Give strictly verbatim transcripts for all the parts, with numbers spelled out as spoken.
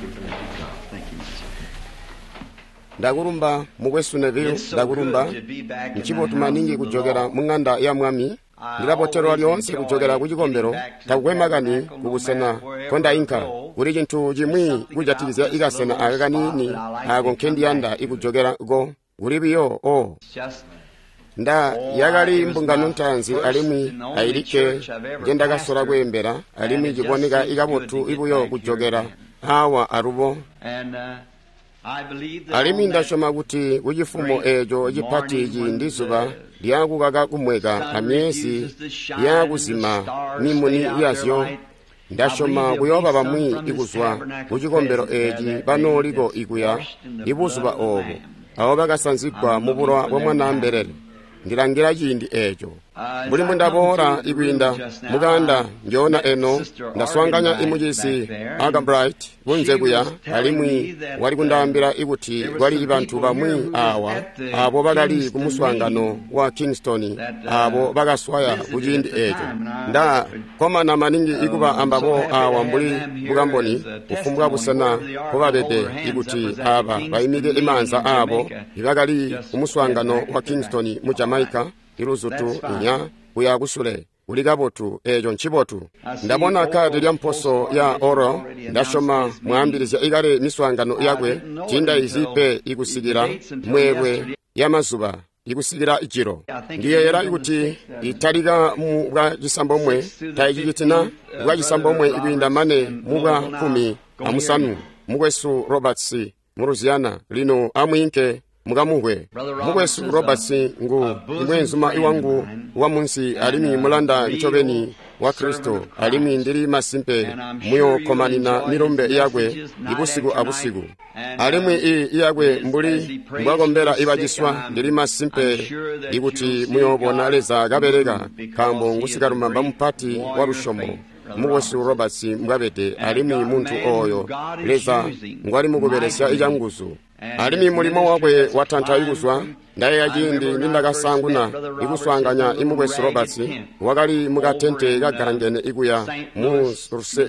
Thank you for letting me come. Thank you, Mister Ndakulumba mukwesu Neville, It's so ndakulumba good to be back in the nchibotu house maningi of the kujokera Lord. mu ng'anda ya mwami. Ndilabotelwa lyoonse kujokera ku cikombelo, takukwe makani kubusena kondainka. Kuli cintu cimwi kujatikizya ikasena aka kaniini ako nkendiyanda ikujokera ko. Kuli biyo o Just nda yakali mbungano ntaanzi alimwi ayilikke njendakasola kweembela, alimwi ciboneka ikabotu ibuyo kujokera awa alubo. and uh, I believe that Alimwi on that ndasyoma kuti kucifumo eeco cipati ciindi zuba lyakukaka kumweka amyezi lyakuzima mimuni yazyo, ndasyoma kuyooba bamwi ikuzwa ku cikombelo eeci banooliko ikuya ibuzuba oobo, abo bakasanzigwa mu bulowa bwa Mwanaambelele. Ndilangila ciindi eeco. Mbuli mbundaboola ikwiinda mukanda njoona eno, ndaswaanganya imucizi Arganbright kunze kuya, alimwi wali kundaambila ikuti kwali bantu bamwi awa abo bakali ku muswaangano wa Kingston abo bakaswaya kuciindi eeco. Nda komana maningi ikuba ambabo awa mbuli bukamboni kufumbwa busena nkobabede ikuti aba baimike imaanza aabo ibakali ku muswaangano wa Kingston mu Jamaica iluzutu inya kuya kusule. Kuli kabotu, eeco ncibotu. Ndabona kadi lya mposo ya oro, ndasyoma mwaambilizya ikale miswaangano yakwe tiindaizi pe ikusikila mweelwe ya mazuba ikusikila ijilo. Ndiyeeyela ikuti italika mu bwa cisambomwe taicicitina bwa cisambomwe ikwiinda mane mu bwa kkumi amusanu. Mukwesu Roberts mu Louisiana lino amwiinke mukamuhwe. Mukwesu Roberts ngu imweenzuma iwangu wa munsi alimwi mulanda ncobeni wa Kristo, alimwi ndili masimpe muyokkomanina milumbe yakwe ibusiku abusiku. Alimwi i iyakwe mbuli mbwakombela ibaciswa, ndili masimpe ikuti muyoobona Leza kabeleka, nkaambo ngusikalumamba mupati wa lusyomo. Mukwesu Roberts mbwabede, alimwi muntu ooyo Leza ngwali mukubelesya icanguzu. Alimwi mulimo wakwe watanta ikuzwa. Ndayeeya ciindi nindakasaanguna ikuswaanganya imukwesu Roberts, wakali mukatente kagalangene ikuya mu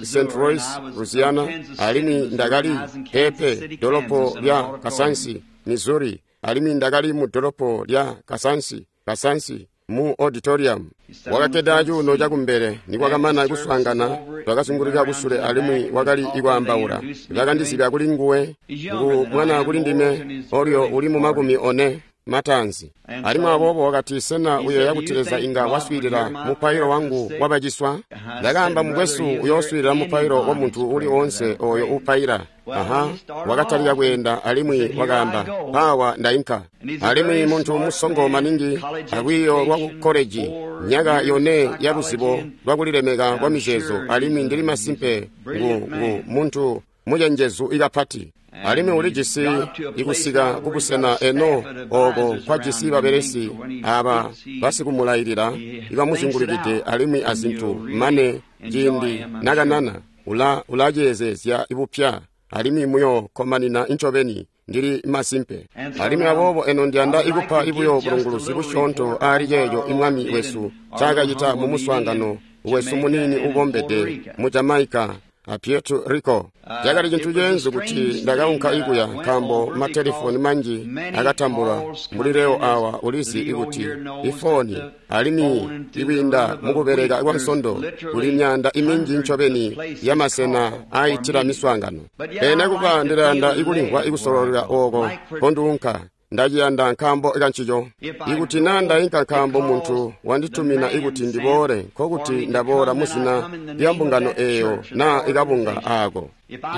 Saint Louis, Louisiana, alimwi ndakali pepe dolopo lya Kasansi, Missouri, alimwi ndakali mu dolopo lya Kasansi, Kasansi mu auditorium. Wakakkede cuuno cakumbele. Nikwakamana kuswaangana, twakazunguluka kusule alimwi wakali ikwaambaula. Bakandizibya kuli nguwe, ngu mwana kuli ndime, olyo uli mu makumi one mataanzi. Alimwi aboobo wakati, sena uyeeya kuti Leza inga waswiilila mupailo wangu wabaciswa? Ndakaamba, mukwesu, uyooswiilila mupailo wa muntu uli oonse ooyo upaila. Aha, wakatalika kweenda alimwi wakaamba, mpaawa ndainka. Alimwi muntu musongo maningi alwiiyo lwa ku koleji, myaka yone ya luzibo lwakulilemeka kwa mizeezo, alimwi ndili masimpe ngu, ngu muntu mucenjezu ikapati. Alimwi ulijisi ikusika kubusena eno ooko nkwajisi babelesi aba basikumulailila ibamuzungulukide alimwi azintu, mane ciindi nakanana ula ulaceezezya ibupya, alimwi muyokkomanina ncobeni, ndili masimpe. Alimwi aboobo eno ndiyanda ikupa ibuyo bulunguluzi busyoonto aali ceeco imwami wesu ncaakacita mu muswaangano wesu muniini ubombede mu Jamaica a Puerto Rico. Cakali cintu ceenzu kuti ndakaunka ikuya, nkaambo matelefoni manji akatambulwa mbuli leo awa ulizi ikuti ifoni, alimwi ikwiinda mukubeleka kwa nsondo kuli myaanda iminji ncobeni ya masena aayitila miswaangano. Pele kuba ndilayanda ikulimvwa ikusololela ooko nkonduunka. Ndaciyanda nkaambo kancico. Ikuti naa ndainka nkaambo muntu wanditumina ikuti ndiboole, nkokuti ndaboola muzina lya mbungano eeyo naa ikabunga aako.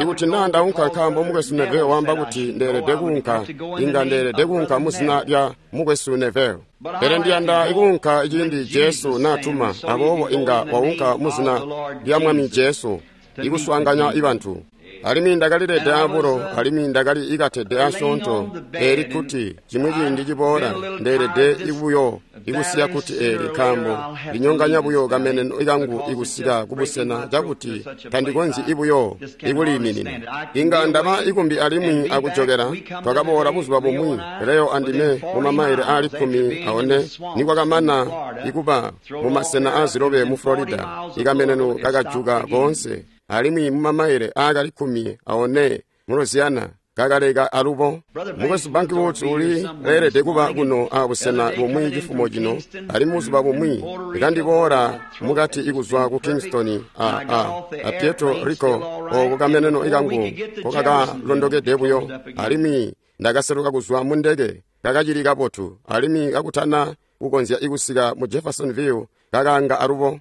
Ikuti naa ndaunka nkaambo mukwesu Neville waamba kuti ndeelede kuunka, inga ndeelede kuunka muzina lya mukwesu Neville. Pele ndiyanda ikuunka ciindi Jesu naatuma, aboobo inga waunka muzina lya Mwami Jesu ikuswaanganya ibantu. Alimwi ndakalilede abulo, alimwi ndakali ikatede asyoonto eeli kuti cimwi ciindi ciboola ndeelede ibuyo ikusiya kuti eeli, nkaambo linyonganya buyo kameneno kangu ikusika kubusena cakuti tandikonzyi ibuyo ikuliiminina. Inga ndaba ikumbi alimwi akujokela. Twakaboola buzuba bumwi Leo andime mumamaile aali kkumi aone nikwakamana ikuba mumasena aazilobe mu Florida, ikameneno kakajuka koonse. Alimwi mu mamaile aakali kkumi aone mu Louisiana kakaleka alubo. Mukwesu Bank Woods uli leelede kuba kuno a busena bumwi cifumo cino, alimwi buzuba bumwi kandiboola mukati ikuzwa ku Kingston a, a, a Puerto Rico, oko kameneno kangu kokakalondokede buyo, alimwi ndakaseluka kuzwa mu ndeke kakacili kabotu, alimwi kakutana kukonzya ikusika mu Jeffersonville kakanga alubo.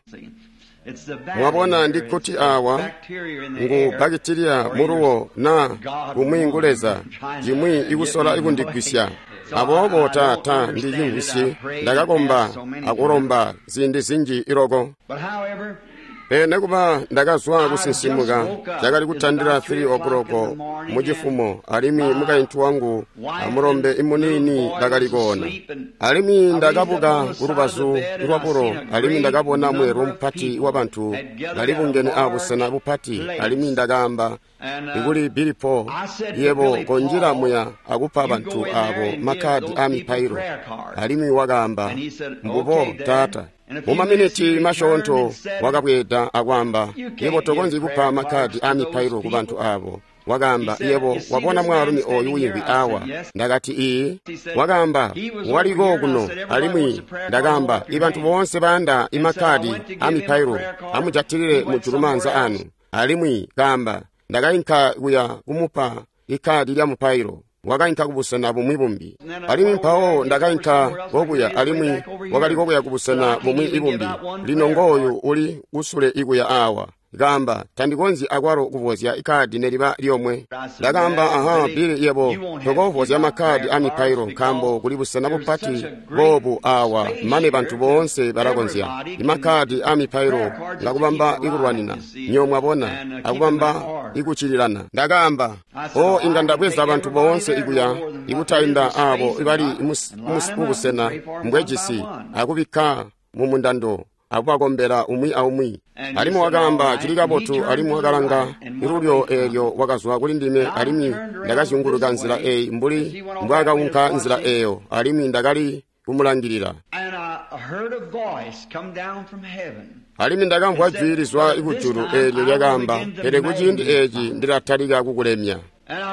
Mwabona ndi kuti awa ngu bakitiliya muluwo na kumwi ngu Leza cimwi ikusola ikundigwisya. Aboobo ta ta ndicimvwisyi, ndakakomba akulomba ziindi zinji iloko. Pele nekuba ndakazwa kusinsimuka, cakali kutandila three o'clock mucifumo, alimwi mukaintu wangu amulombe imuniini bakali koona. Alimwi ndakabuka kulubazu lwabulo, alimwi ndakabona mweelwe mupati wabantu balibungene abusena bupati, alimwi ndakaamba ikuli Billy Paul, yebo konjila muya akupa bantu abo makkadi a mipailo. Alimwi wakaamba, mbubo taata. Mu maminiti masyoonto wakabweeda akwaamba, yebo tokonzyi kupa makkadi a mipailo ku bantu abo. Wakaamba, yebo wabona mwaalumi oyu wiimvwi awa? Ndakati, iyi. Wakaamba, waliko kuno. Alimwi ndakaamba, ibantu boonse bayanda imakkadi a mipailo amujatilile mujulu maanza anu. Alimwi kaamba, ndakainka kuya kumupa ikkadi lya mupailo. Wakainka kubusena bumwi bumbi. Alimwi mpawo ndakainka kokuya, alimwi wakali kokuya kubusena bumwi ibumbi. Lino ngooyu uli kusule ikuya awa. Kaamba, tandikonzyi akwalo kuvozya ikkadi neliba lyomwe. Ndakaamba, aha, Billy, yebo tokovozya makkadi a mipailo nkaambo kuli busena bupati boobu awa mane bantu boonse balakonzya. Imakkadi a mipailo ngakubamba ikulwanina, nyo mwabona, akubamba ikucililana. Ndakaamba, o inga ndabweza bantu boonse ikuya ikutainda abo ibali mubusena mbwejisi akubikka mu mundando akubakombela umwi aumwi. Alimwi wakaamba, cili kabotu. Alimwi wakalanga ilulyo eelyo wakazwa kuli ndime, alimwi ndakazyunguluka nzila eyi mbuli mbwaakaunka nzila eyo, alimwi ndakali kumulangilila. Alimwi ndakamvwa jwi lizwa kujulu eelyo lyakaamba, pele kuciindi eeci ndilatalika kukulemya.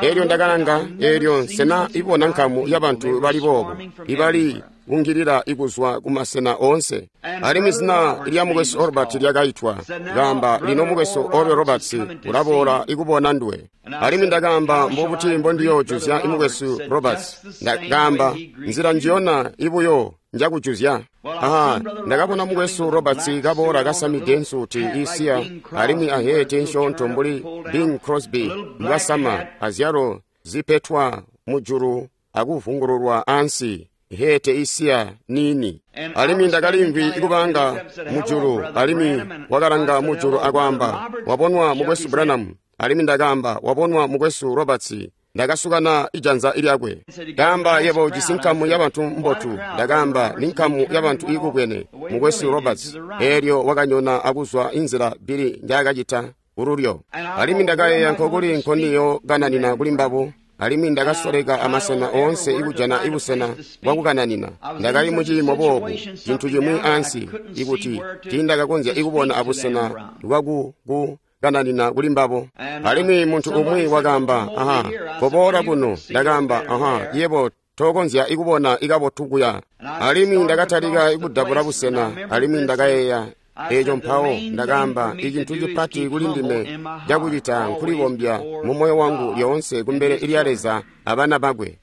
Eelyo ndakalanga, eelyo nsena ibona nkamu yabantu bali boobo ibali kungilila ikuzwa kumasena oonse. Alimwi zina lya mukwesu Robert lyakaitwa. Kaamba, lino mukwesu Oral Roberts ulaboola ikubona nduwe. Alimwi ndakaamba, mbobuti mbondiyojuzya imukwesu Roberts? Ndakaamba, nzila njiyona ibuyo njakujuzya. Aha, ndakabona mukwesu Roberts kaboola kasamide nsuti isiya, alimwi ahete nsyoonto mbuli Bing Crosby mbwasama, azyalo zipetwa mujulu akuvungululwa ansi, hete isiya nini. Alimwi ndakalimvwi ikubanga mujulu, alimwi wakalanga mujulu akwaamba, wabonwa mukwesu Branham. Alimwi ndakaamba, wabonwa mukwesu Roberts. Ndakasukana ijanza lyakwe. Ndaamba, yebo ujisi nkamu yabantu mbotu. Ndakaamba, ni nkamu yabantu iikubwene, mukwesu Roberts. Eelyo wakanyona akuzwa inzila Billy njaakacita kululyo. Alimwi ndakayeeya nkokuli nkondiyo kananina kuli mbabo. Alimwi ndakasoleka amasena oonse ikujana ibusena bwakukananina. Ndakali muciimo boobu, cintu cimwi ansi, ikuti tiindakakonzya ikubona abusena bwakukananina kuli mbabo. Alimwi muntu umwi wakaamba, aha, koboola kuno. Ndakaamba, aha, yebo tokonzya ikubona ikabotu kuya. Alimwi ndakatalika ikudabula busena, alimwi ndakayeeya eeco mpawo. Ndakaamba, icintu cipati kuli ndime cakucita nkulibombya mu moyo wangu lyoonse kumbele lya Leza abana bakwe.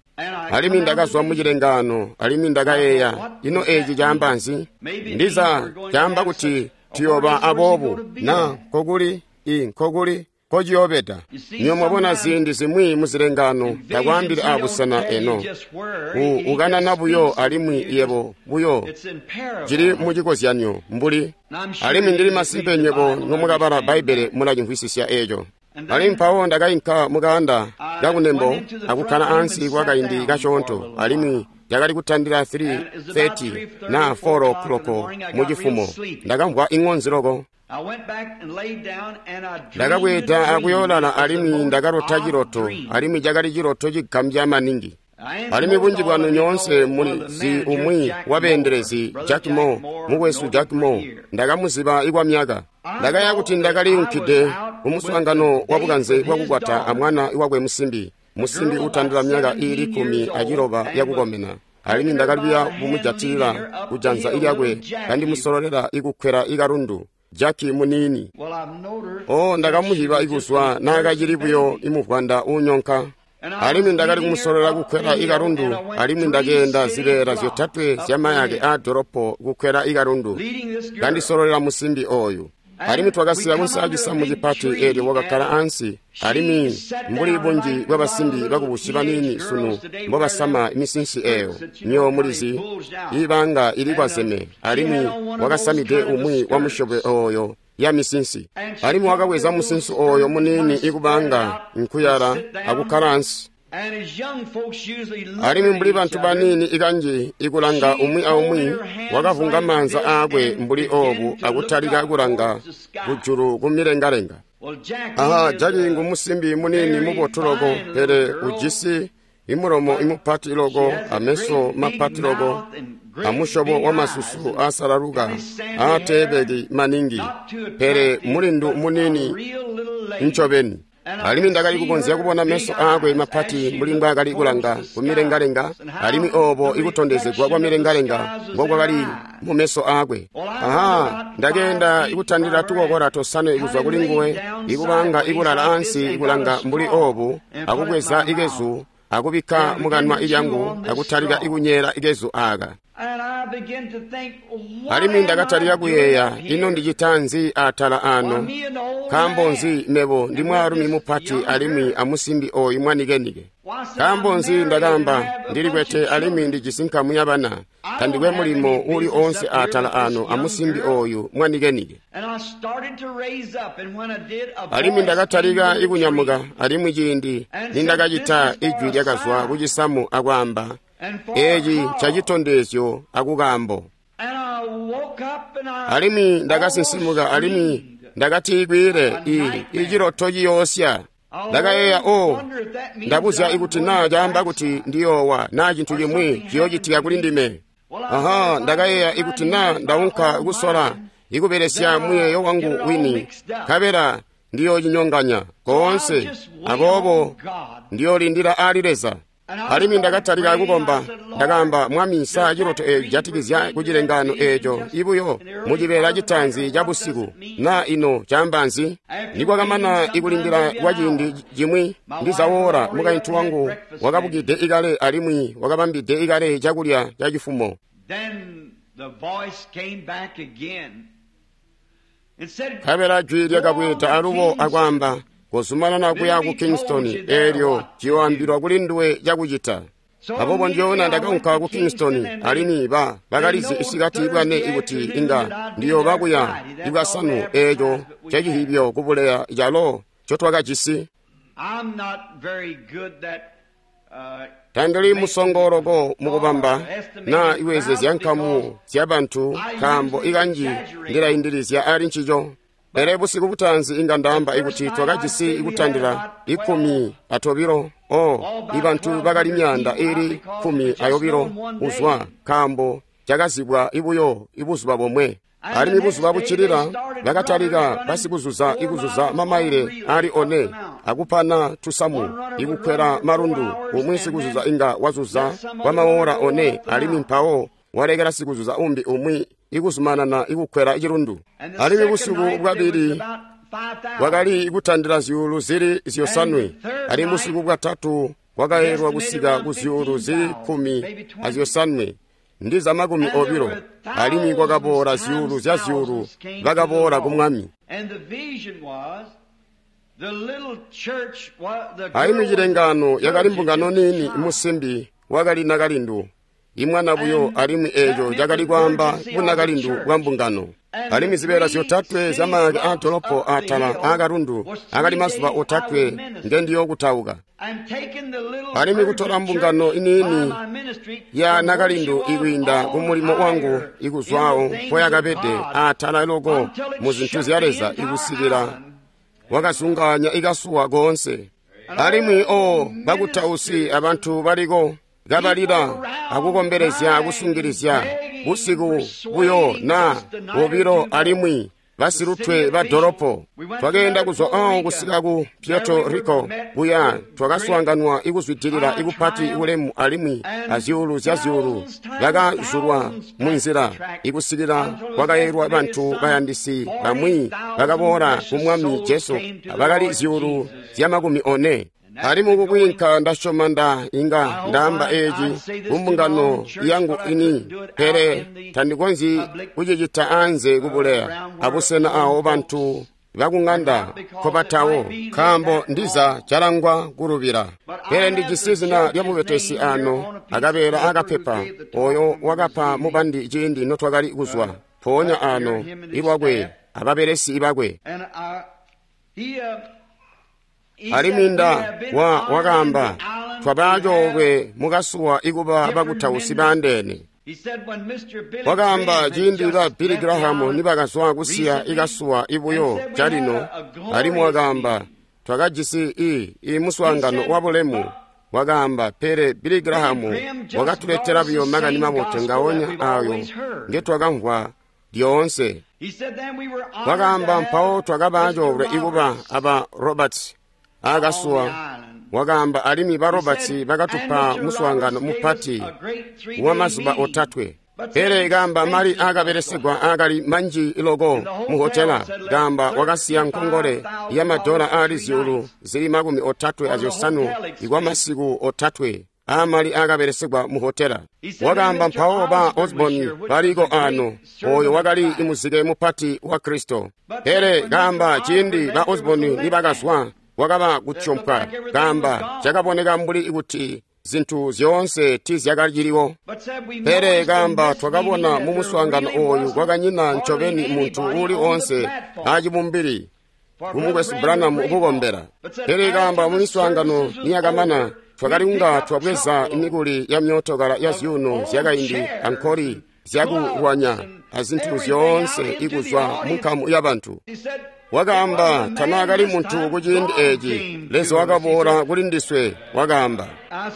Alimwi ndakazwa mucilengaano, alimwi ndakayeeya, ino eeci caamba nzi? Ndiza caamba kuti tuyooba aboobu, na nkokuli i nkokuli kociyobeda. Nyo mwabona ziindi zimwi muzilengaano takwaambili abusena eno. Ukanana buyo alimwi yebo buyo cili mucikozyanyo mbuli. Alimwi ndili masimpe nywebo nomukabala Bbaibbele mulacimvwisisya eeco. Alimwi mpawo ndakainka mukaanda kakunembo akukkala ansi kwa kaindi kasyoonto, alimwi cakali kutandila three thirty na four o'clock mucifumo. Ndakamvwa iŋonzi loko. Ndakabweeda akuyoolala, alimwi ndakalota ciloto, alimwi cakali ciloto cigambya maningi. Alimwi bunji bwanu nyoonse mulizi umwi wabeendelezi, Jack Moore, mukwesu Jack Moore. Ndakamuziba kwa myaka. Ndakaya kuti ndakaliunkide kumuswaangano wabukanze bwakukwata amwana wakwe musimbi, musimbi utandila myaka iili kkumi aciloba yakukomena. Alimwi ndakali kumujatilila kujanza lyakwe kandimusololela ikukwela ikalundu, Jack muniini. O, ndakamuziba ikuzwa naakacili buyo imuvwanda uunyonka. Alimwi ndakali kumusololela kukwela ikalundu, alimwi ndakeenda zibeela zyotatwe zyamayake aadolopo kukwela ikalundu, kandisololela musimbi ooyu. Alimwi twakasika kunsi aacisamu cipati, eelyo wakakkala ansi. Alimwi mbuli bunji bwabasimbi bakubusi baniini sunu mbobasama misinsi eeyo, nyo mulizi, ibanga ilikwazeme, alimwi wakasamide umwi wa musyobo ooyo ya misinsi. Alimwi wakabweza musinsi ooyo muniini ikubanga nkuyala akukkala ansi. Alimwi mbuli bantu baniini ikanji ikulanga umwi aumwi, wakavunga maanza aakwe mbuli oobu akutalika kulanga kujulu kumilengalenga. Aha, Jaki ngumusimbi muniini mubotu loko, pele ujisi imulomo imupati loko, ameso mapati loko, amusyobo wamasusu aasalaluka aateebeki maningi, pele mulindu muniini ncobeni. Alimwi ndakali kukonzya kubona meso aakwe mapati mbuli mbwaakali kulanga kumilengalenga, alimwi oobo ikutondezegwa kwa milengalenga mbokwakali mu meso aakwe. Aha, ndakeenda ikutandila tukokola tosanwe kuzwa kuli nguwe, ikubanga ikulala ansi ikulanga mbuli oobu, akubweza ikezu akubikka mukanwa ilyangu akutalika ikunyeela ikezu aaka. Alimwi ndakatalika kuyeeya, ino ndicita nzi atala ano? Nkaambo nzi mebo ndi mwaalumi mupati alimwi amusimbi ooyu mwanikenike? Nkaambo nzi ndakaamba ndilikwete alimwi ndijisi nkamu yabana, tandikwe mulimo uuli oonse atala ano amusimbi ooyu mwanikenike. Alimwi ndakatalika ikunyamuka, alimwi ciindi nindakacita, ijwi lyakazwa kucisamu akwaamba, eeci ncacitondezyo akukaambo. Alimwi ndakasinsimuka, alimwi ndakati kwiile i iciloto ciyoosya. Ndakayeeya, o, ndabuzya ikuti naa caamba kuti ndiyoowa naa cintu cimwi ciyoocitika kuli ndime. Aha, ndakayeeya ikuti naa ndaunka kusola ikubelesya muyeeyo wangu wini, nkabela ndiyoocinyonganya koonse, aboobo ndiyoolindila aali Leza. Alimwi ndakatalika kukomba. Ndakaamba, Mwami, sa ciloto eeco cijatikizya kucilengano eeco ibuyo mucibeela citaanzi ca busiku, naa ino caamba nzi? Nikwakamana ikulindila kwa ciindi cimwi, ndizawoora, mukaintu wangu wakabukide ikale alimwi wakabambide ikale cakulya ca cifumo. Nkabela jwi lyakabweeda alubo akwaamba, kozumanana kuya ku Kingston, eelyo ciyoambilwa kuli nduwe cakucita. Aboobo ndyoona ndakaunka ku Kingston, alimwi ba bakalizi isikati bwane ikuti inga ndiyooba kuya ibwasanu eeco cacihibyo kubuleya calo ncotwakajisi. Tandili musongo loko mukubamba naa iweezezya nkamu zyabantu, nkaambo ikanji ndilaindilizya ali ncico. Pele busiku butaanzi inga ndaamba ikuti twakajisi ikutandila ikkumi atobilo, o ibantu bakali myaanda iili kkumi ayobilo kuzwa, nkaambo cakazibwa ibuyo ibuzuba bomwe. Alimwi buzuba buccilila bakatalika basikuzuza ikuzuza mamaile ali one akupana tusamu ikukwela malundu. Umwi sikuzuza inga wazuza kwa maora one, alimwi mpawo walekela sikuzuza umbi umwi ikuzumanana ikukwela cilundu. Alimwi busiku bwabili bwakali ikutandila zyuulu zili zyosanwe, alimwi busiku bwatatu bwakaelwa kusika ku zyuulu zili kkumi azyosanwe ndiza makumi obilo, alimwi kwakaboola zyuulu zya zyuulu bakaboola ku Mwami. Alimwi cilengano yakali mbungano niini, musimbi wakali nakalindu, imwana buyo, alimwi eeco cakali kwaamba bunakalindu bwa mbungano. Alimwi zibeela zyotatwe zyamayake aadolopo atala aakalundu akali mazuba otatwe ngendiyokutauka. Alimwi kutola mbungano iniini ya nakalindu ikwiinda kumulimo wangu ikuzwawo mpoyakabede atala loko mu zintu zya Leza ikusikila wakazungaanya ikasuwa koonse. Alimwi o bakutausi abantu baliko Kabalila akukombelezya akusungilizya busiku buyo na bobilo alimwi basilutwe ba dolopo. Twakeenda kuzwa awo kusika ku Puerto Rico kuya twakaswaanganwa ikuzwidilila ikupati kulemu alimwi azyuulu zya zyuulu bakazulwa munzila ikusikila kwakayelwa bantu bayandisi bamwi bakaboola ku Mwami Jesu bakali zyuulu zya makumi one. Alimwi kukwiinka ndasyoma nda inga ndaamba eeci kumbungano yangu ini, pele tandikonzyi kucicita anze kubuleya abusena awo bantu bakung'anda nkobatawo, nkaambo ndiza calangwa kulubila. Pele ndijisi zina lya mubetesi ano akabeela akapepa oyo wakapa mubandi ciindi notwakali kuzwa mpoonya ano ilwakwe ababelesi bakwe. Alimwi nda wa wakaamba twaba coolwe mukasuwa ikuba bakutausi baandeene. Wakaamba ciindi ba Billy Graham nibakazwa kusiya ikasuwa ibuyo calino, alimwi wakaamba twakajisi i i muswaangano wa bulemu. Wakaamba pele Billy Graham wakatuletela buyo makani mabotu ngaonya ayo ngetwakamvwa lyoonse. Wakaamba mpawo twakaba coolwe ikuba aba Roberts akasuwa. Wakaamba alimwi ba Roberts bakatupa muswaangano mupati wa mazuba otatwe. Pele kaamba mali akabelesegwa akali manji loko mu hotela. Kaamba wakasiya nkongole ya madola ali zyuulu zili makumi otatwe azyosanu ikwa masiku otatwe amali akabelesegwa mu hotela. Wakaamba mpawo ba Osborne baliko ano, oyo wakali imuzike mupati wa Kristo. Pele kaamba ciindi ba Osborne nibakazwa wakaba kutyompwa. Kaamba cakaboneka mbuli kuti zintu zyoonse tizyakaciliwo. Pele kaamba twakabona mu muswaangano oyu kwakanyina ncobeni muntu uuli onse acibumbili kumukwesu Branham kukombela. Pele kaamba mu miswaangano niyakamana twakali kunga twabweza mikuli ya myootokala ya zyuuno zyakaindi ankoli zyakulwanya azintu zyoonse ikuzwa mu nkamu ya bantu. Wakaamba tanaakali muntu kuciindi eeci, Leza wakaboola kuli ndiswe. Wakaamba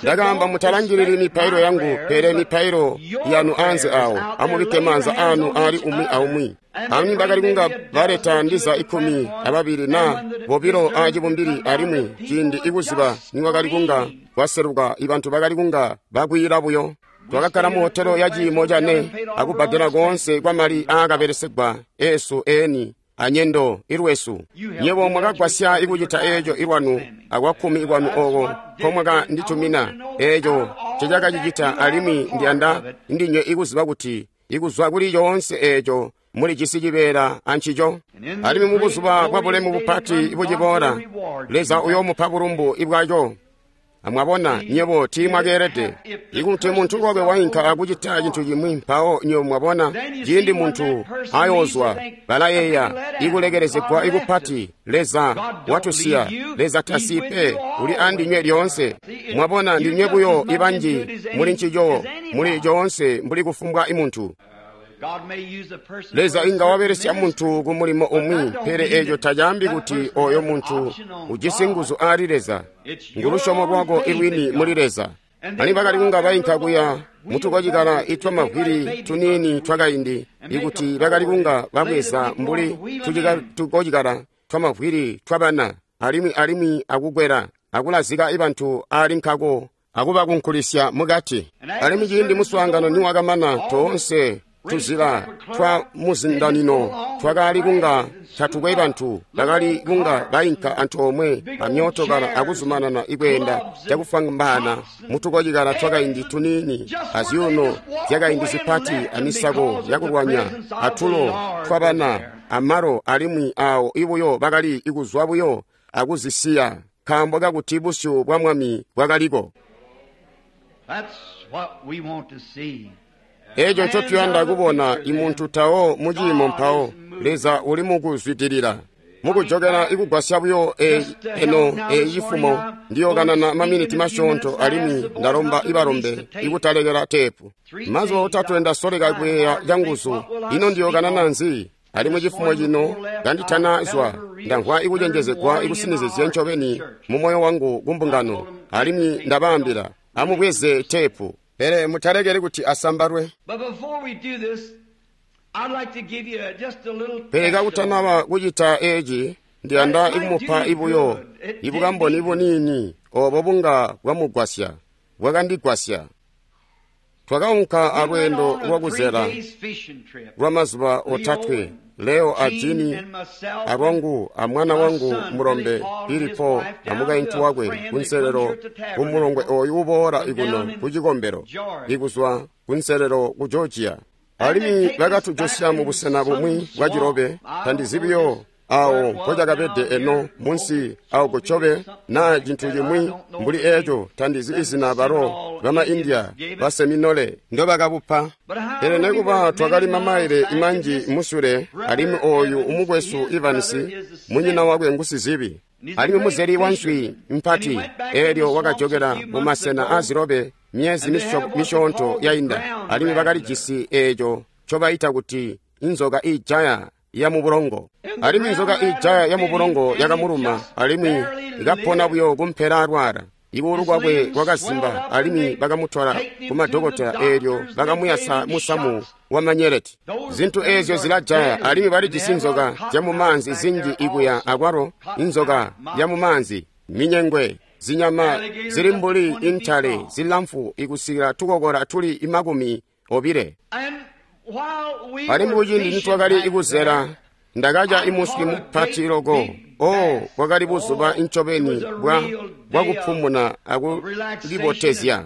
ndakaamba mutalangilili mipailo yangu, pele mipailo yanu anze awo, amubikke maanza anu ali umwi aumwi. Alimwi bakali kunga baleta ndiza ikumi ababili na bobilo acibumbili, alimwi ciindi ikuziba nikwakali kunga kwaseluka ibantu bakali kunga bakwiila buyo. Twakakkala mu hotelo ya ciimo cane akubbadela koonse kwa mali aakabelesegwa eesu eni anyendo ilwesu. Nyebo mwakagwasya ikucita eeco ilwanu akwakkumi ikwanu oko nkomwakanditumina. Eeco ncecakacicita, alimwi ndiyanda ndinywe ikuziba kuti ikuzwa kuli coonse eeco mulijisi cibeela ancico. Alimwi mubuzuba bwa bulemu bupati buciboola, Leza uyoomupa bulumbu ibwaco. Amwabona, nyebo tiimwakeelede. Ikuti muntu lwakwe wainka akucita cintu chimwi, mpawo nywebo mwabona ciindi muntu ayoozwa, balayeeya ikulekelezegwa ikupati, Leza watusiya, Leza tasiyi pe, uli andinywe lyoonse. Mwabona, ndinywe buyo ibanji muli ncico, muli coonse mbuli kufumbwa imuntu. Leza inga wabelesya muntu ku mulimo umwi, pele eeco tacaambi kuti oyo muntu ujisi nguzu ali Leza. Ngulusyomo lwako ilwini muli Leza. Ani bakali kunga bainka kuya mutukocikala itwa mavwili tuniini twakaindi, ikuti bakali kunga babweza mbuli tukocikala twa mavwili twabana, alimwi alimwi akukwela akulazika ibantu ali nkako akubakunkulisya mukati. Alimwi ciindi muswaangano niwakamana, toonse tuzila twa muzindanino twakali kunga tatukwe bantu, bakali kunga bainka antoomwe amyootokala akuzumanana ikweenda cakufwambaana mutukocikala twakaindi tuniini azyuuno zyakaindi zipati amisako yakulwanya atulo twabana amalo, alimwi awo ibuyo bakali ikuzwa buyo akuzisiya nkaambo kakuti busyu bwa Mwami bwakaliko. Eeco ncotuyanda kubona imuntu tawo muciimo mpawo Leza uli mukuzwidilila mukujokela ikugwasya buyo e, eno eyi cifumo ndiyokanana maminiti masyoonto, alimwi ndalomba ibalombe ikutalekela teepu. Mazuba otatwe ndasoleka kuyeeya canguzu, ino ndiyokanana nzi? Alimwi cifumo cino kanditanazwa ndamvwa ikucenjezegwa ikusinizizye ncobeni mu moyo wangu kumbungano, alimwi ndabaambila Amubweze teepu, pele mutalekeli kuti asambalwe. Pele kakutanaba kucita eci, ndiyanda ikumupa ibuyo ibukamboni buniini obo bunga bwamugwasya, bwakandigwasya. Twakaunka alweendo lwakuzela lwamazuba otatwe, Leo a Jini alwangu amwana wangu mulombe Billy Paul amukaintu wakwe kunselelo kumulongwe oyu uboola ikuno kucikombelo ikuzwa kunselelo ku Georgia. Alimwi bakatujosya mubusena bumwi bwa cilobe, tandizibiyo awo mpocakabede eno munsi awo kucobe naa cintu cimwi mbuli eco, tandizi izina balo bama India baseminole ndobakabupa. Pele nekuba twakali mamaile imanji musule, alimwi oyu umukwesu Evans munyina wakwe ngusizibi alimwi muzeli wa nswi mpati, eelyo wakajokela mumasena azilobe myezi misyoonto yainda, alimwi bakalijisi eeco ncobaita kuti inzoka iijaya ya mubulongo. Alimwi inzoka iijaya ya mubulongo yakamuluma, alimwi ikapona buyo kumpela alwala. Ikuulu kwakwe kwakazimba, alimwi bakamutola kumadokotela, eelyo bakamuyasa musamu wa manyeleti. Zintu eezyo zilajaya, alimwi balijisi nzoka zyamumaanzi zinji ikuya akwalo inzoka yamumaanzi, minyengwe, zinyama zili mbuli intale zilamfu ikusikila tukokola tuli imakumi obile. Alimwi kuciindi nitwakali ikuzela, ndakaca imuswi mupati loko. Oh, bwakali buzuba incobeni bwa bwakupumuna akulibotezya.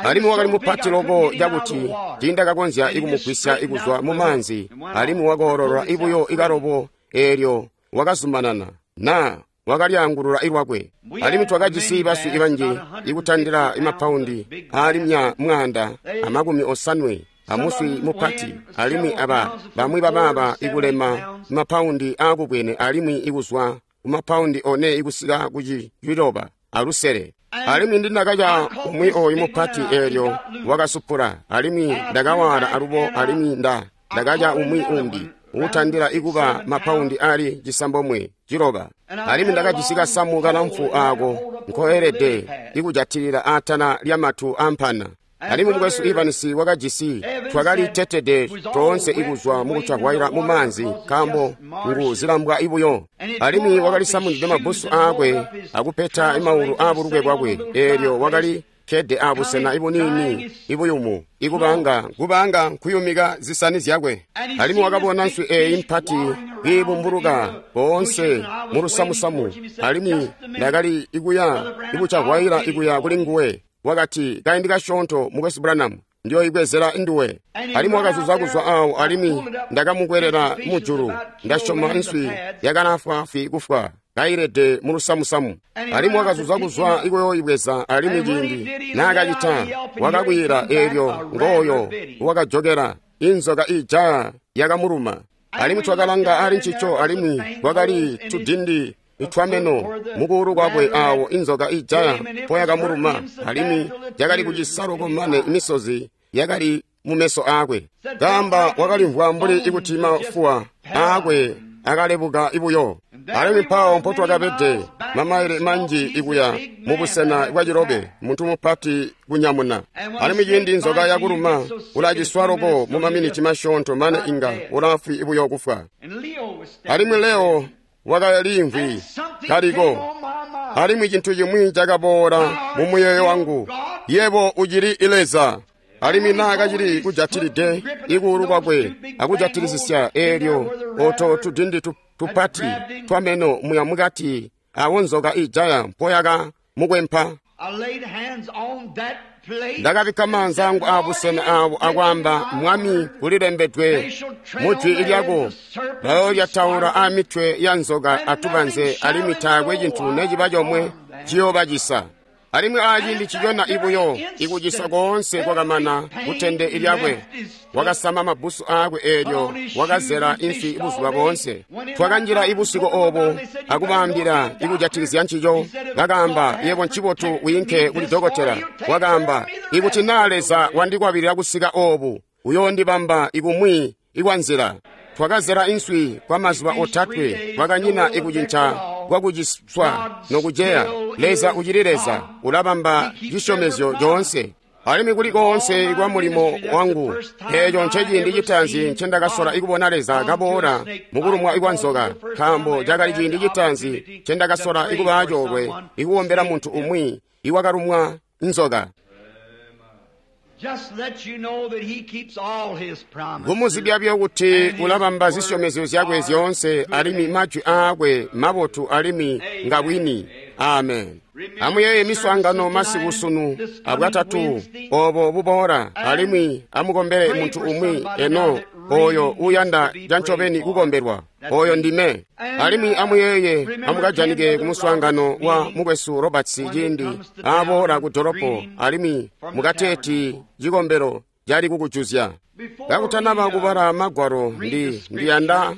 Alimwi wakali mupati loko cakuti tiindakakonzya ikumugwisya ikuzwa mumaanzi, alimwi wakoololwa ibuyo ikalobo eelyo wakazumanana naa wakalyaangulula ilwakwe. Alimwi twakajisi baswi ibanji ikutandila imapaundi aali mwaanda amakumi osanwe amuswi mupati, alimwi aba bamwi babaaba ikulema mapaundi aakubwene alimwi ikuzwa kumapaundi one ikusika kuciloba alusele. Alimwi ndinakaca umwi oyu mupati eelyo wakasupula, alimwi ndakawaala alubo, alimwi nda ndakaca umwi umbi uutandila ikuba mapaundi ali cisambomwe ciloba. Alimwi ndakajisi kasamu kalamfu aako nkoelede ikujatilila aatala lyamatu ampana. Alimwi mukwesu Evans wakajisi, twakali tetede toonse ikuzwa mukucavwaila mumaanzi nkaambo ngu zilambwa ibuyo. Alimwi wakali samundide mabbusu aakwe akupeta imaulu aabulukwe bwakwe, eelyo wakali kkede abusena ibuniini ibuyumu ikubanga kubanga nkuyumika zisani zyakwe. Alimwi wakabona nswi eeyi mpati kiibumbuluka boonse mulusamusamu, alimwi ndakali ikuya ikucavwaila ikuya kuli nguwe. Wakati, kaindi kasyoonto mukwesu Branham, ndiyoibwezela nduwe. Alimwi wakazuza kuzwa awo, alimwi ndakamukwelela mujulu. Ndasyoma nswi yakalafwaafwi kufwa kailede mulusamusamu. Alimwi wakazuza kuzwa ikuyoibweza, alimwi ciindi naakacita wakakwila, eelyo ngooyo wakajokela inzoka iijaya yakamuluma. Alimwi twakalanga ali ncico, alimwi kwakali tudindi itwameno mukuulu kwakwe awo inzoka ijaya mpoyakamuluma, alimwi yakali kucisa loko mane imisozi yakali mumeso aakwe. Kaamba wakalimvwa mbuli ikuti mafuwa aakwe akalebuka ibuyo. Alimwi mpawo mpotwakabede mamaile manji ikuya mubusena bwa cilobe, muntu mupati kunyamuna. Alimwi ciindi nzoka yakuluma ulaciswa loko mumaminiti masyoonto mane inga ulafwi ibuyo kufwa. Alimwi Leo wakalimvwi kaliko, alimwi cintu cimwi cakaboola mu muyeeyo wangu, yebo ucili Leza. Alimwi naakacili kujatilide ikuulu kwakwe akujatilisisya, eelyo oto tudindi tupati twameno muya mukati awo nzoka ijaya mpoyaka mukwempa. Ndakabikka maanza angu aabusena awo akwaamba, Mwami, kulilembedwe mu jwi lyako, bayolyataula aamitwe ya nzoka atubanze, alimwi taakwe cintu neciba comwe ciyoobacisa. Alimwi aaciindi cicona ibuyo ikucisa koonse kwakamana kutende lyakwe. Wakasama mabbusu aakwe eelyo wakazela inswi buzuba boonse. Twakanjila ibusiku obo akubaambila ikujatikizya ncico. Bakaamba, yebo ncibotu wiinke kuli dokotela. Wakaamba, ikuti naa Leza wandikwabilila kusika obu, uyoondibamba ikumwi ikwanzila. Twakazela inswi kwa mazuba otatwe, kwakanyina ikucinca kwakuciswa nokuceya. Leza ucili Leza, ulabamba cisyomezyo coonse. Alimwi kuli koonse kwa mulimo wangu, eeco nceciindi citaanzi ncendakasola ikubona Leza kaboola mukulumwa kwa nzoka, nkaambo cakali ciindi citaanzi ncendakasola ikubaa coolwe ikukombela muntu umwi iwakalumwa nzoka. Just let you know that he keeps all his promises. Kumuzibya buyo kuti ulabamba zisyomezyo zyakwe zyoonse, alimwi majwi aakwe mabotu alimwi ngabwini. Amen. Amuyeeye miswaangano masiku sunu abwatatu obo buboola, alimwi amukombele muntu umwi eno oyo uyanda cancobeni kukombelwa, oyo ndime. Alimwi amuyeeye amukajanike kumuswaangano wa mukwesu Roberts ciindi aboola ku dolopo, alimwi mukateeti cikombelo cali kukujuzya. Kakutanaba kubala magwalo, ndi ndiyanda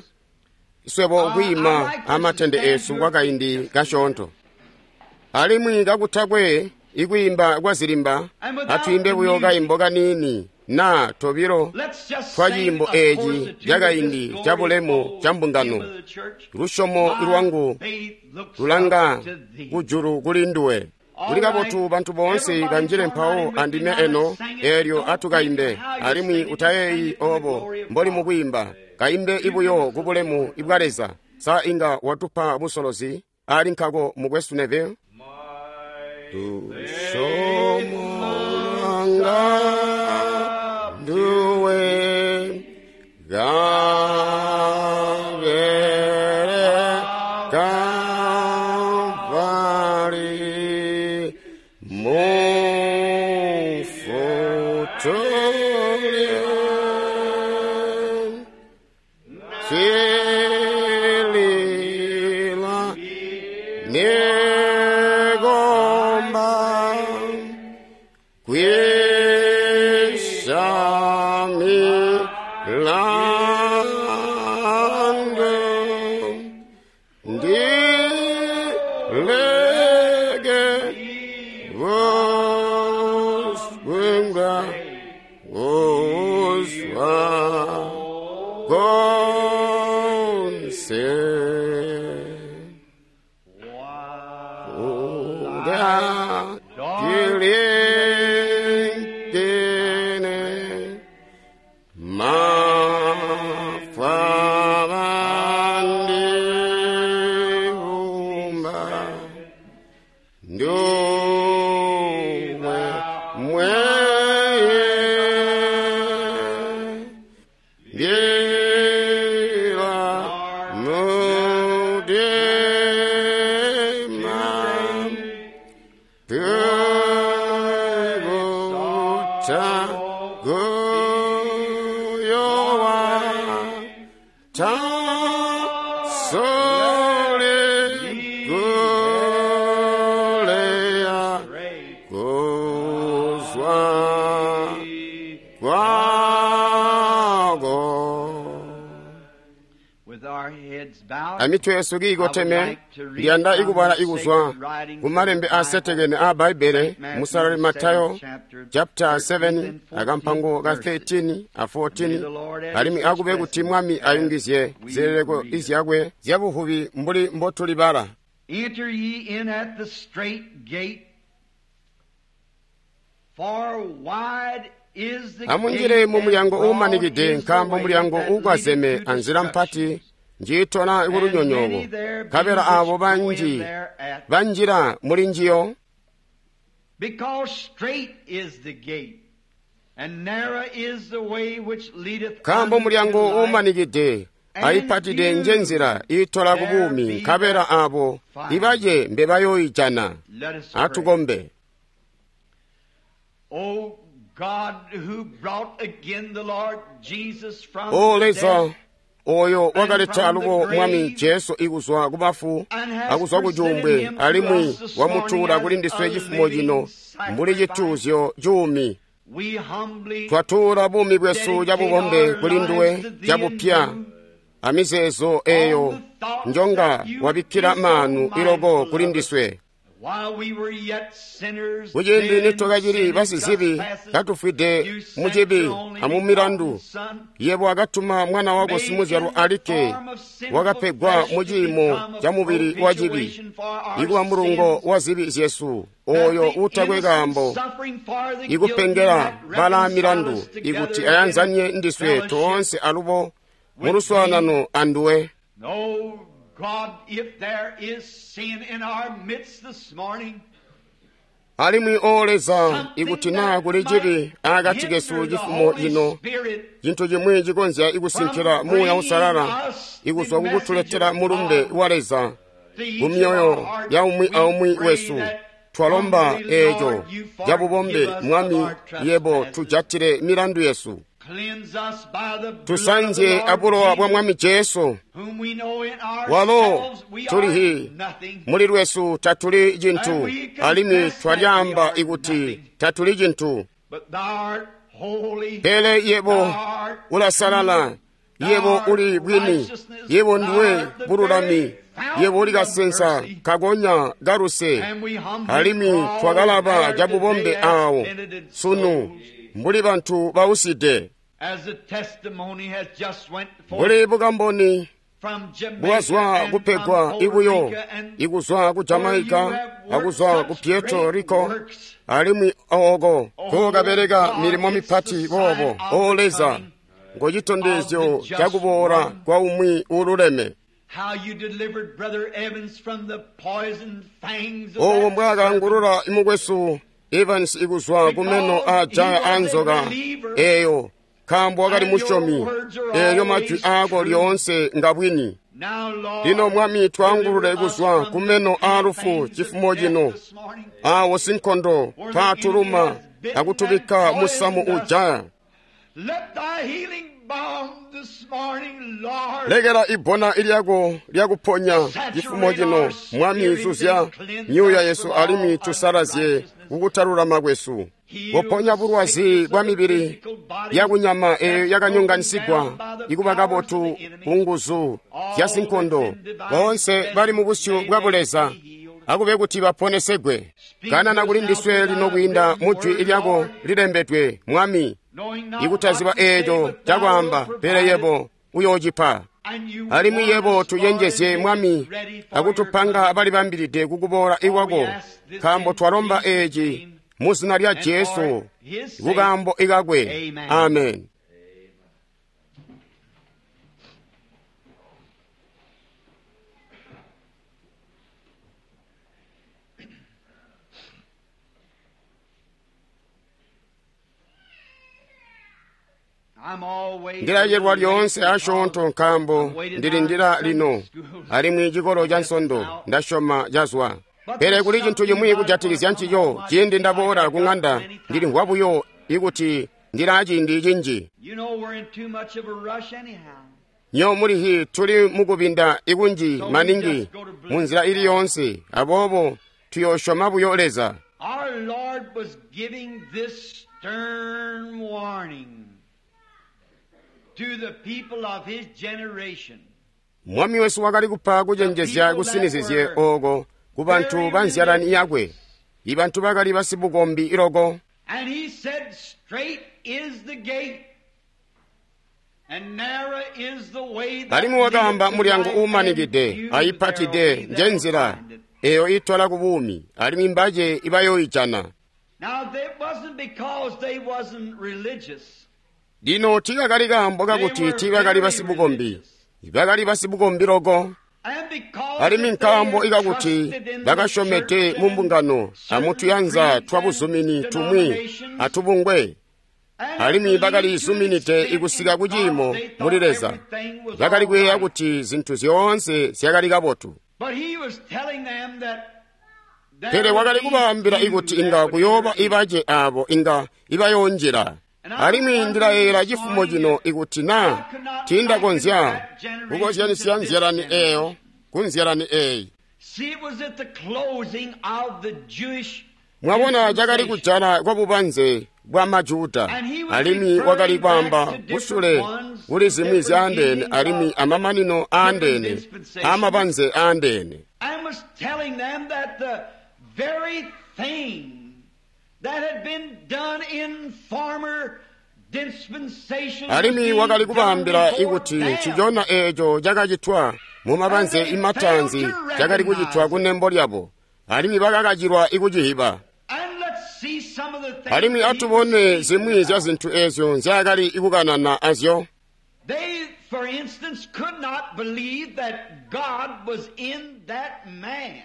swebo kwiima amatende esu kwakaindi kasyoonto. Alimwi kakutakwe ikwiimba kwa zilimba, atwiimbe buyo kaimbo kaniini na tobilo Let's just twa sing ciimbo a eeci chorus or two cakaindi of this ca bulemu glorious ca mbungano. hymn of the church. Lusyomo My lwangu faith looks lulanga up to thee. kujulu kuli nduwe. Kuli kabotu bantu boonse banjile mpawo andime eno, eelyo atukaimbe. Alimwi utayeeyi obo mboli mukwiimba, kaimbe ibuyo ku bulemu ibwa Leza. Sa inga watupa busolozi ali nkako mukwesu Neville? Lusyomo lwanga nduwe gabere Kalvari mufutule silila negomba kwisami lando ndilege voswenga woswa konse uda kilingene mafavandihumba nduwe mweye ndila mudima Peguta guyowa ta sole gulea kuzwa kwago. With our heads bowed, Amitwe yesu kiikoteme, ndiyanda ikubala ikuzwa kumalembe asetekene a Bbaibele musalali Matayo chapter seven akampango ka thirteen a fourteen, alimwi akube kuti Mwami ayungizye zileleko izyakwe zyabuvubi mbuli mbotulibala. Enter ye in at the strait gate, for wide is the Amunjile gate mu mulyango and broad uumanikide, is the nkaambo way mulyango that uukwazeme leadeth to anzila mpati destruction. njiitola kulunyonyooko, nkabela abo banji banjila muli njiyo. Because strait is the gate, and narrow is the way which leadeth nkaambo unto mulyango life, uumanikide ayipatide nje nzila iitola ku buumi, nkabela abo ibace mbe bayooijana. Let us pray. Atukombe. O God who brought again the Lord Jesus from O Leza, death, oyo wakaleta alubo Mwami Jesu ikuzwa ku bafu akuzwa ku cuumbwe, alimwi wamutuula kuli ndiswe cifumo cino mbuli cituuzyo cuumi, we humbly twatuula buumi bwesu cabubombe kuli nduwe cabupya, amizeezo eyo njonga wabikkila maanu iloko kuli ndiswe. Kuciindi nitwakacili basizibi katufwide mucibi amumilandu, yebo wakatuma mwana wako simuzyalwa alikke wakapegwa muciimo ca mubili wa cibi, ikuba mulungo wa zibi zyesu, oyo uutakwe kaambo, ikupengela balaa milandu, ikuti ayanzanye ndiswe toonse alubo muluswaanano anduwe. Alimwi o Leza, ikuti naa kuli cibi akati kesu cifumo cino, cintu cimwi cikonzya ikusinkila Muuya Uusalala ikuzwa kukutuletela mulumbe wa Leza kumyoyo ya umwi aumwi wesu, twalomba eeco cabubombe, Mwami, yebo tujatile milandu yesu. Tusanzye abulowa bwa Mwami Jesu, walo tulihi muli lwesu tatuli cintu, alimwi twalyaamba ikuti tatuli cintu. Pele yebo ulasalala, yebo uli bwini, yebo ndiwe bululami, yebo uli kasensa kagonya kaluse, alimwi twakalaba cabubombe aawo sunu mbuli bantu bauside. Mbuli bukamboni bwazwa kupegwa ibuyo ikuzwa ku Jamaica akuzwa ku Puerto Rico, alimwi ooko kokabeleka milimo mipati boobo. O Leza, ngocitondezyo cakuboola kwa umwi uululeme. Owo mbwaakaangulula mukwesu Evans ikuzwa kumeno aajaya anzoka eeyo, nkaambo wakali musyomi. Eeyo majwi aako lyoonse ngabwini. Lino Mwami, twaangulule kuzwa kumeno aalufu cifumo cino, aawo sinkondo paatuluma akutubikka musamu ujaya. Lekela ibbona lyako lyakuponya cifumo cino, Mwami, zuzya myuuya yesu alimwi tusalazye kukutalulama kwesu. Kuponya bulwazi bwa mibili yakunyama eeyo yakanyonganisigwa ikuba kabotu ku nguzu zya sinkondo. Boonse bali mu busyu bwa Buleza akube kuti baponesegwe. Kanana kuli ndiswe lino kwiinda mu jwi lyako lilembedwe, Mwami, ikutaziba eeco cakwaamba, pele yebo uyoocipa. Alimwi yebo tucenjezye, Mwami, akutupanga balibambilide kukuboola ikwako, nkaambo twalomba eeci mu zina lya Jesu, kukaambo ikakwe. Amen. Ndilacelwa lyoonse asyoonto nkaambo ndilindila lino, alimwi cikolo ca Nsondo ndasyoma cazwa. Pele kuli cintu cimwi kujatikizya ncico, ciindi ndaboola ku ŋanda ndilimvwa buyo ikuti ndilaa ciindi cinji. Nyo mulihi tuli mukubinda ikunji maningi munzila ili yoonse, aboobo tuyoosyoma buyo Leza. Mwami wesu wakali kupa kucenjezya kusinizizye ooko ku bantu ba nzyalani yakwe, ibantu bakali basibukombi iloko. Alimwi wakaamba mulyango uumanikide ayipatide njenzila eyo itola ku buumi, alimwi mbace ibayooijana. Lino tiikakali kaambo kakuti tiibakali basibukombi, bakali basibukombi loko. Alimwi nkaambo ikakuti bakasyomede mu mbungano amutuyanza twa buzumini tumwi atubungwe, alimwi bakali zuminide ikusika ku ciimo muli Leza, bakali kuyeeya kuti zintu zyoonse zyakali kabotu. Pele wakali kubaambila ikuti inga kuyooba ibace aabo inga ibayoonjila. Alimwi ndilayeeyela cifumo cino ikuti naa tiindakonzya kukozyanisya nzyalani eeyo ku nzyalani eeyi. Mwabona, cakali kujala kwa bubanze bwa Majuda, alimwi wakali kwaamba kusule kuli zimwi zyaandeene alimwi amamanino aandeene amabanze aandeene. very thing that had been done in former dispensations Alimwi wakali being done kubaambila before ikuti them. ncicona eeco cakacitwa mu mabanze imatanzi cakali kucitwa kunembo lyabo, alimwi bakakacilwa ikucihiba. And let's see some of the things Alimwi that he atubone was zimwi speaking zya about. zintu eezyo nzyaakali kukanana azyo. They, for instance, could not believe that God was in that man.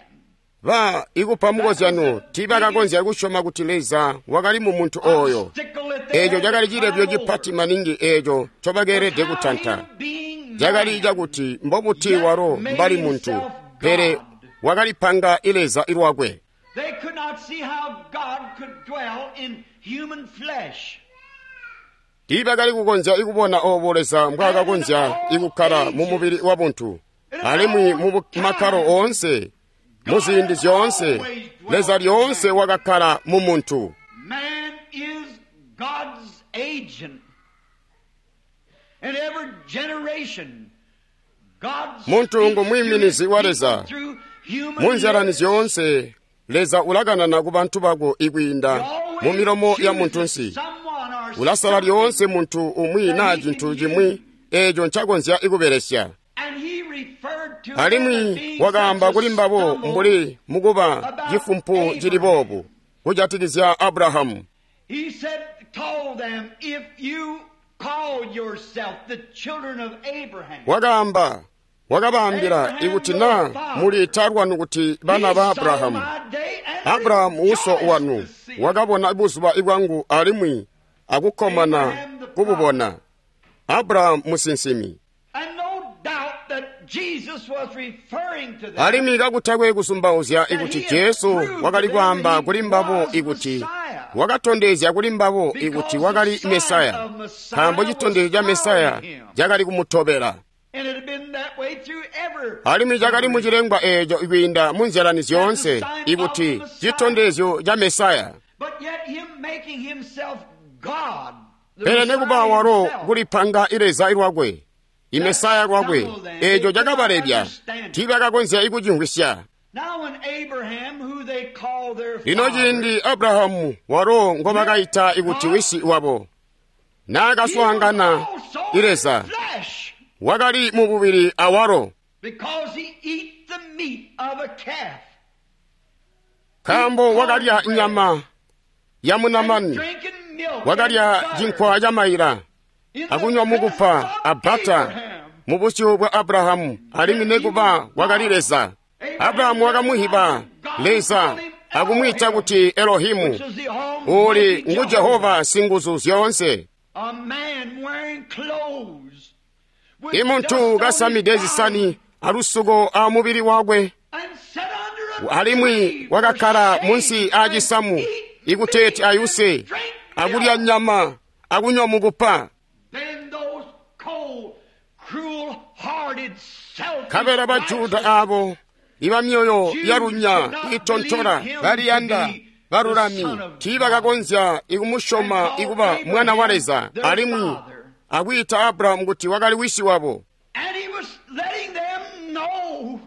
Ba ikupa mukozyano tiibakakonzya kusyoma kuti Leza wakali mu muntu ooyo. Obstacle that they Eeco had to cakali cilebyo climb cipati over. maningi eeco ncobakeelede How kutanta. him being Cakali man, cakuti mbobuti walo mbali muntu, pele wakalipanga Leza lwakwe. They could not see how God could dwell in human flesh. Tiibakali kukonzya kubona oobo Leza mbwaakakonzya ikukkala mu mubili wa buntu, alimwi mu makkalo oonse, mu ziindi zyoonse, Leza lyoonse wakakkala mu muntu. Man is God's agent. In every generation, God Muntu speaks ngu mwiiminizi to his wa Leza. people through human Mu nzyalani lips. zyoonse, Leza ulakanana ku bantu bako ikwiinda mu milomo ya muntunsi. Someone or Ulasala something. lyoonse muntu umwi naa cintu cimwi eeco ncakonzya ikubelesya. And he referred to them as Alimwi being wakaamba such a kuli mbabo stumble. mbuli mukuba cifumpu cili boobu kujatikizya Abrahamu. He said, told them, if you call yourself the children of Abraham, Wakaamba, wakabaambila ikuti naa muliita lwanu kuti bana ba he saw Abrahamu. my day and Abrahamu uso rejoiced wanu to see it. wakabona buzuba bwangu alimwi akukkomana kububona. Abrahamu musinsimi. And no doubt that Jesus was referring to them. Alimwi kakutakwe kusumbauzya ikuti Jesu wakali kwaamba kuli mbabo ikuti wakatondezya kuli mbabo ikuti wakali Mesaya, nkaambo citondezyo ca Mesaya cakali kumutobela. And it had been that way through every Alimwi cakali mucilengwa eeco kwiinda mu nzyalani zyoonse ikuti citondezyo ca Mesaya. But yet him making himself God, the Pele nekuba Messiah walo himself, kulipanga Leza lwakwe, Imesaya lwakwe, eeco cakabalebya, tiibakakonzya ikucimvwisya. Now when Abraham, who they call their Lino father, ciindi Abrahamu walo ngobakaita ikuti wisi wabo, he naakaswaangana was also i Leza, flesh, wakali mu bubili awalo, because he ate the meat of a calf nkaambo wakalya nyama ya and munamani, drinking milk wakalya and butter cinkwa ca maila, in the akunywa mukupa presence of a bata Abraham. mu busyu bwa Abrahamu, alimwi nekuba wakali Leza. Abrahamu wakamuhiba Leza akumwiita kuti Elohimu, Which is the uli Almighty ngu Jehova singuzu zyoonse. A man wearing clothes with Imuntu dust on kasamide his zisani body alusuko a mubili wakwe, and sat under a alimwi tree for wakakkala shade munsi aacisamu and eat ikuteeti meat ayuse, and drink akulya milk. nyama, akunywa mukupa. Then those cold, cruel-hearted, selfish, Nkabela Bajuda righteous aabo ibamyoyo Jews yalunya could not itontola believe him baliyanda to be balulami the Son of tiibakakonzya ikumusyoma And called ikuba mwana wa Leza, Abraham their alimwi father. akwiita Abrahamu kuti wakali wisi wabo. And he was letting them know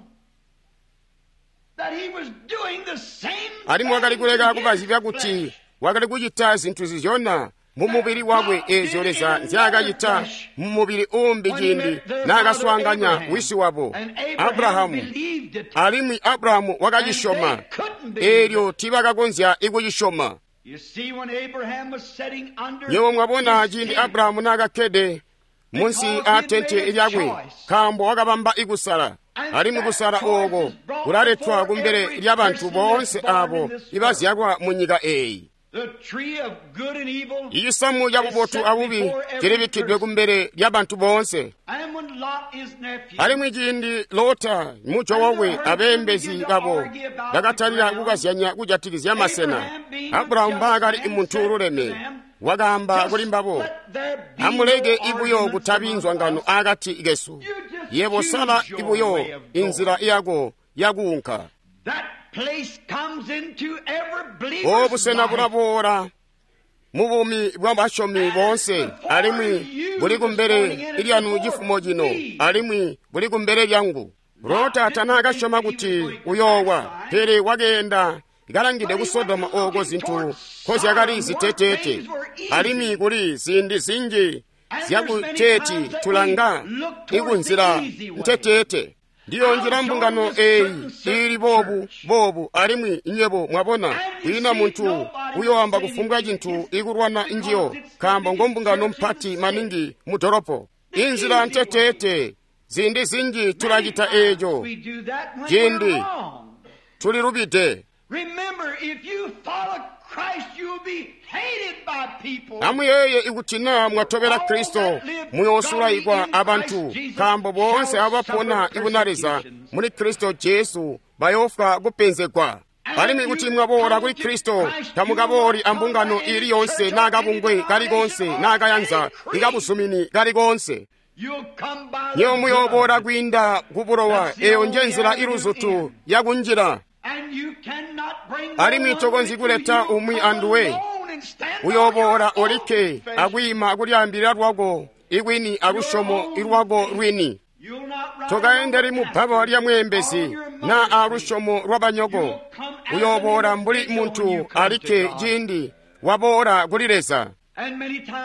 that he was doing the same Alimwi wakali thing kuleka in his kubazibya kuti flesh. wakali kucita zinthu zizyona mu mubili wakwe eezyo Leza nzyaakacita mu mubili uumbi When he ciindi met their naakaswaanganya father Abraham. wisi wabo And Abraham Abrahamu, believed it. alimwi Abrahamu wakacisyoma, And they couldn't believe eelyo tiibakakonzya ikucisyoma. You see, when Abraham was sitting under Nyewe mwabona his ciindi tent, Abrahamu naakakkede munsi aa tente lyakwe, nkaambo wakabamba ikusala, alimwi kusala ooko kulaletwa kumbele lyabantu boonse aabo ibazyalwa mu nyika eeyi. the tree of good and evil, Icisamu ca bubotu abubi cilibikkidwe kumbele lyabantu boonse. and when Lot, his nephew, Alimwi ciindi Lota mujo wakwe abeembezi babo bakatalika kukazyanya kujatikizya masena, Abrahamu mbaakali muntu ululeme, wakaamba kuli mbabo, amuleke ibuyo kutabi nzwangano akati kesu. Yebo sala ibuyo inzila yako yakuunka. that place comes into every O believer's busena life. bulaboola mu buumi bwa basyomi boonse, alimwi buli kumbele lyanu cifumo cino, alimwi buli kumbele lyangu. Lota tanaakasyoma kuti uyoowa, pele wakeenda kalangide ku Sodoma ooko zintu nkozyakali ziteteete, alimwi kuli ziindi zinji zyakuteeti tulanga ikunzila nteteete. Ndiyo njila mbungano eyi ili boobu boobu, alimwi nywebo mwabona kwiina muntu uyoamba kufumbwa cintu ikulwana njiyo, nkaambo ngo mbungano mpati maningi mu dolopo. Inzila nteteete, ziindi zinji tulacita eeco ciindi tulilubide. Amuyeeye ikuti naa mwatobela Kristo muyoosulaikwa abantu, nkaambo boonse abapona ibuna Leza muli Kristo Jesu bayoofwa kupenzegwa. Alimwi kuti mwaboola kuli Kristo, tamukabooli ambungano ili yonse naa kabungwe kali koonse naa kayanza ikabuzumini kali koonse. Nyewe muyooboola kwiinda kubulowa, eyo nje nzila iluzutu yakunjila. Alimwi tokonzyi kuleta umwi anduwe, uyooboola olikke akwiima kulyaambilila lwako ikwini alusyomo lwako lwini. Tokaendeli mu bbaba lya mweembezi naa alusyomo lwabanyoko. Uyooboola mbuli muntu alikke ciindi waboola kuli Leza.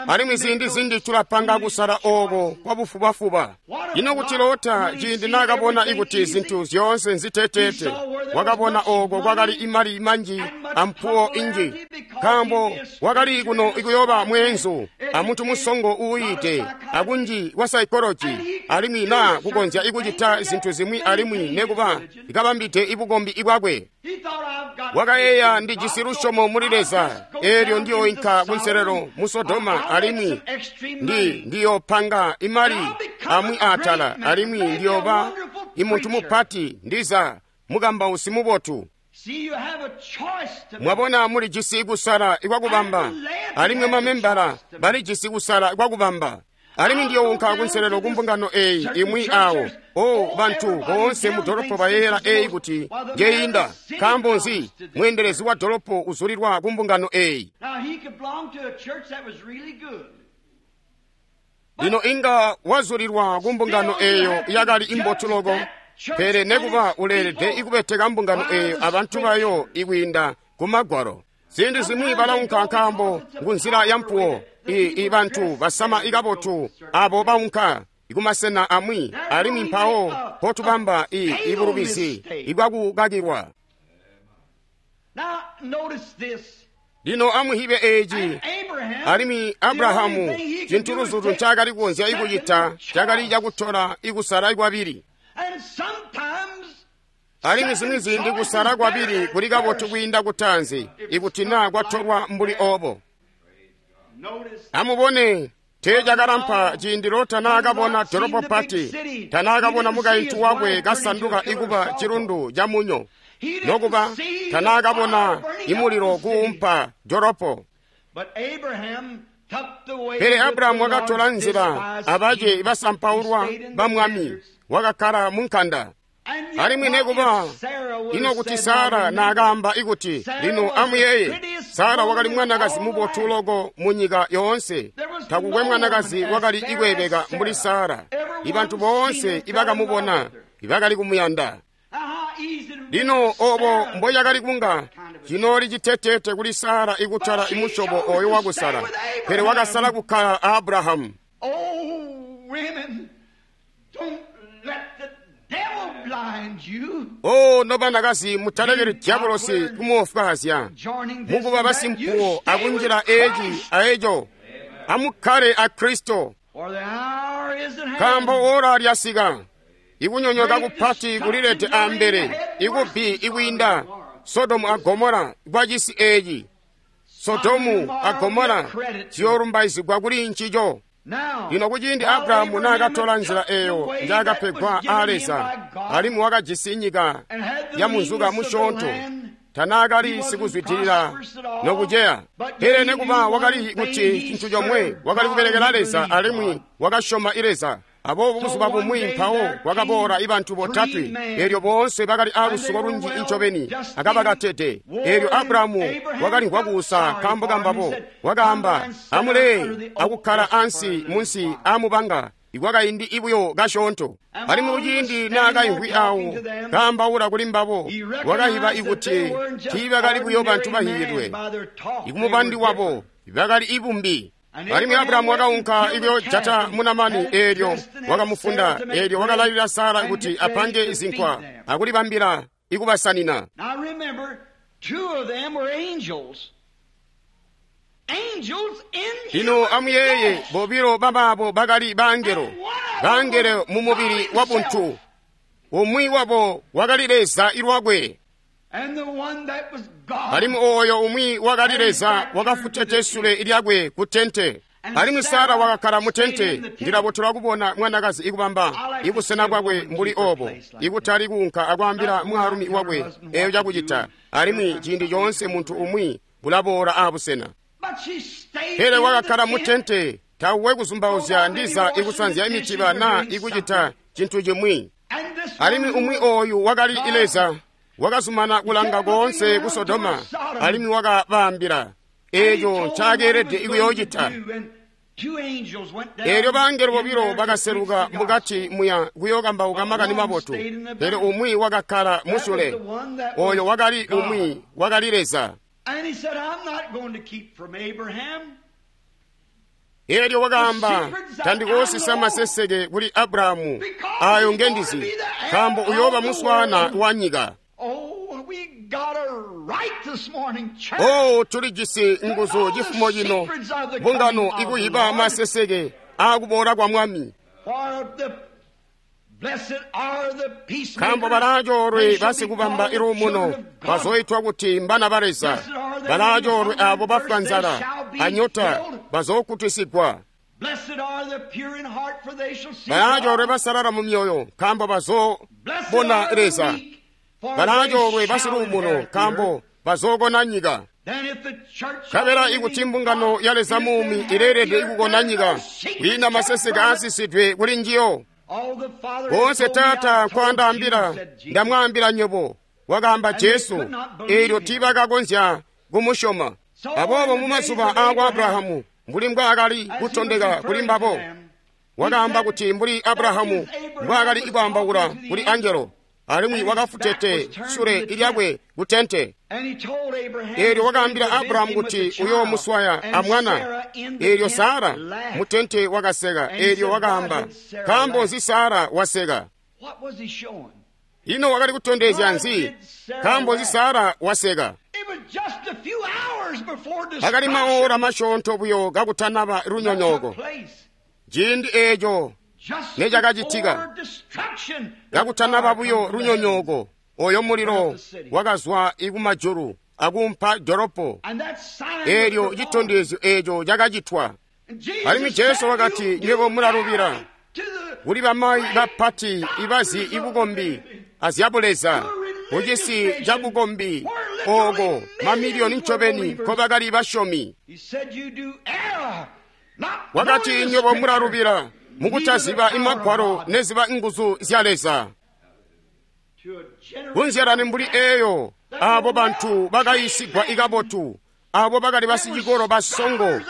Alimwi ziindi zinji tulapanga kusala ooko kwabufubafuba. Ino kuti Lota ciindi naakabona ikuti zintu zyoonse nziteteete, wakabona ooko kwakali imali manji ampuwo inji, nkaambo wakali kuno ikuyooba mweenzu amuntu musongo uuyite akunji kwa saikoloji, alimwi naa kukonzya ikucita zintu zimwi alimwi nekuba ikabambide ibukombi bwakwe. Wakayeeya, ndijisi lusyomo muli Leza, eelyo ndiyoinka kunselelo mu Sodoma, alimwi ndi ndiyopanga imali amwi atala, alimwi ndiyoba imuntu mupati, ndiza mukambausi mubotu. Mwabona, mulijisi kusala ikwakubamba, alimwi mamembala balijisi kusala ikwakubamba. Alimwi ndiyounka kunselelo kumbungano eyi imwi awo. O bantu boonse mu dolopo bayeeyela eyi kuti njeyinda. Nkaambo nzi mweendelezi wa dolopo uzulilwa kumbungano eyi? Lino inga wazulilwa kumbungano eyo yakali imbotu loko, pele nekuba uleelede ikubeteka mbungano eyo abantu bayo ikwiinda kumagwalo. Ziindi zimwi balaunka nkaambo ngunzila ya mpuwo. I, i bantu basama ikabotu abo baunka ikumasena amwi, alimwi mpawo potubamba i ibulubizi ibwakukakilwa. Lino amuhibe eeci, alimwi Abrahamu cintu luzutu ncaakali kukonzya ikucita cakali cakutola ikusala kwabili. Alimwi zimwi ziindi kusala kwabili kuli kabotu kwiinda kutaanzi ikuti naa kwatolwa mbuli oobo. Amubone, teecakalampa ciindi Lota naakabona dolopo pati, tanaakabona mukaintu wakwe kasanduka ikuba cilundu ca munyo, nokuba tanaakabona imulilo kuumpa dolopo. Pele Abrahamu wakatola nzila abace basampaulwa ba mwami, wakakkala munkanda. Alimwi nekuba ino kuti Sara naakaamba ikuti, lino amuyeeye, Sara wakali mwanakazi mubotu loko munyika yoonse. Takukwe mwanakazi wakali ikweebeka mbuli Sara. Ibantu boonse ibakamubona ibakali kumuyanda. Lino obo mboyakali kunga cinooli citeteete kuli Sara ikutala imusyobo oyo wakusala, pele wakasala kukkala a Abrahamu. O nobanakazi, mutalekeli diabolosi kumuofwaazya mukuba basimpuwo akunjila eeci aeco. Amukkale a Kristo, nkaambo ora lyasika. Ikunyonyoka kupati kulilete ambele, ikubbi ikwiinda Sodomu a Gomora kwacisi eeci. Sodomu a Gomora ziyoolumbaizigwa kuli ncico. Lino kuciindi Abrahamu naakatola nzila eyo njaakapegwa aa Leza, alimwi wakajisi nyika ya munzuka musyoonto, tanaakali sikuzwidilila nokuceya. Pele nekuba wakali kuti cintu comwe, wakali kubelekela Leza alimwi wakasyoma Leza. Aboobo buzuba bumwi mpawo kwakaboola ibantu botatwe, eelyo boonse bakali aalusuko lunji incobeni akabakatede. Eelyo Abrahamu wakalimvwa kuusa nkaambo kambabo, wakaamba, amulee akukkala ansi munsi aamubanga ikwakaindi ibuyo kasyoonto. Alimwi kuciindi naakaimvwi awo kaambaula kuli mbabo, wakahiba ikuti tiibakali buyo bantu bahiyidwe. Ikumubandi wabo bakali ibumbi. Alimwi Abrahamu wakaunka ikuyojata munamani, eelyo wakamufunda, eelyo wakalalila Sara kuti apange zinkwa akulibambila ikubasanina. Now remember, two of them were angels. Angels in Lino human amuyeeye, flesh. bobilo babaabo bakali bangelo, bangelo mu mubili wa buntu. Umwi wabo wakali Leza ilwakwe, And the one that was God. alimwi oyo umwi wakali Leza wakafutete sule lyakwe ku tente. Alimwi Sara wakakkala mu tente. Ndilabotelwa kubona mwanakazi ikubamba ibusena bwakwe mbuli obo, ikutali kuunka akwaambila mwaalumi wakwe eyo cakucita. Alimwi ciindi coonse muntu umwi bulaboola abusena. But she stayed Pele in wakakkala the mu tent. tente, tauwe kuzumbauzya ndiza ikusanzya imitiba na ikucita cintu cimwi. And this Alimwi one umwi oyu wakali Leza wakazumana kulanga koonse ku Sodoma, alimwi wakabaambila eeco ncaakeelede ikuyoocita. Eelyo bangelo bobilo bakaseluka mukati muya kuyookambauka makani mabotu, pele umwi wakakkala musule. Oyo wakali umwi wakali Leza. And he said, I'm not going to keep from Abraham. Eelyo wakaamba, tandikoosisa maseseke kuli Abrahamu ayo ngendizi, nkaambo uyooba muswaana wa nyika. Oh, we got a right this morning, church. Oh, tulijisi nguzu cifumo cino, mbungano ikuyiba maseseke aakuboola kwa Mwami. For the blessed are the peacemakers. Nkaambo balaacoolwe They shall be basikubamba called the iluumuno, children of God. bazoitwa kuti mbana ba Leza. Balaacoolwe abo bafwa nzala anyota, bazookutisigwa. Blessed are the pure in heart, for they shall see Balaacoolwe God. basalala mu myoyo, nkaambo Blessed bazoobona are the Leza. meek, for they Balaacoolwe shall basiluumuno, inherit the nkaambo earth. bazookona nyika. Then if the church Kabela of the ikuti living mbungano God ya Leza is muumi to ileelede inherit the earth, ikukona there's nyika, no secret kwiina maseseke kept from it. aasisidwe kuli njiyo. All the Father has Boonse told me, Taata I've told nkwaandaambila, you, said Jesus. ndamwaambila nywebo, wakaamba And they Jesu. could not believe Eelyo him. tiibakakonzya kumusyoma. So Aboobo in the mu days mazuba of aakwa Abraham, Abrahamu, mbuli mbwaakali as he was kutondeka kuli referring to mbabo, them, he wakaamba said kuti mbuli that Abrahamu as Abraham mbwaakali was ikwaambaula talking to the kuli angel, angelo, alimwi and his back wakafutete was turned to sule the tent. lyakwe ku tente. And he told Abraham Eelyo he's going wakaambila to visit Abrahamu him with the kuti child. uyoomuswaya And amwana. Sarah in the Eelyo tent Sara laughed. mu tente wakaseka. And he Eelyo said, why wakaamba, did Sarah nkaambo laugh? nzi Sara waseka? What was he showing? Ino wakali kutondezya Why nzi? did Sarah Nkaambo nzi laugh? Sara waseka? It was just a few hours before Akali maora destruction masyoonto buyo kakutanaba that took lunyonyooko. place. Ciindi eeco Just necakacitika, before destruction, the kakutanaba fire buyo come from the heavens. lunyonyooko, oyo mulilo wakazwa ikumajulu akumpa doropo. And that sign was Eelyo performed. citondezyo eeco cakacitwa. And Jesus Alimwi Jesu said, wakati, "You nywebo mulalubila do to the kuli bamayi bapati ibazi ibukombi azyabuleza kucisi cabukombi ooko mamiliyoni ncobeni nkobakali basyomi. He said, "You do error, not Wakati knowing the nywebo Scripture, mulalubila neither the mukutaziba power of imagwalo God." neziba nguzu zya Leza. To a generation Kunzyalani mbuli eeyo abo bantu bakayisigwa ikabotu, abo bakali basicikolo basongo,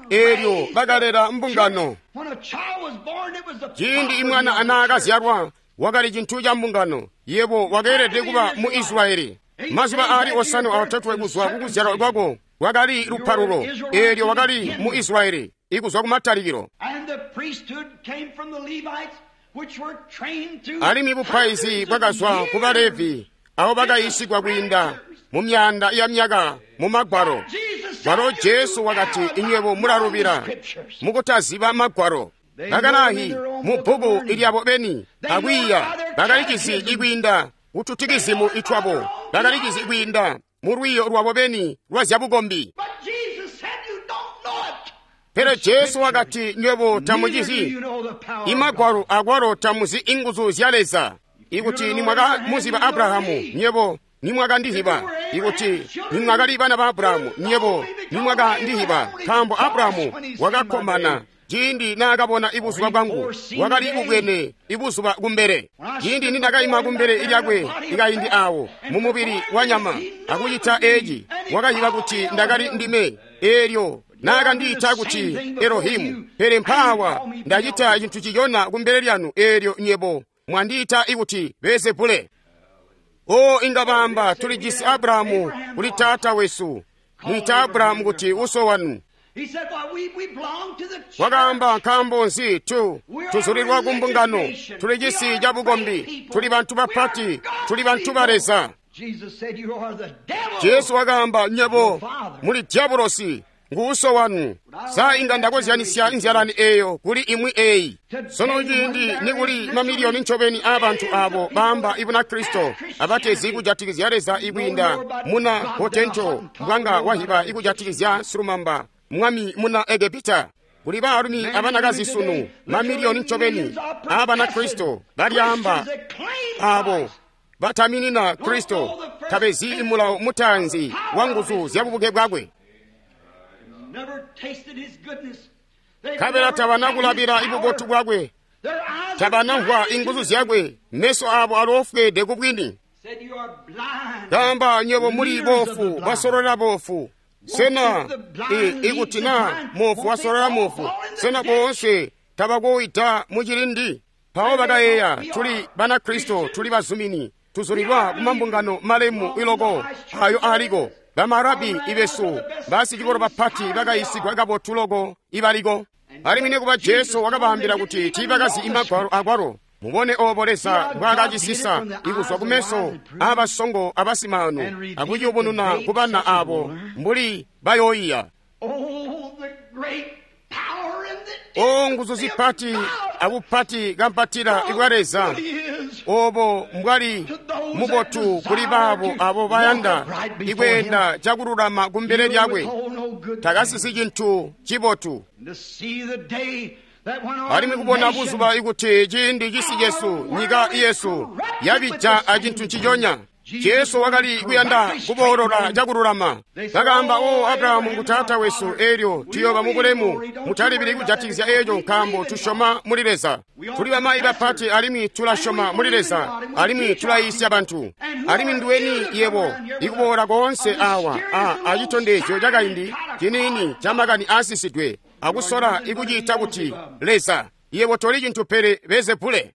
eelyo bakalera mbungano. When a child was born, it was the Ciindi property imwana of the church. anaakazyalwa wakali cintu ca mbungano, yebo wakeelede kuba mu Israyeli. Mazuba aali osanwe aotatwe kuzwa kukuzyalwa kwako wakali lupalulo, eelyo wakali mu Israyeli ikuzwa kumatalikilo. And the priesthood came from the Levites, which were trained through Alimwi bupaizi hundreds of bwakazwa ku Balevi, abo bakayisigwa kwiinda mu myanda ya myaka mu magwalo. Jesus said, Walo "You Jesu do wakati, error, inywebo not knowing the mulalubila Scriptures." mukutaziba magwalo. Bakalahi mu bbuku ilyabo beni akwiiya bakalicizi ikwiinda kututikizimu itwabo, bakalicizi ikwiinda mu lwiiyo lwabo beni lwa zyabukombi. But Jesus said, "You don't know it." Pele Jesu wakati, nywebo Neither do tamucizi you know the power of God. imagwalo akwalo tamuzi inguzu zya Leza. Ikuti nimwakamuziba Abrahamu, nywebo nimwakandihiba. Ikuti nimwakali bana ba Abrahamu, nywebo nimwakandihiba. Nkaambo Abrahamu wakakkomana ciindi naakabona ibuzuba bwangu, wakali kubwene ibuzuba kumbele. Ciindi nindakaima kumbele lyakwe ikaindi awo mu mubili wa nyama akucita eeci, wakayiba kuti ndakali ndime. Eelyo Naakandiita kuti Elohimu, pele mpaawa ndacita cintu ciyona kumbele lyanu eelyo nywebo mwandiita ikuti Beelzebule. O inga baamba tulijisi Abrahamu kuli taata wesu. Mwiita Abrahamu kuti uso wanu. Wakaamba nkaambo nzi tu tuzulilwa ku mbungano, tuli cisi ca bukombi, tuli bantu bapati, tuli bantu ba Leza. Jesu wakaamba nywebo muli diabolosi, ngu uso wanu. Sa inga ndakozyanisya nzyalani eyo kuli imwi eyi. Sono ciindi nikuli mamiliyoni ncobeni aabantu abo baamba ibuna Kristo abatezi kujatikizya Leza ikwiinda muna Hotento mbwanga wahiba ikujatikizya silumamba mwami muna Egepita. Kuli baalumi abanakazi sunu mamiliyoni ncobeni aabana Kristo balyaamba abo bataminina Kristo tabezi mulawo mutaanzi wa nguzu zya bubuke bwakwe. Nkabela tabana kulabila ibubotu bwakwe, tabanamvwa inguzu zyakwe, meso abo aloofweede kubwini. Kaamba nywebo muli boofu basololela boofu. Sena ikuti na moofu wasololela moofu, sena boonse tabakoita mucilindi? Mpawo bakayeeya tuli Banakristo, tuli bazumini, tuzulilwa kumambungano malemu iloko ayo aliko. Bamarabi ibesu basicikolo bapati bakayisigwa kabotu loko ibaliko. Alimwi nikuba Jesu wakabaambila kuti tiibakazi imagwalo akwalo. Mubone obo Leza mbwaakacisisa ikuzwa kumeso aabasongo abasimaanu akuciyubununa kubana abo mbuli bayooyiya. O nguzu zipati abupati kampatila ibwa Leza, obo mbwali mubotu kuli baabo abo bayanda ikweenda cakululama kumbele lyakwe, takasisi cintu cibotu. Alimwi kubona buzuba ikuti ciindi cisi cesu, nyika yesu yabija acintu nciconya. Jesu wakali kuyanda kuboolola cakululama. Bakaamba, o Abrahamu ngu taata wesu, eelyo tuyooba mubulemu. Mutalibili kujatikizya eeco nkaambo tusyoma muli Leza. Tuli bamayi bapati alimwi tulasyoma muli Leza, alimwi tulayiisya bantu. Alimwi nduweni yebo ikuboola koonse awa a acitondezyo cakaindi ciniini ca makani aasisidwe akusola ikuciita kuti Leza. Yebo toli cintu pele Beelzebule.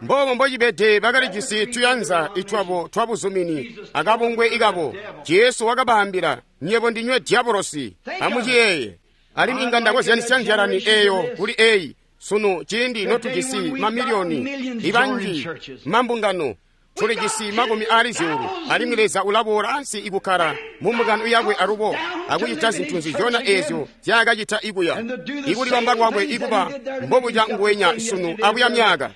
Mbobo mbocibede bakalijisi tuyanza itwabo twabuzumini akabungwe ikabo. Jesu wakabaambila, nywebo ndinywe diabolosi, amuciyeeye. Alimwi inga ndakozyanisya nzyalani eyo kuli eyi sunu ciindi notujisi mamiliyoni ibanji mambungano. Tulijisi makumi aali zyuulu, alimwi Leza ulaboola ansi ikukkala mumbungano yakwe alubo akucita zintu nzizyona eezyo zyaakacita ikuya. Ikulibamba kwakwe ikuba mbobuca nguwenya sunu abuya myaka.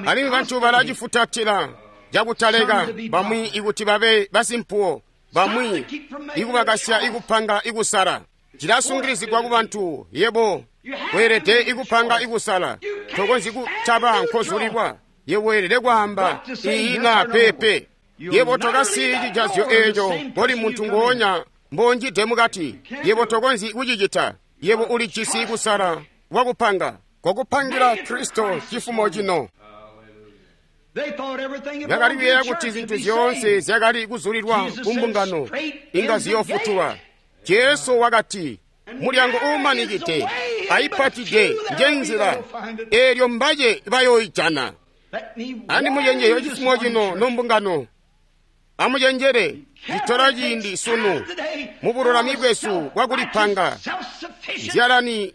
Alimwi bantu balacifutatila cakutaleka, bamwi ikuti babe basimpuwo, bamwi ikubakasya ikupanga ikusala. Cilasungilizigwa kubantu, yebo weelede ikupanga ikusala, tokonzyi kutaba nkozulilwa. Yebo weelede kwaamba iyi na pepe. Yebo tokasiyi cijazyo eeco koli muntu ngoonya mbonjide mukati. Yebo tokonzyi kucicita. Yebo ulijisi kusala kwakupanga, kwakupangira Kristo cifumo cino. Bakali kuyeeya kuti zintu zyoonse zyakali kuzulilwa kumbungano inga ziyoofutulwa. Jesu wakati, mulyango uumanikide ayipatide njenzila, eelyo mbace bayooijana. Andimucenjele cifumo cino nombungano, amucenjele citola ciindi sunu mubululami bwesu bwakulipanga. Nzyalani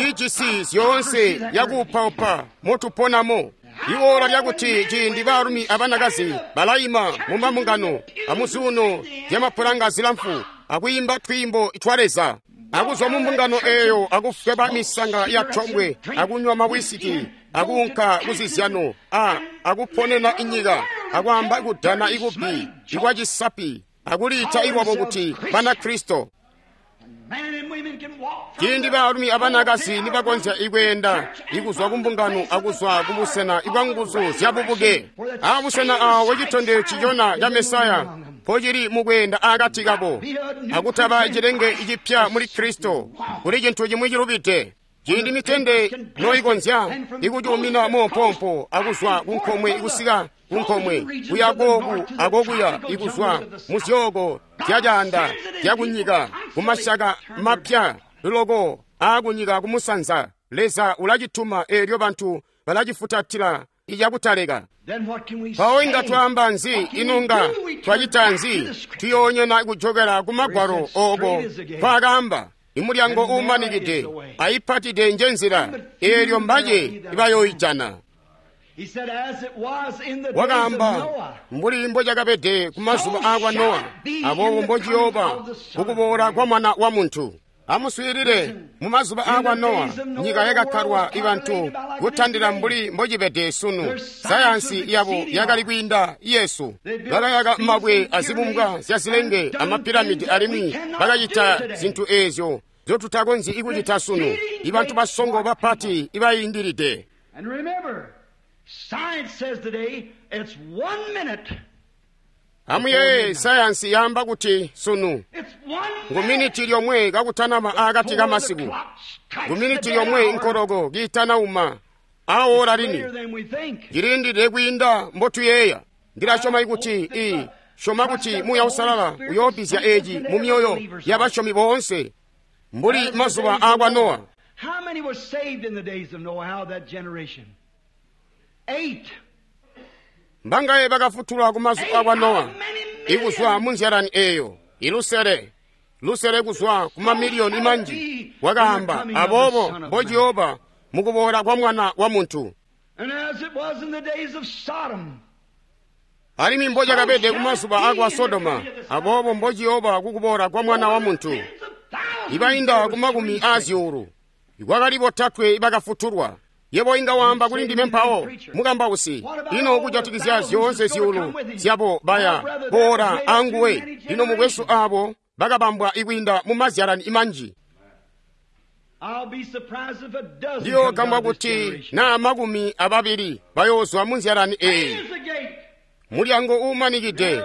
ijisi zyoonse yakuupaupa motuponamo. Iwoola lyakuti ciindi baalumi abanakazi balayima mumambungano amuzuuno zyamapulanga zilamfu akwiimba twiimbo twa Leza, akuzwa mumbungano eeyo akufweba misanga ya tombwe, akunywa mawisiki, akuunka kuzizyano, a akuponena inyika, akwaamba kudana ikubi ikwacisapi, akuliita iwabo kuti Banakristo. Ciindi baalumi abanakazi nibakonzya ikweenda ikuzwa kumbungano akuzwa kubusena ibwanguzu zyabubuke, abusena awo citondezyo cicona ca Mesaya mpocili mukweenda akati kabo, akutaba cilenge cipya muli Kristo, kuli cintu cimwi cilubide. Ciindi mitende noikonzya ikucuumina moompompo akuzwa kunkomwe kusika kunkomwe kuya kooku akokuya ikuzwa muzyooko zyacaanda zyakunyika kumasyaka mapya loko aakunyika kumusanza. Leza ulacituma eelyo bantu balacifutatila icakutaleka. Mpawo inga twaamba nzi? Inunga twacita nzi? Tuyoonyena kujokela ku magwalo ooko twakaamba imulyango uumanikide ayipatide nje nzila, eelyo mbace ibayooijana. Wakaamba mbuli mbocakabede ku mazuba aakwa Nowa, aboobo mbociyooba kukuboola kwa Mwana wa Muntu. Amuswiilile, mu mazuba aakwa Nowa nyika yakakkalwa ibantu kutandila mbuli mbocibede sunu. Sayansi yabo yakali kwiinda yesu. Bakayaka mabwe azibumbwa zya zilenge amapiramidi, alimwi bakacita zintu eezyo nzyotutakonzyi kucita sunu. Ibantu basongo bapati ibayindilide. Amuyeeye, sayansi yaamba kuti sunu ngu miniti lyomwe kakutanama aakati kamasiku, ngu miniti lyomwe nkoloko kiitanauma awola lini. Cilindide kwiinda mbotuyeeya. Ndilasyoma kuti i syoma kuti Muuya Uusalala uyoobizya eeci mu myoyo yabasyomi boonse mbuli mazuba aakwa Nowa. Mbangaye bakafutulwa ku mazuba akwa Nowa ikuzwa mu nzyalani eeyo? Ilusele lusele kuzwa ku mamiliyoni manji. Wakaamba aboobo mbociyooba mukuboola kwa Mwana wa Muntu. Alimwi mbocakabede ku mazuba akwa Sodoma, aboobo mbociyooba kukuboola kwa Mwana wa Muntu. Ibainda ku makumi aazyuulu kwakali botatwe ibakafutulwa. Yebo inga waamba kuli ndime mpawo, mukambausi, ino kujatikizya zyoonse zyuulu zyabo baya boola anguwe? Lino mukwesu, aabo bakabambwa ikwiinda mu mazyalani manji. Ndiyoogambwa kuti naa makumi ababili bayoozwa mu nzyalani eeyi. Mulyango uumanikide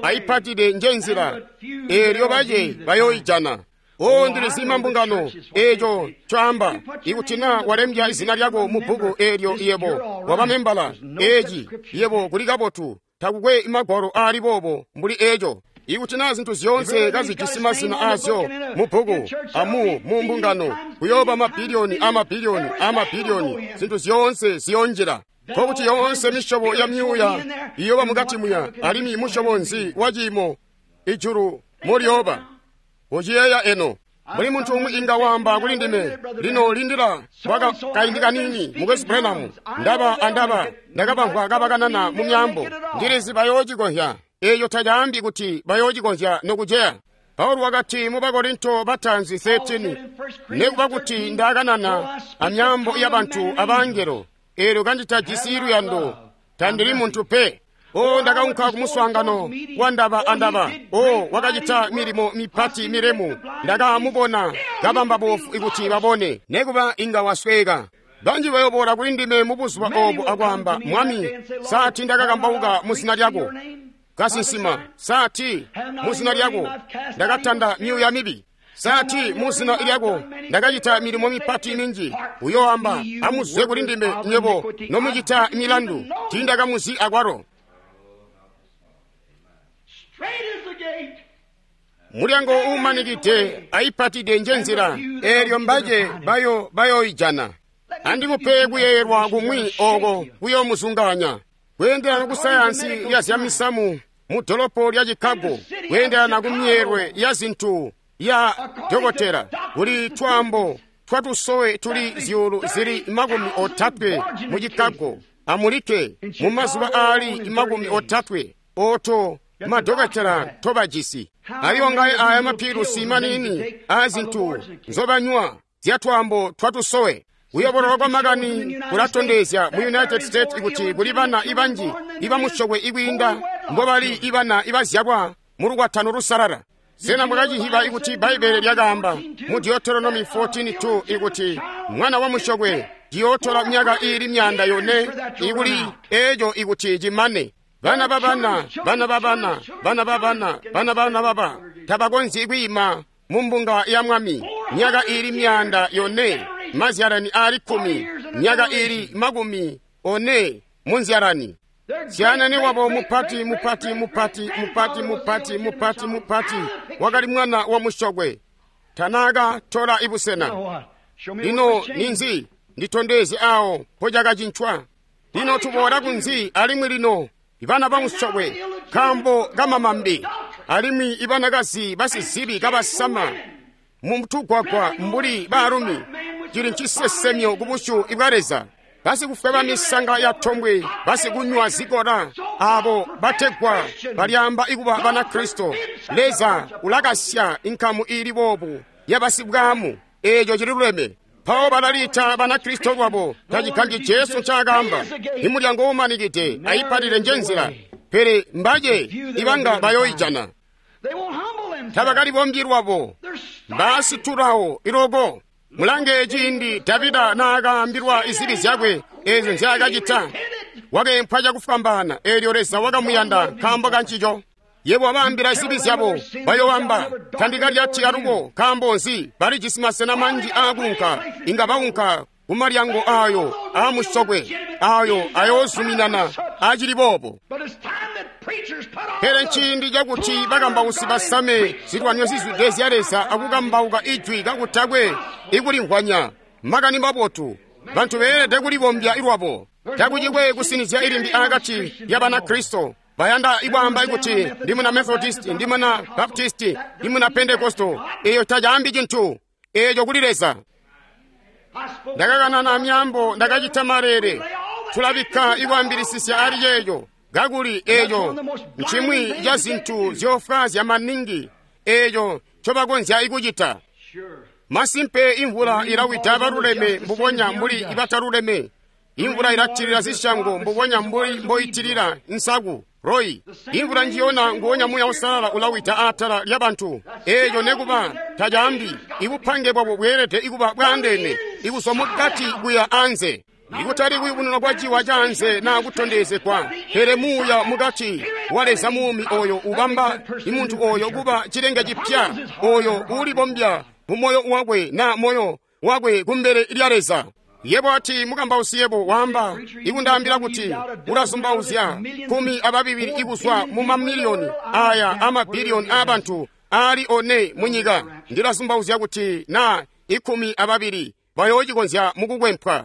ayipatide nje nzila, eelyo bace bayooijana. O, ndilizi mambungano eeco ncoamba. Ikuti naa walembya izina lyako mu bbuku eelyo yebo waba membala, eeci yebo kuli kabotu. Takukwe magwalo aali boobo mbuli eeco. Ikuti naa zintu zyoonse kazijisi mazina aazyo mu bbuku amu mu mbungano, kuyooba mabiliyoni amabiliyoni amabiliyoni, zintu zyoonse ziyoonjila. Nkokuti yoonse misyobo ya myuuya iyooba mukati muya, alimwi musyobo nzi wa ciimo ijulu moliyooba? Uciyeeya eno. Mbuli muntu umwi inga waamba kuli ndime, lino lindila kwa kaindi kanini, Mukwesu Branham, ndaba andaba ndakabamvwa kabakanana mu myaambo. Ndilizi bayoocikonzya. Eeyo tacaambi kuti bayoocikonzya nokuceya. Paulo wakati mu Bakorinto bataanzi thirteen, nekuba kuti ndakanana amyaambo yabantu abangelo, eelyo kanditajisi luyando, tandili muntu pe. O, ndakaunka kumuswaangano wa ndaba andaba. O, wakacita milimo mipati milemu. Ndakamubona kabamba bofu ikuti babone, nekuba inga wasweka. Banji bayoboola kuli ndime mu buzuba obo akwaamba, Mwami, saati ndakakambauka mu zina lyako, kasinsima, saati mu zina lyako ndakatanda myuuya mibi, saati mu zina lyako ndakacita milimo mipati minji. Uyoamba, amuzwe kuli ndime nywebo nomucita milandu, tiindakamuzi akwalo. Mulyango uumanikide ayipatide nje nzila, eelyo mbace bayo bayoijana. Andimupe kuyeeyelwa kumwi ooko kuyoomuzungaanya. Kweendelana ku sayansi ya zyamisamu mu dolopo lya Chicago, kweendelana ku myeelwe ya zintu ya dokotela, kuli twaambo twatusowe tuli zyuulu zili makumi otatwe mu Chicago amulike mu mazuba aali makumi otatwe oto madokotela tobajisi. Aliyongaye aya mapilusi manini aazintu nzobanywa zya twaambo twatusowe. Kuyobololwa kwa makani kulatondezya mu United States kuti kuli bana ibanji ibamusyokwe ikwiinda mbobali ibana ibazyalwa mu lukwatano lusalala. Sena mwakacihiba ikuti Bbaibbele lyakaamba mu Deuteronomy fourteen two ikuti mwana wa musyokwe ciyootola myaka iili myanda yone ikuli eeco ikuti cimane. Bana babana, bana babana, bana babana, bana bana baba tabakonzyi kwiima mu mbunga ya Mwami myaka iili myanda yone, mazyalani aali kkumi, myaka iili makumi one mu nzyalani. Syanene wabo mupati mupati mupati mupati mupati mupati mupati wakali mwana wa musyokwe. Tanaka tola ibusena. Lino ninzi nditondeze awo mpochakacinthwa. Lino tuboola kunzi alimwi lino ibana bamusyokwe nkaambo kamamambi alimwi ibanakazi basizibi kabasama mutugwagwa mbuli baalumi cili ncisesemyo ku busyu bwa Leza. Basikufweba misanga ya tombwe, basikunywa zikola, abo bategwa balyamba ikuba Banakristo. Leza ulakasya inkamu ili boobu yabasibwamu, eeco cililuleme. Mpawo balalita Banakristo lwabo, tacigambyi Jesu ncaakaamba, imulyango umanikide ayipalile njenzila, pele mbaje ibanga bayoijana. Tabakalibombyi lwabo, mbasitulawo iloko. Mulange ciindi Davida naakaambilwa izibi zyakwe eezyo nzyaakacita, wakeempwa cakufwambaana, eelyo Leza wakamuyanda nkaambo kancico. Yebo wabaambila zibi zyabo, bayoowamba, tandikalyati alubo, nkaambo nzi balijisi masena manji aakuunka, inga baunka kumalyango aayo aamusyokwe, aayo ayoozuminana acili boobo. Pele nciindi cakuti bakambausi basame zilwanyo zizwide zya Leza akukambauka ijwi kakutakwe ikulimvwanya makani mabotu. Bantu beelede kulibombya lwabo. Takucikwe kusinizya ilimbi akati ya Banakristo. Bayanda ikwaamba ikuti ndi muna Methodist, ndi muna Baptist, ndi muna Pentekosto. Eyo tacaambi cintu. Eyo kuli Leza. Ndakakanana myaambo, ndakacita malele. Tulabikka ikwaambilisisya ali ceeco. Kakuli eeco ncimwi ca zintu zyofwaazya maningi eeco ncobakonzya ikucita. Masimpe imvula ilawida baluleme mbubonya mbuli ibataluleme. Imvula ilatilila zisyango mbubonya mbuli mboitilila nsaku royi. Imvula njiyona nguwonya Muuya Uusalala ulawida atala lya bantu. Eeco nekuba tacaambi ibupange bwabo bweelede ikuba bwaandeene ikuzwa mukati kuya anze. Ikutali kuyubununwa kwa ciwa canze naa kutondezegwa, pele muuya mukati wa Leza muumi oyo ubamba imuntu oyo kuba cilenge cipya, oyo uulibombya mu moyo wakwe na moyo wakwe kumbele lya Leza. Yebo ati mukambausi yebo waamba ikundaambila kuti ulazumbauzya kumi ababibili ikuzwa mu mamiliyoni aya amabiliyoni aabantu aali one munyika. Ndilazumbauzya kuti na ikumi ababili bayoocikonzya mukukwempwa.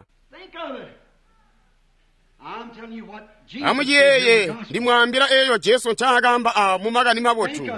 Amuciyeeye, ndimwaambila eeyo Jesu ncaakaamba a mu makani mabotu.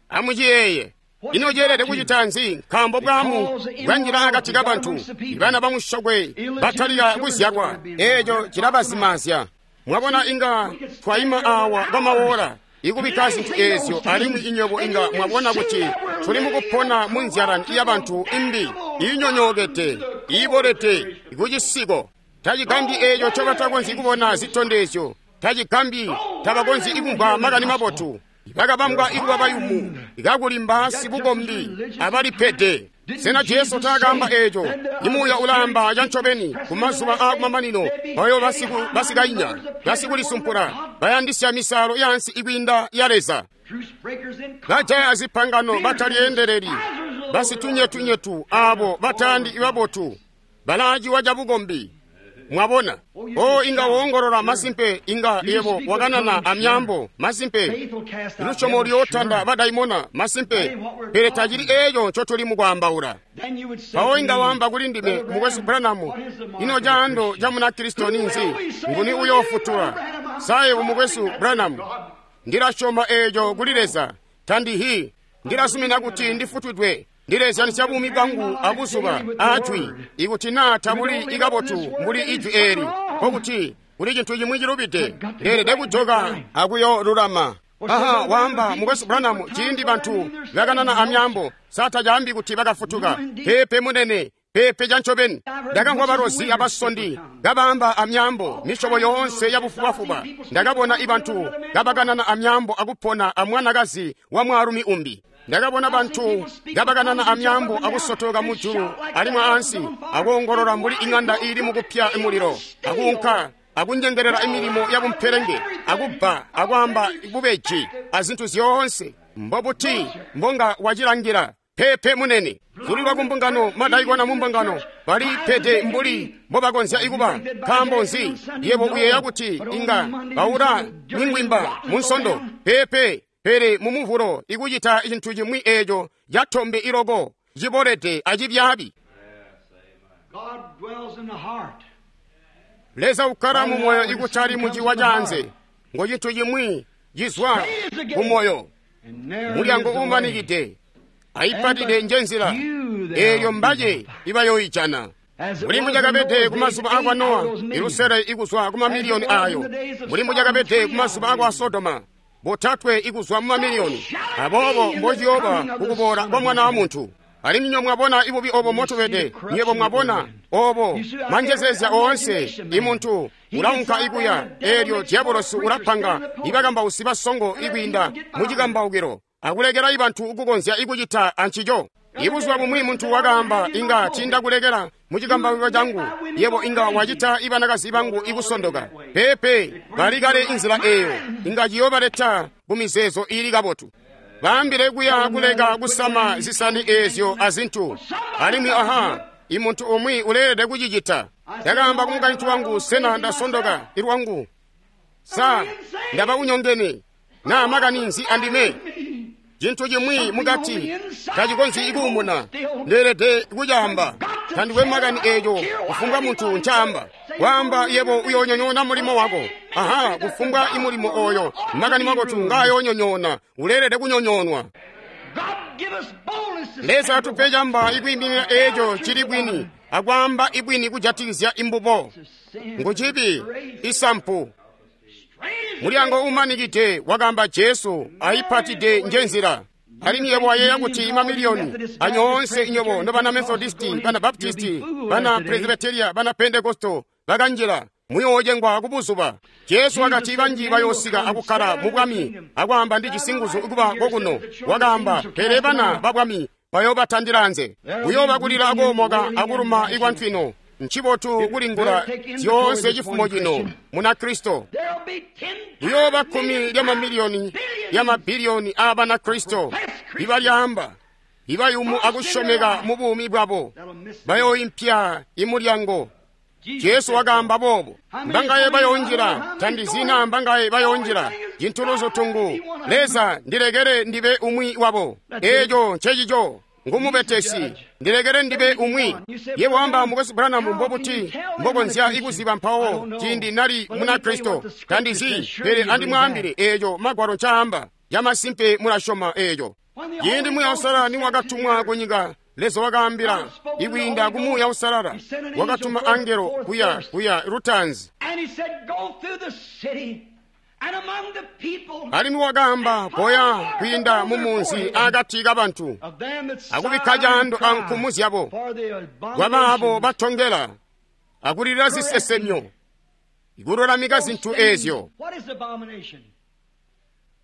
Amuciyeeye. Ino ceelede kucita nzi? Nkaambo bwaamu bwanjila akati kabantu, ibana bamusyokwe batalika kuzyalwa. Eeco cilabazimazya. Mwabona, inga twaima awa kwamawola ikubikka zintu eezyo, alimwi inywebo inga mwabona kuti tuli mukupona mu nzyalani yabantu imbi iinyonyookede, iibolede kucisiko. Tacigambi eeco ncobatakonzyi kubona zitondezyo. Tacigambi tabakonzyi ikumvwa makani mabotu. Bakabambwa ikuba bayumu, kakulimba sibukombi abalipede. Sena Jesu taakaamba eeco? Imuuya ulaamba cancobeni kumazuba aakumamanino bayo basikainya, basikulisumpula, bayandisya misaalo yaansi ikwiinda ya Leza. Bajaya zipangano batalyeendeleli, basitunyetunyetu aabo batayandi babotu, balaaciwa cabukombi. Mwabona, o inga woongolola masimpe, inga yebo wakanana amyaambo masimpe, lusyomo luyootanda badaimona masimpe, pele tacili eeco ncotuli mukwaambaula. Mpawo inga waamba kuli ndime, Mukwesu Branham, ino caando ca Munakristo ninzi? Nguni uyoofutula? Sa yebo Mukwesu Branham, ndilasyoma eeco kuli Leza, tandihi, ndilasumina kuti ndifutwidwe. Ndilezyanisya buumi bwangu abuzuba ajwi, ikuti naa tabuli ikabotu mbuli ijwi eeli, nkokuti kuli cintu cimwi cilubide. Ndeelede kujoka akuyolulama. Aha, waamba Mukwesu Branham, ciindi bantu bakanana amyaambo, sa tacaambi kuti bakafutuka. Peepe munene, peepe cancobeni. Ndakamvwa balozi abasondi kabaamba amyaambo misyobo yoonse yabufubafuba. Ndakabona ibantu kabakanana amyaambo akupona amwanakazi wa mwaalumi umbi. Ndakabona bantu kabakanana amyaambo akusotoka mujulu alimwi ansi, akoongolola mbuli ing'anda iili mukupya mulilo, akuunka akunyengelela imilimo yabumpelenge, akubba, akwaamba bubeji azintu zyoonse. Mbobuti mbonga wacilangila? Peepe munene. Zulilwa kumbungano, madaikona mumbungano, Balipede mbuli mbobakonzya ikuba. Nkaambo nzi? Yebo uyeeya kuti inga baula mingwimba mu Nsondo? Peepe, pele mu Muvulo ikucita cintu cimwi eeco catombe iloko cibolede acibyaabi. God dwells in the heart. Leza ukkala mu moyo ikutali muciwa canze. Ngo cintu cimwi cizwa ku moyo. And narrow Mulyango is the way. uumanikide ayipatide njenzila eeyo mbace ibayoijana. Muli mucakabede kumazuba akwa Nowa ilusele ikuzwa ku mamiliyoni ayo. Muli mucakabede kumazuba akwa Sodoma botatwe ikuzwa mu mamiliyoni. Aboobo mbociyooba kukuboola kwa Mwana wa Muntu. Alimwi nyo mwabona ibubi obo motubede, nyebo mwabona obo manjezezya oonse imuntu ulaunka ikuya, eelyo diabolosi ulapanga ibakambausi basongo ikwiinda mucikambaukilo akulekela ibantu ukukonzya ikucita ancico. Ibuzuba bumwi muntu wakaamba, inga tindakulekela mucikambaukilo changu, yebo inga wacita ibanakazi bangu ikusondoka. Peepe, balikale inzila eeyo, inga ciyoobaleta kumizeezo iili kabotu. Baambile kuya kuleka kusama zisani eezyo azintu. Alimwi aha, imuntu umwi uleelede kucicita. Ndakaamba ku mukaintu wangu, sena ndasondoka ilwangu? Sa ndaba unyongene? Na makani nzi andime? Cintu cimwi mukati tacikonzyi ikuumuna. Ndeelede kucaamba. Tandikwe makani eeco kufumbwa muntu ncaamba. Kwaamba yebo uyoonyonyoona mulimo wako. Aha, kufumbwa imulimo oyo makani mabotu ngayoonyonyoona, uleelede kunyonyoonwa. God give us boldness to Leza stand atupe camba ikwiiminina eeco cili bwini akwaamba ibwini kujatikizya imbubo. sin. Ngucibi isampu. Strange Mulyango umanikide wakaamba Jesu ayipatide njenzila. Alimwi yebo wayeeya kuti mamiliyoni anyoonse inyobo nobana Methodisti, bana Baptisti, bana Presbyteria, bana Pentekosto bakanjila muyoocengwa kubuzuba. Jesu wakati banji bayoosika akukkala mu bwami akwaamba ndi cisinguzu kuba kokuno. Wakaamba pele bana ba bwami bayoobatandila anze. Kuyooba kulila akoomoka akuluma ikwantwino. Ncibotu kulingula zyoonse cifumo cino muna Kristo. There'll be ten Kuyooba kkumi lyamamiliyoni lyamabiliyoni aabana Kristo ibalyaamba ibayumu akusyomeka mu buumi bwabo that'll miss bayooimpya imulyango. Jesu wakaamba boobo. Mbangaye bayoonjila tandizina mbangaye bayoonjila cintuluzo tungu. Leza ndilekele ndibe umwi wabo. Eeco ncecico ngumubetesi ndilekele ndibe umwi. Ye wamba mukwesu Branham mbobuti mbokonzya ikuziba mpawo ciindi nali muna Kristo tandizi, pele andimwaambile eeco magwalo ncaamba. Yamasimpe mulasyoma eeco. Ciindi Muuya Uusalala niwakatumwa kunyika, Leza wakaambila ikwiinda ku Muuya Uusalala, wakatuma angelo kuya kuya lutaanzi. And he said, Go through the city and among the people Alimwi wakaamba koya kwiinda mu munzi akati kabantu of them that akubikka sigh caando and cry ankumu zyabo for the kwabaabo abominations. batongela akulilira zisesemyo ikululamika zinthu eezyo. What is abomination?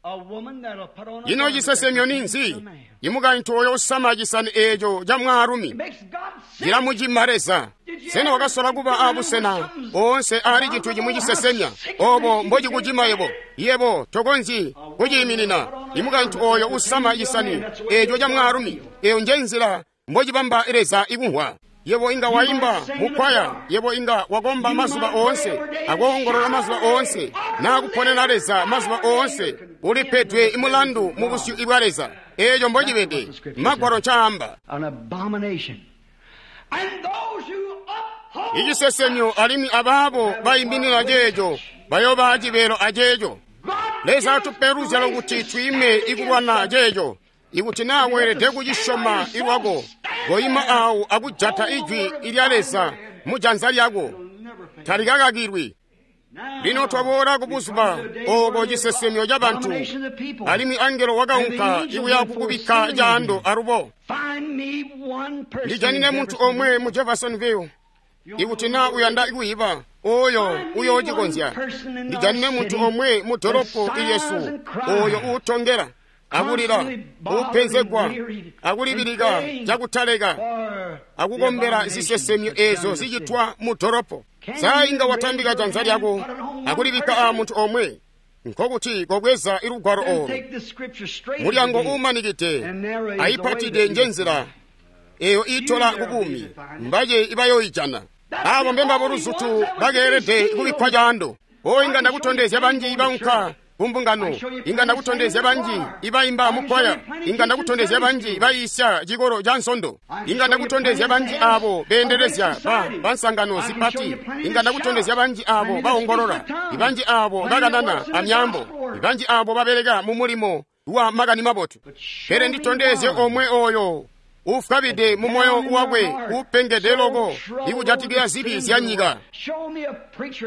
A woman that'll put on a Ino garment cisesemyo that ninzi? pertains to a man. Imukaintu oyo usama cisani eeco ca mwaalumi Makes God sick. cilamucima Leza. Sena wakasola kuba abusena oonse aali cintu cimwi cisesemya obo mbocikucima yebo? Yebo tokonzyi kuciiminina. Imukaintu oyo usama cisani eeco ca mwaalumi, eyo njenzila mbocibamba Leza ikumvwa. Yebo inga waimba mukwaya, yebo inga wakomba mazuba oonse, akoongolola mazuba oonse, nakuponena Leza mazuba oonse, ulipedwe imulandu mu busyu bwa Leza. Eeco mbocibede, magwalo ncaamba. An abomination. And those who uphold Icisesemyo alimwi abaabo bayiminina ceeco bayooba acibeelo aceeco. God Leza give us atupe luzyalo grace kuti to twiime stand ikulwana against ceeco. Ikuti naa weelede kucisyoma ilwako, koima awo akujata ijwi ilya Leza mu janza lyako, Never fail. talikakakilwi. Now, Lino twaboola kubuzuba obo cisesemyo ca bantu, abomination of the people. alimwi angelo wakaunka ikuya kukubikka caando alubo. Find me one person Ndijanine in muntu Jeffersonville. omwe mu Jeffersonville ikuti naa uyanda kuyiba oyo uyoocikonzya. Ndijanine muntu omwe mu dolopo ilyesu oyo uutongela akulila uupenzegwa akulibilika cakutaleka For akukombela zisesemyo eezo zicitwa mu dolopo. Saa inga watambika janza lyako akulibikka a muntu omwe, nkokuti kobweza ilugwalo Then olo. take the scripture straight Mulyango to the gate. uumanikide ayipatide njenzila eyo iitola ku buumi, mbace ibayooijana. Abo mbembabo luzutu bakeelede kubikkwa caando. O inga ndakutondezya banji baunka kumbungano, inga ndakutondezya banji ibaimba mukwaya, inga ndakutondezya banji bayiisya cikolo ca nsondo, inga ndakutondezya banji abo beendelezya ba bansangano zipati, inga ndakutondezya banji abo baongolola, ibanji abo bakanana amyaambo, ibanji abo babeleka mu mulimo wa makani mabotu. Pele nditondezye omwe oyo ufwabide mu moyo wakwe upengede loko ikujatikizya zibi zya nyika.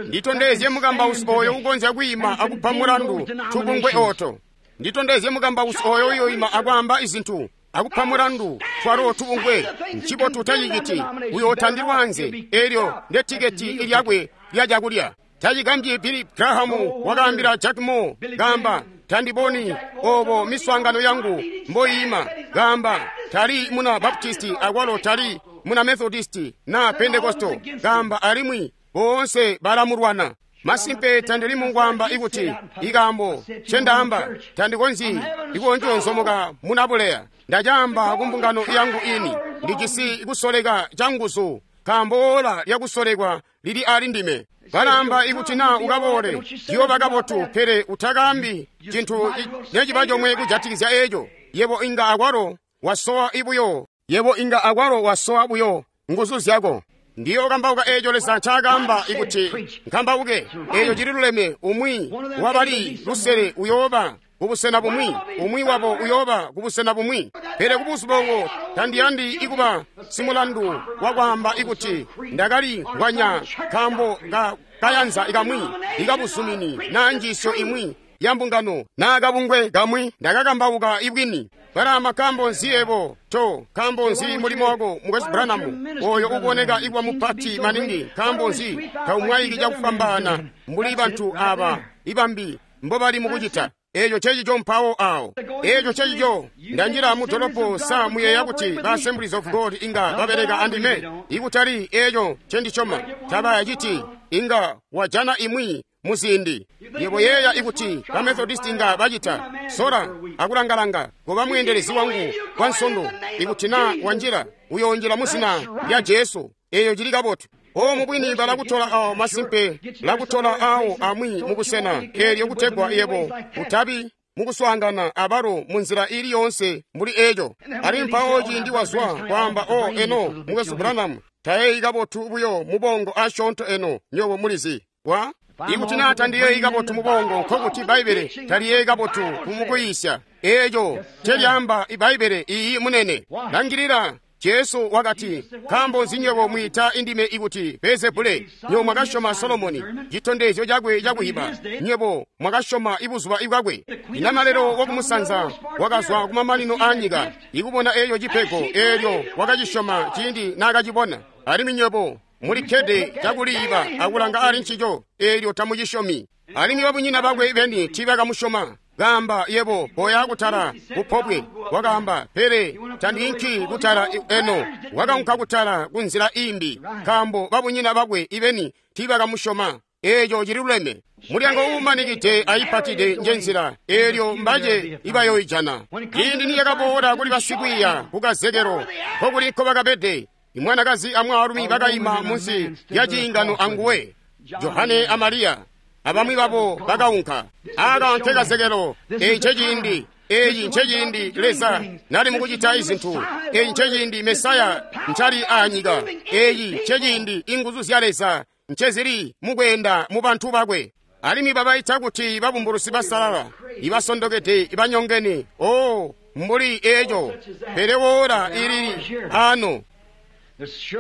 Nditondezye mukambausi oyo ukonzya kwiima akupa mulandu tubungwe oto. Nditondezye mukambausi oyo uyoima akwaamba izintu akupa mulandu twalo tubungwe. Ncibotu taciciti, uyotandilwa anze, elyo ndetiketi lyakwe lya cakulya. Tacigambyi Billy Graham wakaambila Jack Moore, kaamba, tandiboni obo miswaangano yangu mboyima. Kaamba, tali muna Baptisti akwalo tali muna Methodisti na Pentecostal. Kaamba, alimwi boonse balamulwana. Masimpe tandili mungwamba ikuti ikambo chendaamba tandikonzyi ikonjonzomoka munabuleya. Ndacaamba kumbungano yangu ini, ndijisi kusoleka canguzu, nkaambo ola lyakusolekwa lili ali ndime. Balamba ikuti na ukaboole ndiyoba kabotu, pele utakaambi cintu neciba comwe kujatikizya eco. Yebo inga akwalo wasowa ibuyo, yebo inga akwalo wasowa buyo nguzu zyako. Ndiyo kambauka eco Leza ncaakaamba ikuti nkambauke, eco cililuleme. Umwi wabali lusele uyooba kubusena bumwi, umwi wabo uyooba kubusena bumwi. Pele kubuzuba obo tandiyandi ikuba simulandu wakwaamba ikuti ndakali ngwanya nkaambo ka kayanza kamwi ikabuzumini na njiisyo imwi ya mbungano na kabungwe kamwi. Ndakakambauka ibwini. Balama, nkaambo nzi ebo to nkaambo nzi mulimo wako Mukwesu Branham oyo uboneka ikuba mupati maningi? Nkaambo nzi taumwaiki cakufwambaana mbuli bantu aba ibambi mbobali mukucita? Eco cecico mpawo awo. Eco cecico ndanjila mu dolopo. Sa muyeeya kuti ba Assemblies of God inga babeleka andime? Ikutali eco ncendicoma. Tabayaciti. Inga wajana imwi muziindi. Yebo yeeya ikuti ba Methodist inga bacita. Sola akulangalanga goba mweendelezi wangu kwa nsondo. Ikuti na wanjila, uyoonjila muzina lya Jesu. Eyo cili kabotu. O mubwini balakutola awo masimpe, lakutola awo amwi mubusena elyo kutegwa yebo utabi mukuswaangana abalo munzila ili yonse mbuli eco. Ali mpawo ciindi wazwa kwaamba, o eno Mukwesu Branham tayeyi kabotu buyo mubongo asyoonto eno, nyobo mulizi wa ikuti na tandiyeyi kabotu mubongo, nkokuti Bbaibele taliyeyi kabotu kumukuyisya. Eco celyaamba Ibbaibele. Iyi munene. Langilila. Jesu wakati, nkaambo nzi nywebo mwiita indime ikuti Beelzebule? Nywebo mwakasyoma Solomoni, citondezyo cakwe cakuyiba. Nywebo mwakasyoma ibuzuba bwakwe. Inamalelo wakumusanza wakazwa kumamanino aanyika ikubona eyo cipego, eelyo wakacisyoma ciindi naakacibona. Alimwi nywebo mulikkede cakuliiba akulanga ali ncico, eelyo tamucisyomi. Alimwi babunyina bakwe beni tiibakamusyoma. Kaamba, yebo boya kutala kupobwe. Wakaamba, pele tandiinki kutala eno. Wakaunka kutala kunzila imbi, nkaambo babunyina bakwe ibeni tiibakamusyoma. Eco cililuleme. Mulyango uumanikide aipatide njenzila, eelyo mbace ibayoijana. Ciindi niyakaboola kuli basikwiiya kukazekelo, nkokuli nkobakabede, imwanakazi amwaalumi bakaima munsi lya ciingano anguwe, Johane a Mariya. Abamwi babo bakaunka. Aka nkekazekelo. Eyi nceciindi. Eyi nceciindi Leza nali mukucita izintu. Eyi nceciindi Mesaya ncali aanyika. Eyi nceciindi inguzu zya Leza ncezili mukweenda mu bantu bakwe. Alimwi babaita kuti babumbulusi basalala, ibasondokede, ibanyongene. O mbuli eco. Pele woola ilili ano.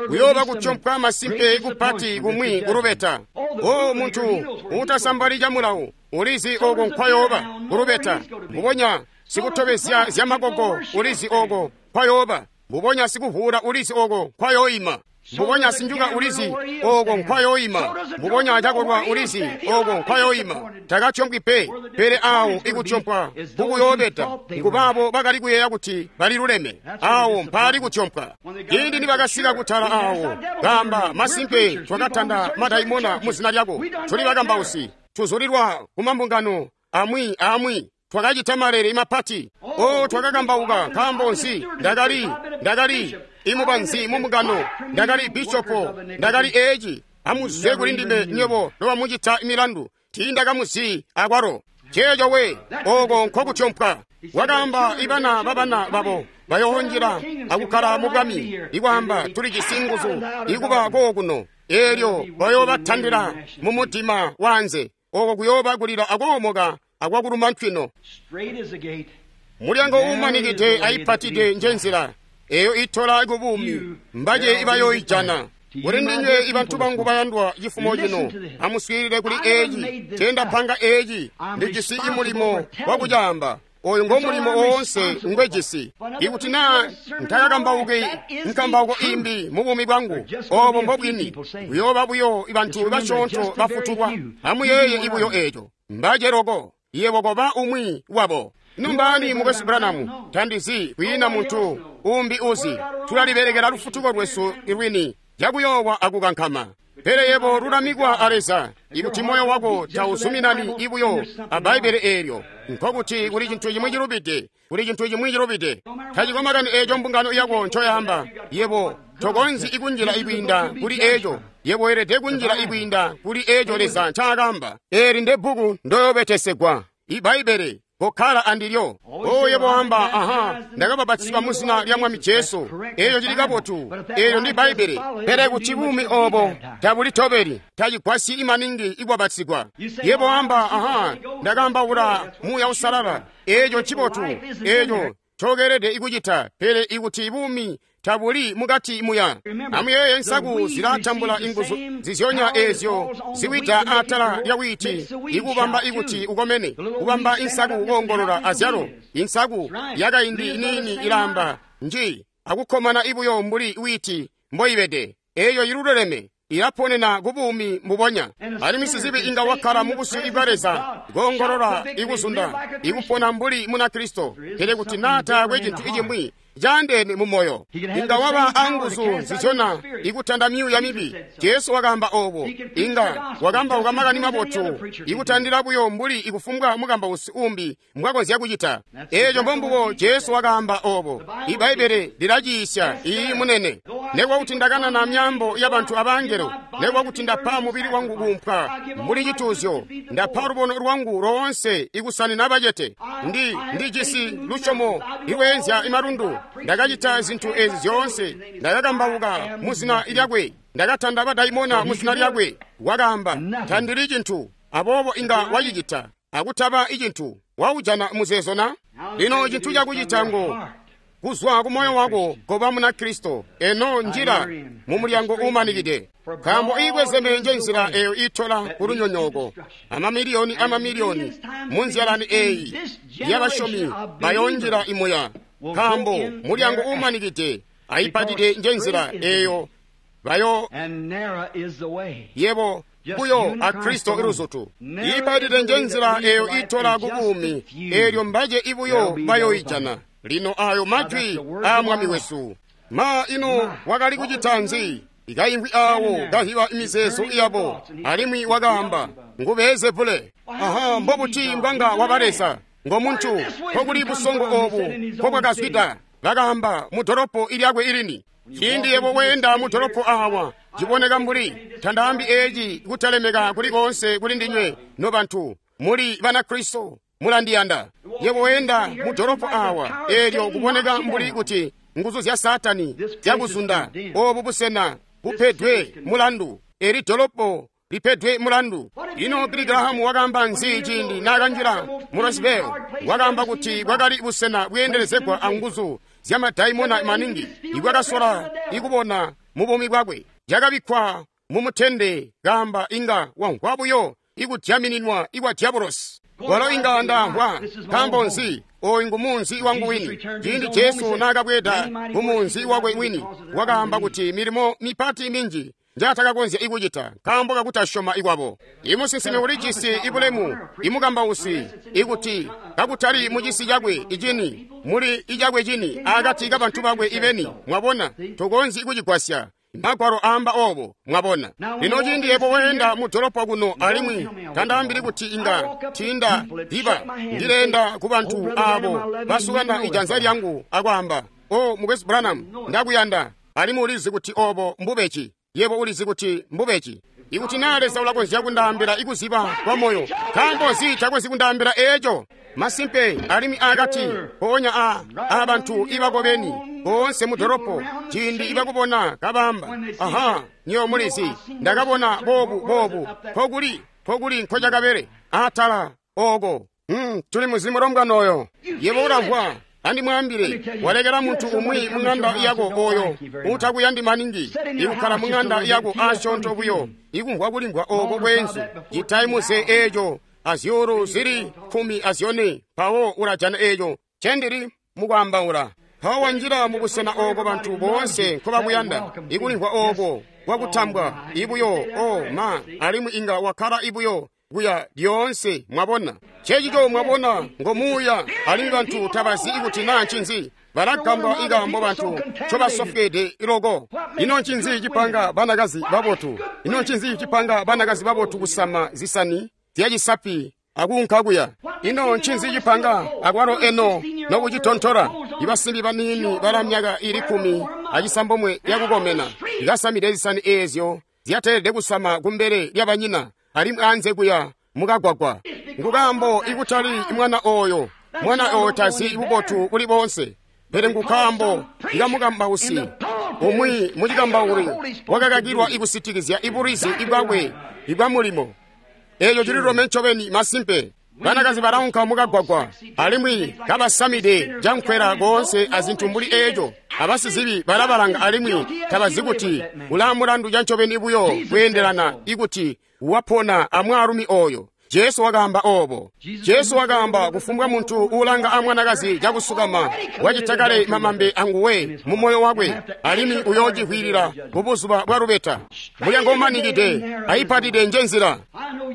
Kuyooba kutyompwa masimpe kupati kumwi kulubeta. O muntu uutasambali camulawu ulizi oko nkwayooba kulubeta. Mbubonya sikutobezya zyamakoko ulizi oko nkwayooba. Mbubonya sikuvuula ulizi oko nkwayooima. Mbubonya sinjuka ulizi oko nkwayooima. Mbubonya cakolwa ulizi oko nkwayooima. Takatyompwi pe, pele awo ikutyompwa kukuyoobeta nkubaabo bakali kuyeeya kuti baliluleme. Awo mpaali kutyompwa. Ciindi nibakasika kutala awo, kaamba, masimpe twakatanda madaimona muzina lyako. Tuli bakambausi, tuzulilwa kumambungano amwi amwi. Twakacita malele mapati. O twakakambauka. Nkaambo nzi? Ndakali Ndakali imubanzi mumugano. Ndakali bishopo. Ndakali eeci. Amuzwe kuli ndime nywebo nobamucita milandu. Tiindakamuzi akwalo. Ceeco we, oko nkokutyompwa. Wakaamba ibana babana babo bayoonjila akukkala mu bwami. Ikwaamba tuli jisi nguzu ikuba kookuno. Eelyo bayoobatandila mu mudima wanze. Oko kuyooba kulila akoomoka akwakuluma ntwino. Mulyango uumanikide ayipatide njenzila eyo itola kubuumi, mbaje ibayooijana. Kuli ndinywe ibantu bangu bayandwa cifumo cino, amuswiilile kuli eeci. Tendapanga eeci, ndijisi imulimo wakucaamba. Oyu ngo mulimo woonse ngwejisi. Ikuti naa ntakakambauki nkambauko imbi mu buumi bwangu, obo mbobwini. Kuyooba buyo bantu basyoonto bafutulwa. Amuyeeye ibuyo eeco. Mbaje loko, yebo koba umwi wabo. Ino mbaani mukwesu Branham? Tandizi, kwiina muntu umbi uzi. Tulalibelekela lufutuko lwesu lwini cakuyoowa akukankama. Pele yebo lulamikwa a Leza. Ikuti moyo wako tauzuminani ibuyo a Bbaibbele eelyo, nkokuti kuli cintu cimwi cilubide, kuli cintu cimwi cilubide. Tacikwe makani eeco mbungano yako ncoyaamba, yebo tokonzyi ikunjila ikwiinda kuli eeco. Yebo weelede kunjila ikwiinda kuli eeco Leza ncaakaamba. Eeli ndebbuku ndoyoobetesegwa, iBbaibbele. Kokkala andilyo. O yebo wamba, aha, ndakabapatizidwa mu zina lya Mwami Jesu. Eeyo cili kabotu. Eeyo ndi Bbaibbele. Pele kuti buumi obo tabulitobeli, tacigwasyi imaningi ikubapatizigwa. Yebo wamba, aha, ndakambaula Muuya Uusalala. Eeco ncibotu. Eeco ncokeelede ikucita. Pele ikuti buumi tabuli mukati muya. Amuyeeye nsaku zilatambula inguzu zizyonya eezyo ziwida atala lya wiiti ikubamba ikuti ukomene, kubamba insaku koongolola azyalo. Insaku yakaindi iniini ilamba nji akukkomana ibuyo mbuli wiiti mboibede. Eeyo iluleleme ilaponena kubuumi mbubonya. Alimwi sizibi inga wakkala mu busyu bwa Leza, koongolola ikuzunda, ikupona mbuli Munakristo. Pele kuti naa taakwe cintu icimwi caandeene mu moyo, inga waba anguzu nzizyona ikutanda myuuya mibi. Jesu wakaamba obo. Inga wakambauka makani mabotu ikutandila buyo mbuli ikufumbwa mukambausi umbi mbwakonzya kucita. Eeco mbombubo Jesu wakaamba obo. Ibbaibbele lilaciisya iyi munene. Nekuba kuti ndakanana myaambo yabantu abangelo, nekuba kuti ndapa mubili wangu kuumpwa mbuli cituuzyo, ndapa lubono lwangu loonse ikusanina bacete, ndi ndijisi lusyomo ilweenzya imalundu, ndakacita zintu ezi zyoonse, ndakakambauka mu zina lyakwe, ndakatanda badaimona mu zina lyakwe. Wakaamba, tandili cintu. Aboobo inga wacicita akutaba icintu. Waujana muzeezo na? Lino cintu cakucita ngo kuzwa ku moyo wako koba Munakristo. Eno njila mu mulyango uumanikide, nkaambo iikwezeme nje nzila eyo itola ku lunyonyooko. Amamiliyoni amamiliyoni mu nzyalani eeyi yabasyomi bayoonjila imuya, nkaambo mulyango uumanikide ayipatide nje nzila eyo bayo yebo buyo a Kristo iluzutu. Iipatide nje nzila eyo itola ku buumi, eelyo mbaje ibuyo bayoijana. Lino ayo majwi aa Mwami wesu. Ma ino wakali kucita nzi? Ikaimvwi awo kahiba imizeezo yabo, alimwi wakaamba, ngu Beelzebule. Aha, mbobuti mbwanga waba Leza? Ngo muntu, nkokuli busongo obu nkobwakazwida. Bakaamba mu dolopo ilyakwe ilini. Ciindi yebo weenda mu dolopo awa, ciboneka mbuli tandaambi eeci kutalemeka kuli koonse kuli ndinywe nobantu muli Banakristo mulandiyanda. Yebo weenda mu dolopo awa, eelyo kuboneka mbuli kuti nguzu zya Saatani zyakuzunda. Obu busena bupedwe mulandu. Eli dolopo lipedwe mulandu. Ino Billy Graham wakaamba nzi ciindi naakanjila mu Roseville? Wakaamba kuti bwakali busena bweendelezegwa anguzu zyamadaimona maningi ibwakasola ikubona mu buumi bwakwe. Cakabikkwa mumutende, kaamba inga wamvwa buyo ikudyamininwa ikwa diabolosi. Walo inga ndamvwa. Nkaambo nzi? Oyu ngu munzi wangu wini. Ciindi Jesu naakabweeda ku munzi wakwe wini, wakaamba kuti milimo mipati minji njatakakonzya ikucita nkaambo kakutasyoma ikwabo. Imusinsimi ulijisi ibulemu, imukambausi, ikuti kakutali mucisi cakwe icini, muli icakwe cini akati kabantu bakwe ibeni. Mwabona, tokonzyi kucigwasya. Magwalo aamba obo, mwabona. Lino ciindi yebo weenda mu dolopo kuno, alimwi tandaambili kuti inga tinda diba ndileenda ku bantu abo basukana ijanza lyangu akwaamba, O mukwesu Branham, ndakuyanda, alimwi ulizi kuti obo mbubeci. Yebo ulizi kuti mbubeci. Ikuti naa Leza ulakonzya kundaambila ikuziba kwa moyo, nkaambo nzi takonzyi kundaambila eeco? Masimpe, alimwi akati mpoonya a abantu ibakobeni boonse mu doropo, ciindi ibakubona kabamba, aha, nyo mulizi, ndakabona boobu boobu, nkokuli nkokuli nkocakabele atala oko. Hmm, tuli muzimu lombwana oyo. Yebo ulamvwa. Andimwaambile, walekela muntu umwi mung'anda yako oyo utakuyandi maningi, ikukkala mung'anda yako asyoonto buyo, ikumvwa kulimvwa oko kweenzu, citaimuze eeco azyuulu zili kkumi azyone, mpawo ulajana eeco cendili mukwaambaula. Mpawo wanjila mubusena ooko bantu boonse nkobakuyanda, ikulimvwa ooko kwakutambwa ibuyo o ma, alimwi inga wakkala ibuyo kuya lyoonse. Mwabona cecico, mwabona ngomuuya, alimwi bantu tabazi ikuti naa ncinzi. Balagambwa ikaambo bantu ncobasofweede loko. Ino ncinzi cipanga banakazi babotu? Ino ncinzi cipanga banakazi babotu kusama zisani zyacisapi akuunka kuya? Ino ncinzi cipanga akwalo eno nokucitontola? Ibasimbi baniini bala myaka ili kkumi acisambomwe yakukomena ikasamide zisani eezyo zyateelede kusama kumbele lyabanyina, alimwi anze kuya mukagwagwa. Ngukaambo ikutali mwana oyo, mwana oyo tazi bubotu kuli boonse, pele ngukaambo ikamukambausi umwi mucikambauli wakakakilwa ikusitikizya ibulizi ibwakwe ibwa mulimo. Eeco cililome ncobeni masimpe. Banakazi balaunka mukagwagwa alimwi kabasamide cankwela koonse azintu mbuli eeco. Abasizibi balabalanga alimwi tabazi kuti ulaamulandu cancobeni buyo kweendelana ikuti wapona amwaalumi oyo. Jesu wakaamba obo. Jesu wakaamba kufumbwa muntu uulanga amwanakazi cakusukama wacita kale mamambe anguwe mu moyo wakwe, alimwi uyoocivwiilila mubuzuba bwa lubeta. Mulyango umanikide aipatide nje nzila.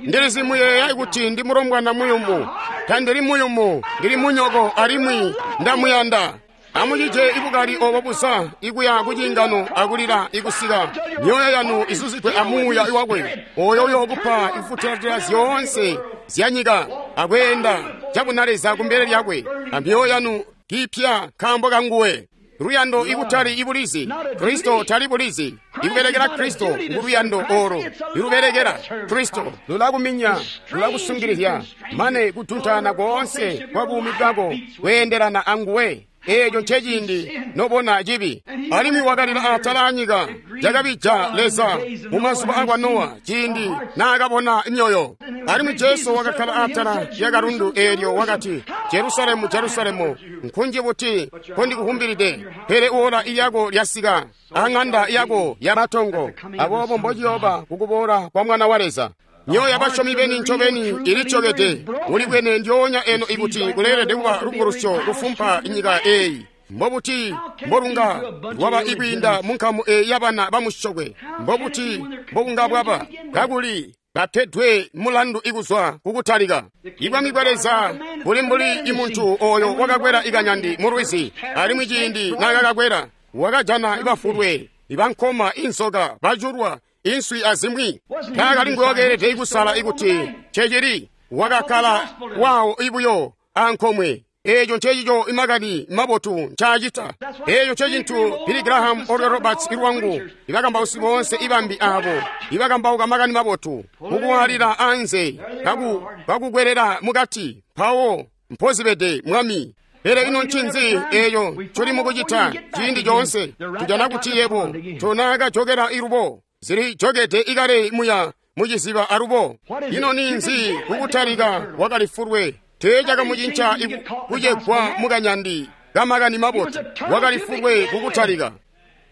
Ndilizi muyeeya kuti ndi mulombwana muyumu. Tandili muyumu, ndili munyoko alimwi ndamuyanda. Amucije ibukali obo busa ikuya kucingano akulila ikusika myoyo yanu izuzigwe amuuya wakwe oyo uyokupa ifutatila zyoonse zyanyika akweenda cabunaleza kumbele lyakwe, amyoyo yanu kiipya nkaambo kanguwe. Luyando ikutali ibulizi, Kristo tali bulizi. Ikubelekela Kristo nguluyando olo ilubelekela Kristo lulakuminya, lulakusungilizya mane kutuntana koonse kwa buumi bwako kweendelana anguwe. Eeco nceciindi nobona cibi. Alimwi wakalila atala anyika cakabija Leza mu mazuba akwa Nowa ciindi naakabona myoyo. Alimwi Jesu wakakkala atala lyakalundu eelyo wakati, Jerusalemu, Jerusalemu, nkunji buti nkondikukumbilide, pele ola lyako lyasika, aŋanda yako yamatongo. Aboobo mbociyooba kukuboola kwa Mwana wa Leza. Myoyo yabasyomi beni ncobeni ilityokede. Ulibwene ndyoonya eno ikuti kuleelede kuba lubukulusyo lufumpa nyika eeyi. Mbobuti mbolunga lwaba ikwiinda munkamu eeyi yabana bamusyokwe? Mbobuti mbobunga bwaba kakuli bapedwe mulandu ikuzwa kukutalika? Ibwami bwa Leza buli mbuli imuntu oyo wakakwela ikanyandi mu lwizi, alimwi ciindi naakakakwela wakajana ibafulwe, ibankoma, inzoka, baculwa, inswi azimwi. Taakali nguyokeelede ikusala ikuti cecili wakakkala wawo ibuyo ankomwe. Eeco ncecico imakani mabotu ncaacita. Eeco ncecintu Billy Graham, Oral Roberts ilwangu, ibakambausi boonse ibambi aabo ibakambauka makani mabotu mukuwalila anze kakukwelela mukati, mpawo mpozibede Mwami. Pele ino ncinzi eeyo ncoli mukucita ciindi coonse? Tujana kuti yebo tonaakajokela ilubo, zili jokede ikale muya muciziba alubo. Ino ninzi kukutalika wakalifulwe? Teecakamucinca kucegwa mukanyandi kamakani mabotu. Wakalifulwe kukutalika,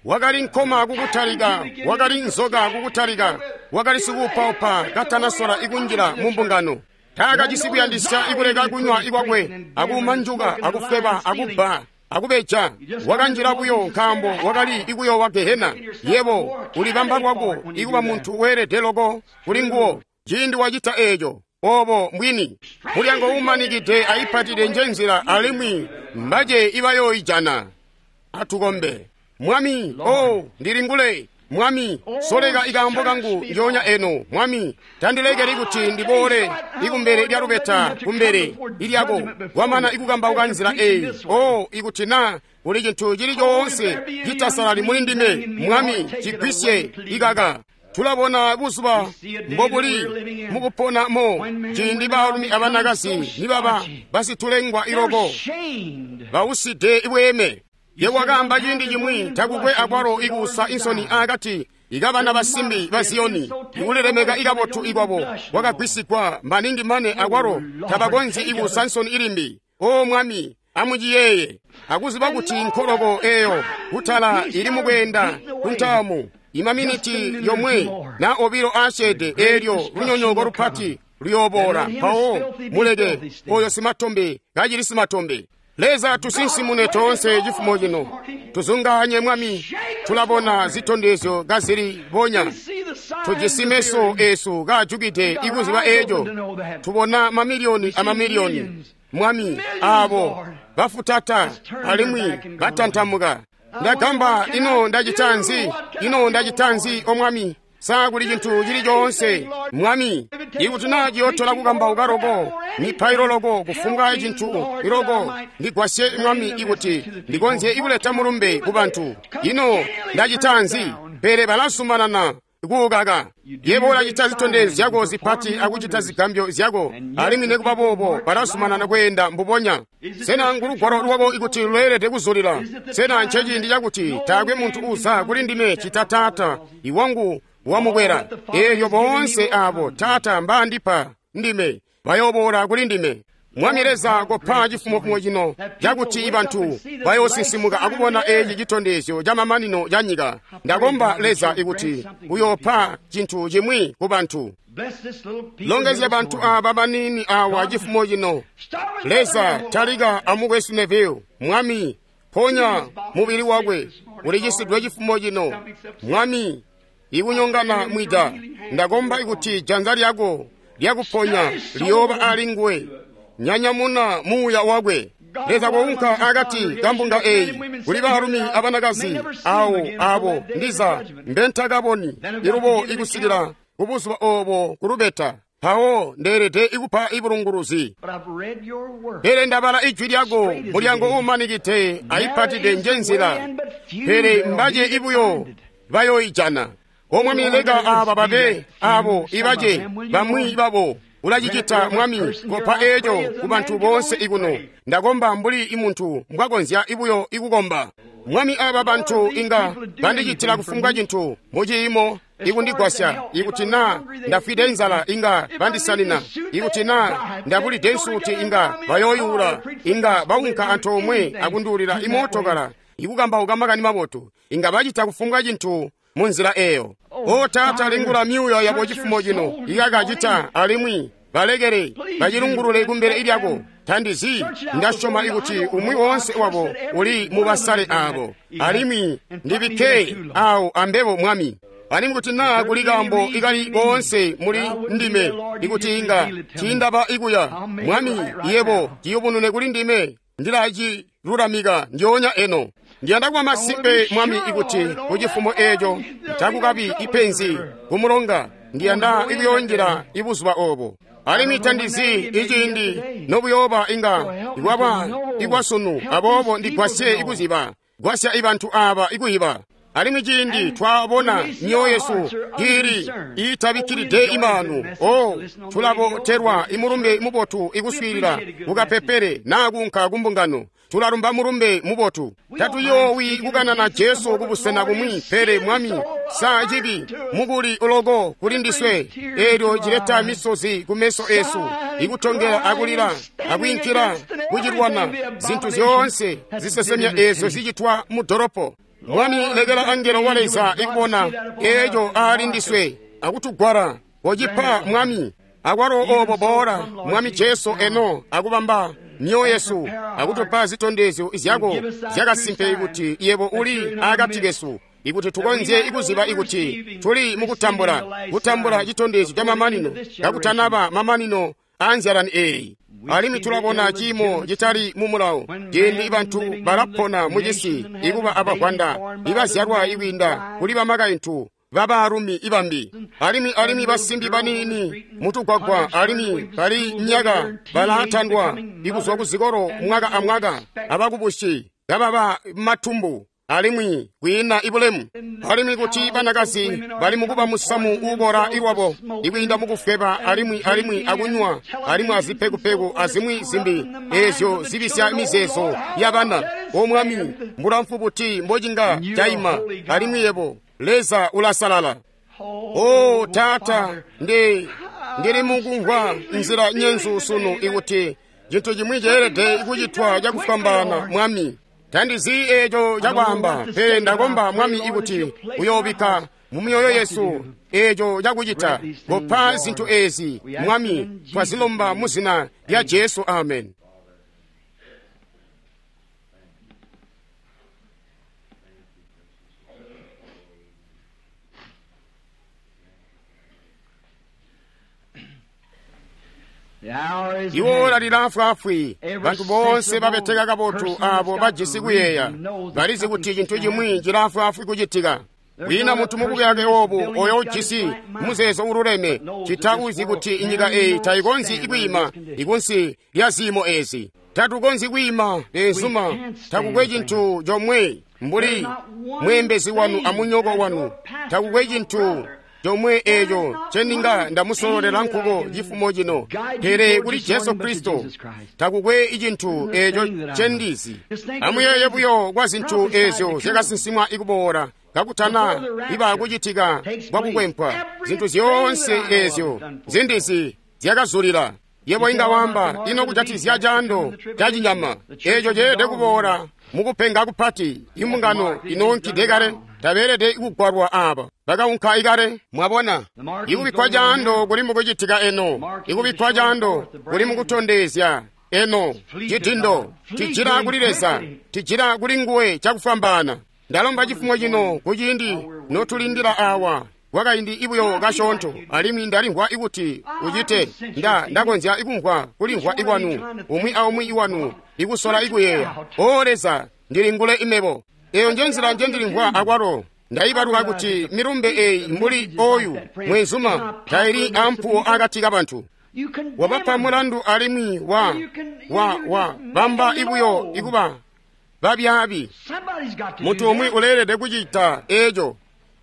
wakali nkoma kukutalika, wakali nzoka kukutalika, wakali sikuupaupa katanasola ikunjila mu mbungano. Taakajisi kuyandisya ikuleka kunywa ikwakwe, akumanjuka, akufweba, akubba, akubeja. Wakanjila buyo nkaambo wakali ikuyoowa gehena. Yebo ulibamba lwako ikuba muntu weelede loko kuli nguwo ciindi wacita eeco. Obo mbwini. Mulyango umanikide aipatide nje nzila, alimwi mbace ibayooijana. Atukombe. Mwami, o ndilingule. Mwami, soleka ikaambo kangu njoonya eno. Mwami, tandilekeli kuti ndiboole ikumbele lya lubeta kumbele ilyako kwamana ikukambauka nzila eyi. O ikuti na kuli cintu cili coonse citasalali muli ndime, Mwami, cigwisye ikaka. Tulabona buzuba mbobuli mukupona mo ciindi baalumi abanakazi nibaba basitulengwa iloko bauside bweeme. Ye wakaamba ciindi cimwi takukwe akwalo ikuusa insoni akati ikabana basimbi ba Ziyoni, ikulilemeka ikabotu ikwabo kwakagwisigwa maningi mane akwalo tabakonzyi ikuusa nsoni ilimbi. O Mwami, amuciyeeye akuziba kuti nkoloko eyo kutala ili mukweenda kuntaamu imaminiti yomwe na obilo asyeede, eelyo lunyonyooko lupati luyooboola. Mpawo muleke oyo simatombe kacili simatombe. Leza, tusinsimune toonse cifumo cino, tuzunganye Mwami. Tulabona zitondezyo kazili bonya, tujisi meso esu kaajukide ikuziba eeco. Tubona mamiliyoni amamiliyoni, Mwami, aabo bafutata alimwi batantamuka. Ndagamba, ino ndacita nzi? Ino ndacita nzi, o Mwami? Sa kuli cintu cili coonse, Mwami, ikuti naa ciyotola kukambauka loko, mipailo loko, kufumbwa cintu iloko, ndigwasye Mwami ikuti ndikonzye ikuleta mulumbe ku bantu. Ino ndacita nzi? Pele balazumanana kuukaka. Yebo ulacita zitondezyo zyako zipati akucita zigambyo zyako, alimwi nekuba boobo balazumanana kweenda mbubonya. Sena ngulugwalo lwako ikuti lweelede kuzulila? Sena nceciindi cakuti taakwe muntu uza kuli ndime cita Taata iwangu wamukwela? Eelyo boonse aabo Taata mbaandipa ndime bayooboola kuli ndime. Mwami Leza, kopa cifumofumo cino cakuti bantu bayoosinsimuka akubona eeci citondezyo ca mamanino ca nyika. Ndakomba Leza ikuti uyoopa cintu cimwi ku bantu. Longezya bantu aaba baniini awa cifumo cino. Leza, talika amukwesu Neville. Mwami, ponya mubili wakwe ulicisidwe cifumo cino. Mwami, ikunyongana mwida, ndakomba ikuti janza lyako lyakuponya liyooba ali nguwe. Nyanyamuna muuya wakwe. Leza, kounka akati kambunga eyi kuli baalumi abanakazi awo abo ndiza mbentakaboni ilubo ikusikila kubuzuba obo kulubeta. Mpawo ndeelede ikupa ibulunguluzi. Pele ndabala ijwi lyako, mulyango uumanikide ayipatide nje nzila, pele mbace ibuyo bayoijana. O Mwami, leka aaba babe abo ibace bamwi babo. Ulacicita Mwami, kopa eeco ku bantu boonse ikuno. Ndakomba mbuli imuntu mbwakonzya ibuyo ikukomba. Mwami, aaba bantu inga bandicitila kufumbwa cintu muciimo ikundigwasya. Ikuti naa ndafwide nzala inga bandisanina, ikuti naa ndabulide nsuti inga bayooyula, inga baunka antoomwe akunduulila imootokala ikukambauka makani mabotu, inga bacita kufumbwa cintu munzila eyo. O Taata, lingula myuuya yabo cifumo cino ikakacita, alimwi balekele bacilungulule kumbele lyako. Tandizi, ndasyoma ikuti umwi woonse wabo uli mubasale abo, alimwi ndibikke awo ambebo Mwami. Alimwi kuti naa kuli kaambo ikali koonse muli ndime ikuti inga tiindaba ikuya, Mwami, yebo ciyubunune kuli ndime, ndilacilulamika ndyoonya eno. Ndiyanda kuba masimpe, Mwami, ikuti kucifumo eeco takukabi ipenzi kumulonga. Ndiyanda ikuyonjela ibuzuba obo. Alimwi tandizi iciindi nobuyooba inga ikwaba ikwasunu, aboobo ndigwasye ikuziba. Gwasya ibantu aaba ikuyiba. Alimwi ciindi twabona myoyo yesu ili iitabikkilide imanu, o tulabotelwa imulumbe mubotu ikuswiilila kukapepele naa kuunka kumbungano. Tulalumba mulumbe mubotu. Tatuyoowi kukanana Jesu kubusena kumwi, pele Mwami, sa cibi mukuli uloko kuli ndiswe, eelyo cileta misozi kumeso esu, ikutongela akulila akwiinkila kucilwana zintu zyoonse zisesemya eezyo zicitwa mu doropo. Mwami, lekela angelo wa Leza ikubona eeco aali ndiswe akutugwala. Kocipa Mwami, akwalo obo boola Mwami Jesu eno akubamba myoyo yesu akutupa zitondezyo zyako zyakasimpe kuti yebo uli akati kesu, ikuti tukonzye ikuziba ikuti tuli mukutambula kutambula citondezyo ca mamanino kakutanaba mamanino aanzyalani eeyi. Alimwi tulabona ciimo citali mu mulawo ciindi bantu balapona mucisi ikuba abavwanda ibazyalwa ikwiinda kuli bamakaintu babaalumi ibambi, alimwi alimwi basimbi baniini mutugwagwa, alimwi bali myaka balatandwa ikuzwa kuzikolo mwaka amwaka abakubusi kababa matumbu alimwi kwiina ibulemu, alimwi kuti banakazi bali mukuba musamu uubora iwabo ikwiinda mukufweba alimwi alimwi akunywa alimwi azipekupeku azimwi zimbi ezyo zibisya mizeezo yabana. O Mwami, mbulamfu buti mbocinga caima, alimwi yebo Leza ulasalala. O Taata, ndi ndili mukumvwa nzila nyenzu sunu ikuti cintu chimwi ceelede kucitwa cakufwambaana, Mwami. Tandizi eeco cakwaamba, pele ndakomba, Mwami, ikuti uyoobikka mu myoyo yesu eeco cakucita. Kopa zintu ezi, Mwami, twazilomba mu zina lya Jesu, amen. Iwo lalilafwafwi bantu bonse babeteka kabotu abo bajisi kuyeeya balizi kuti cintu chimwi cilafwafwi kucitika. Kwiina muntu mubuyake obu oyo ujisi muzeezo ululeme cita uzi kuti inyika eyi tayikonzyi kwiima ikunsi lya ziimo ezi. Tatukonzyi kwiima benzuma, takukwe cintu chomwe mbuli mweembezi wanu amunyoko wanu, takukwe cintu chomwe echo cheninga ndamusololela nkuko chifumo chino, pele kuli Jesu Kristo takukwe icinthu echo chendizi. Amuyeye buyo kwa zinthu ezyo zyakasinsimwa ikuboola kakutana iba kuchitika kwa kukwempwa. Zinthu zyonse ezyo zindizi zyakazulira. Yebo inga wamba ino kujatizya chando cha chinyama echo cheelede kuboola mukupenga kupati. Imbungano inoonkide kale, tabeelede kugwalwa aba bakaunka ikale. Mwabona, ikubikkwa chando kuli mukucitika eno, ikubikkwa chando kuli mukutondezya eno. Chidindo tijira kuli Leza, tijira kuli nguwe chakufwambaana. Ndalomba chifumo chino kuciindi notulindila awa kwakaindi ibuyo kasyoonto, alimwi ndalimvwa ikuti ucite nda ndakonzya ikumvwa kulimvwa ikwanu umwi aumwi iwanu ikusola ikuyeeya. O Leza, ndilingule imebo. Eyo nje nzila nje ndilimvwa akwalo. Ndayibaluka kuti milumbe eyi mbuli oyu mwenzuma taili ampuwo akati kabantu. Wabapa mulandu alimwi wa wa wa bamba ibuyo ikuba babyaabi. Muntu umwi uleelede kucita eco.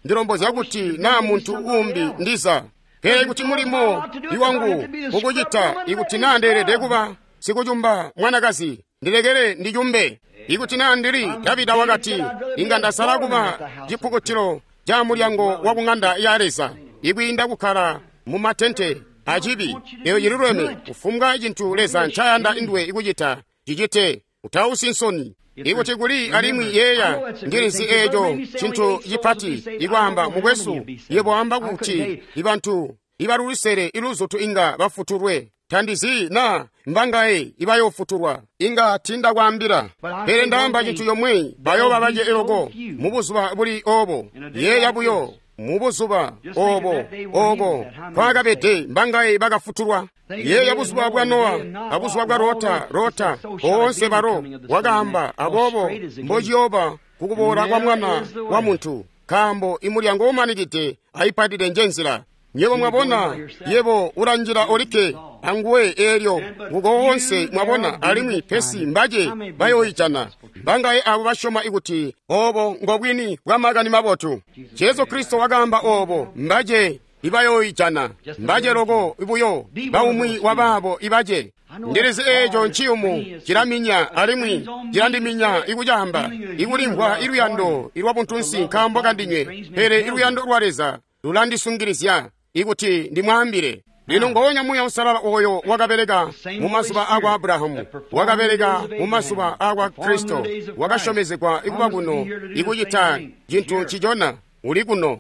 Ndilombozya kuti naa muntu umbi ndiza, pele kuti mulimo iwangu ukucita ikuti naa ndeelede kuba sikucumba mwanakazi, ndilekele ndicumbe. Ikuti naa ndili Davida wakati, inga ndasala kuba cipukutilo ca mulyango wa kung'anda ya Leza ikwiinda kukkala mu matente acibi. Eyo cililweme. Kufumbwa cintu Leza ncayanda induwe ikucita, cicite, utausi nsoni. Ikuti kuli alimwi yeeya, ndilizi eeco cintu cipati ikwaamba mukwesu, yebo amba kuti ibantu ibalulisele iluzutu inga bafutulwe. Tandizi na mbangaye ibayofutulwa, inga tindakwaambila, pele ndaamba cintu yomwe, bayoba bace eloko mubuzuba buli obo. Yeeya buyo mubuzuba obo oko kwakabede mbangaye bakafutulwa. Yeeya buzuba bwa Nowa abuzuba bwa Lota, Lota boonse balo wakaamba, aboobo mbociyooba kukuboola kwa Mwana wa Muntu, nkaambo imulyango umanikide ayipatide nje nzila. Nyebo mwabona, yebo ulanjila olikke anguwe eelyo nguko wonse mwabona, alimwi pesi mbace bayoyijana. Mbangaye abo basyoma ikuti obo ngobwini bwa makani mabotu. Jesu Kristo wakaamba obo, mbace ibayoyijana, mbace loko ibuyo baumwi wabaabo ibace. Ndilizi eeco nciyumu cilaminya alimwi cilandiminya ikucaamba ikulimvwa iluyando ilwabuntunsi nkaambo kandinywe, pele iluyando lwa Leza lulandisungilizya ikuti ndimwaambile. Lino ngoonya Muuya Uusalala oyo wakabeleka mu mazuba akwa Abrahamu, wakabeleka mu mazuba akwa Kristo, wakasyomezegwa ikuba kuno ikucita cintu ncicona uli kuno.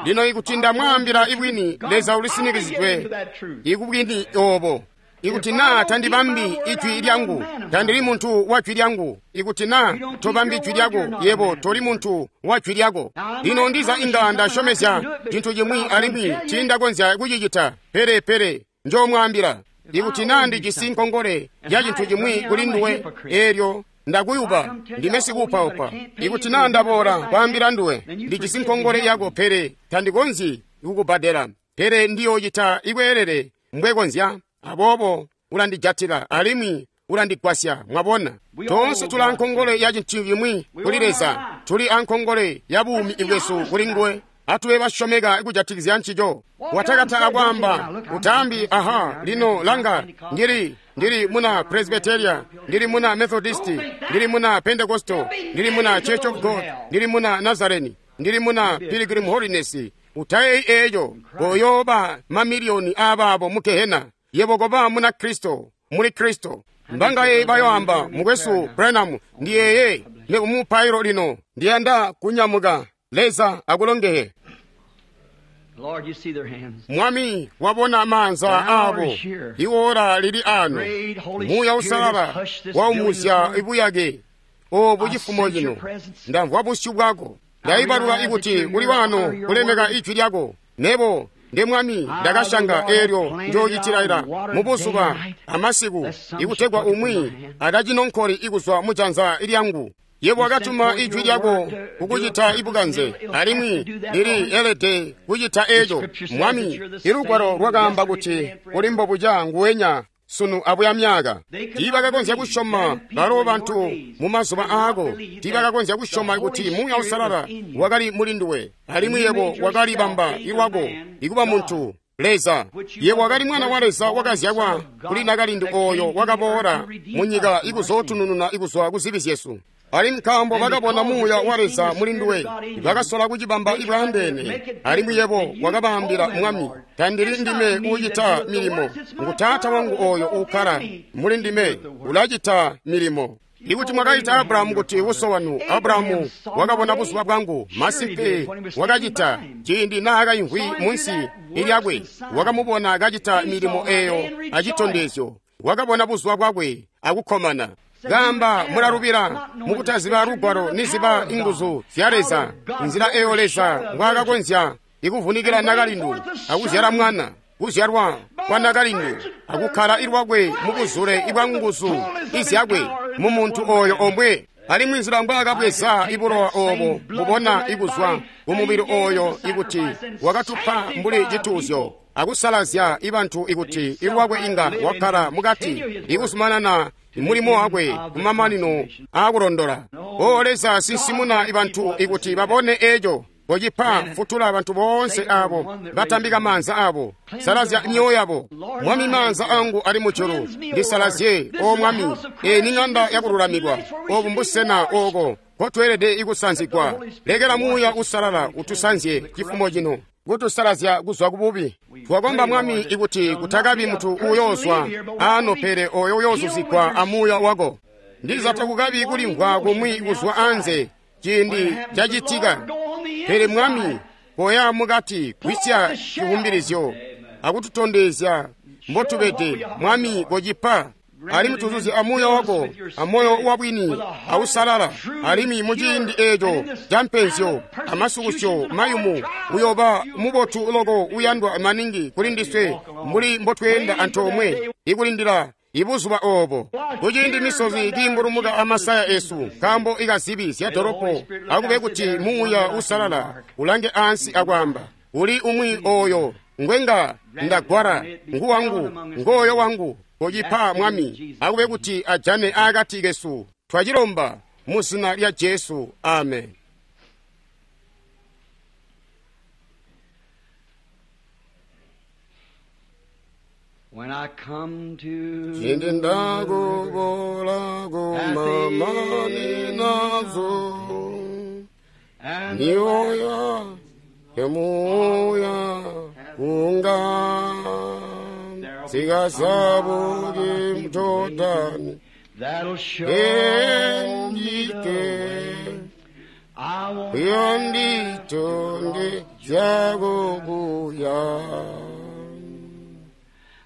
Lino ikuti ndamwaambila ibwini, Leza ulisinikizidwe ikubwini obo. Ikuti naa tandibambi ijwi lyangu, tandili muntu wa jwi lyangu. Ikuti naa tobambi jwi lyako, yebo toli muntu wa jwi lyako. Lino ndiza inga ndasyomezya cintu chimwi alimwi tindakonzya kucicita, pele pele njoomwaambila. Ikuti naa ndijisi nkongole ya cintu chimwi kuli nduwe, eelyo ndakuyuba, ndime sikuupaupa. Ikuti naa ndaboola kwaambila nduwe, ndijisi nkongole yako, pele tandikonzyi kukubbadela, pele ndiyoocita ikweelele mbwekonzya. Aboobo ulandijatila alimwi ulandigwasya. Mwabona, toonse tuli ankongole ya cintu cimwi kuli Leza, tuli ankongole ya buumi bwesu kuli nguwe. Atube basyomeka kujatikizya ncico. Watakata akwaamba utaambi, aha, lino langa, ndili ndili muna Presbyteria, ndili muna Methodisti, ndili muna Pentecostal, ndili muna Church of God, ndili muna Nazareni, ndili muna Pilgrim Holiness. Utayeyi eeco, koyooba mamiliyoni aabaabo mu gehena. Yebo koba muna Kristo, muli Kristo. Mbangaye bayoamba, mukwesu Branham, ndiyeye nekumupailo lino, ndiyanda kunyamuka. Leza akulongehe. Lord, you see their hands. Mwami wabona maanza abo, iwora lili ano. Muuya usalala waumuzya ibuyake obu cifumo cino. Ndamvwa busyu bwako, ndaibalula ikuti kuli wano kulemeka ijwi lyako. Nebo nde Mwami ndakashanga eelyo njoocitilaila mubuzuba amasiku, ikutegwa umwi atacinonkoli ikuzwa mujanza lyangu. Yebo wakatuma ijwi lyako kukucita ibukanze, alimwi lili elede kucita eco. Mwami, ilugwalo lwakaamba kuti kuli mbobuca nguwenya sunu abuya myaka. Tiibakakonzya kusyoma balo bantu mu mazuba aako, tiibakakonzya kusyoma kuti Muuya Usalala wakali muli nduwe, alimwi yebo wakalibamba ilwako ikuba muntu Leza. Yebo wakali mwana wa Leza wakazyalwa kuli nakalindu ooyo wakaboola munyika ikuzootunununa ikuzwa ku zibi zyesu. Alimwi nkaambo bakabona Muuya wa Leza muli nduwe, bakasola kucibamba ibwaandeene. Alimwi yebo wakabaambila, Mwami, tandili ndime uucita milimo, ngu Taata wangu ooyo uukkala muli ndime ulacita milimo. Ikuti mwakaita Abrahamu kuti uso wanu, Abrahamu wakabona buzuba bwangu. Masimpe wakacita ciindi naakayimvwi munsi lyakwe, wakamubona kacita milimo eeyo acitondezyo. Wakabona buzuba bwakwe akukkomana. Gamba mulalubila mukutaziba lugwalo niziba inguzu zya Leza, nzila eyo Leza mbwaakakonzya ikuvunikila nakalindu akuzyala mwana, kuzyalwa kwa nakalindu akukkala ilwakwe mubuzule ibwa nguzu izyakwe mu muntu oyo omwe. Alimwi nzila mbwaakabweza ibulowa oobo mubona ikuzwa kumubili oyo ikuti wakatupa mbuli cituuzyo akusalazya ibantu ikuti ilwakwe inga wakkala mukati ikuzumanana mulimo wakwe kumamanino aakulondola. O Leza, sinsimuna ibantu ikuti babone eco. Kocipa futula bantu boonse abo batambika maanza abo, salazya myoyo yabo. Mwami, maanza angu ali mujulu, ndisalazye, o Mwami. Eyi ni ng'anda yakululamikwa, obu mbusena ooko nkotweelede ikusanzigwa. Lekela Muuya Usalala utusanzye cifumo cino, kutusalazya kuzwa kububi. Twakomba Mwami ikuti kutakabi muntu uyoozwa ano, pele oyo uyoozuzigwa amuuya wako. Ndiza takukabi kulimvwa kumwi kuzwa anze ciindi cacitika, pele Mwami, koya mukati kwisya civumbilizyo akututondezya mbotubede. Mwami, kocipa. Alimwi tuzuzye amuuya wako amoyo wabwini ausalala. Alimwi muciindi eeco ca mpenzyo amasukusyo mayumu, uyoba mubotu loko uyandwa maningi kuli ndiswe mbuli mbotweenda antoomwe ikulindila ibuzuba oobo. Kuciindi misozi kiimbulumuka amasaya esu nkaambo ikazibi zya dolopo, akube kuti Muuya Usalala ulange ansi akwaamba, uli umwi oyo ngwenga ndagwala, nguwangu, ngooyo wangu. Kocipa Mwami, akube kuti ajane akati kesu. Twacilomba mu zina lya Jesu, amen. When I come to Ciindi ndakubola kumamani nazo, and mioyo emuya kunga zikazabuki mjordani that'll show me the endike way. I won't yonditonde zyakubuya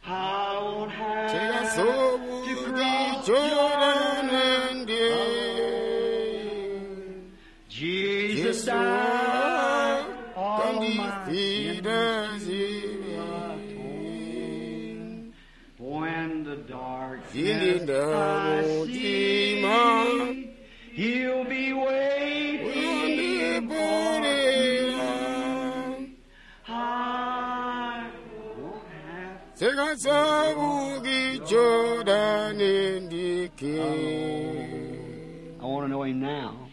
I won't have to zikazobuki cross jordan ndi Jesus Jesu died all my kandifira sins zibi when the darkness Ciindi I ndamutima see, He'll be waiting. uyondiporera I won't have zikazabuki jordan ndi endike.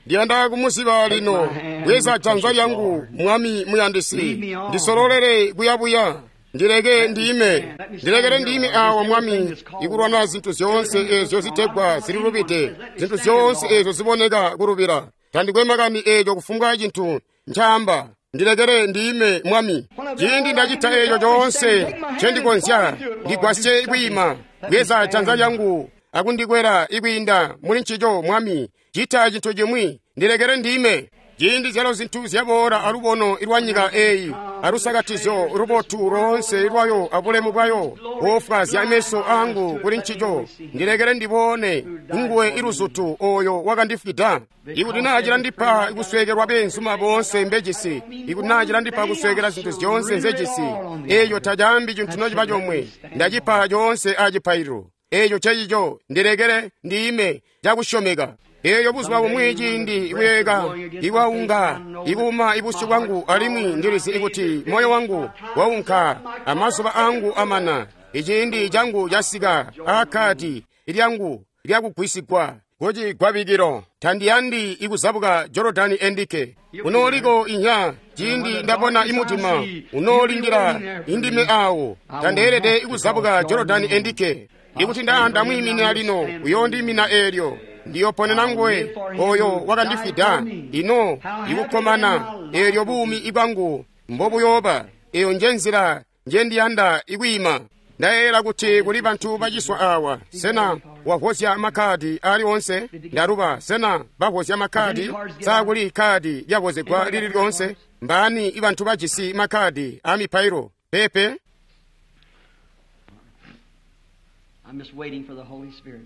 Ndiyanda kumuziba lino. Bweza janza lyangu, Mwami muyandisi, ndisololere kuyabuya. Ndileke ndime, ndilekele ndime awa, Mwami, ikulwana zinthu zyoonse ezyo zitegwa zililubide, zinthu zyoonse ezyo ziboneka kulubira. Tandikwe makani echo kufumbwa chinthu nchamba. Ndilekele ndime, Mwami. Ciindi ndacita echo chonse chendikonzya, ndigwasye kwiima. Bweza janza lyangu akundikwera ikwiinda muli nchicho, Mwami. Chita chinthu chimwi, ndilekele ndime. Ciindi zyalo zinthu zyaboola alubono lwa nyika eyi, alusakatizyo lubotu lonse lwayo abulemu bwayo, wofwazya meso angu kuli nchicho, ndilekele ndibone nguwe iluzutu oyo wakandifwida. Ikuti naa cilandipa kuswekelwa beenzuma bonse mbejisi, ikuti naa cilandipa kuswekela zinthu zyonse nzejisi, eyo tacaambi chinthu nociba chomwe, ndachipa chonse achipailiro. Echo chechicho, ndilekele ndime chakusyomeka. Eyo buzuba bumwi ciindi ikuyeka ikwaunga ikuuma ibusyu bwangu, alimwi ndilizi ikuti moyo wangu waunka, amazuba angu amana, iciindi changu chasika, akhati lyangu lyakugwisigwa kucigwabikilo. Tandiyandi ikuzabuka Jorodani endike. Unooliko inya ciindi ndabona imutima unoolindila indime awo. Tandeelede ikuzabuka Jorodani endike. Ikuti ndamwiimina lino, uyoondiimina eelyo. Ndiyoponena nguwe oyo wakandifwida. Ino ikukkomana eelyo buumi ibwangu mbobuyooba. Eyo nje nzila njendiyanda ikwiima. Ndayeeyela kuti kuli bantu baciswa awa. Sena wavozya makhadi ali onse? Ndaluba, sena bavozya makhadi? Sakuli khadi lyavozegwa lili lyonse? Mbani ibantu bajisi makhadi a mipailo? Pepe. I'm just waiting for the Holy Spirit.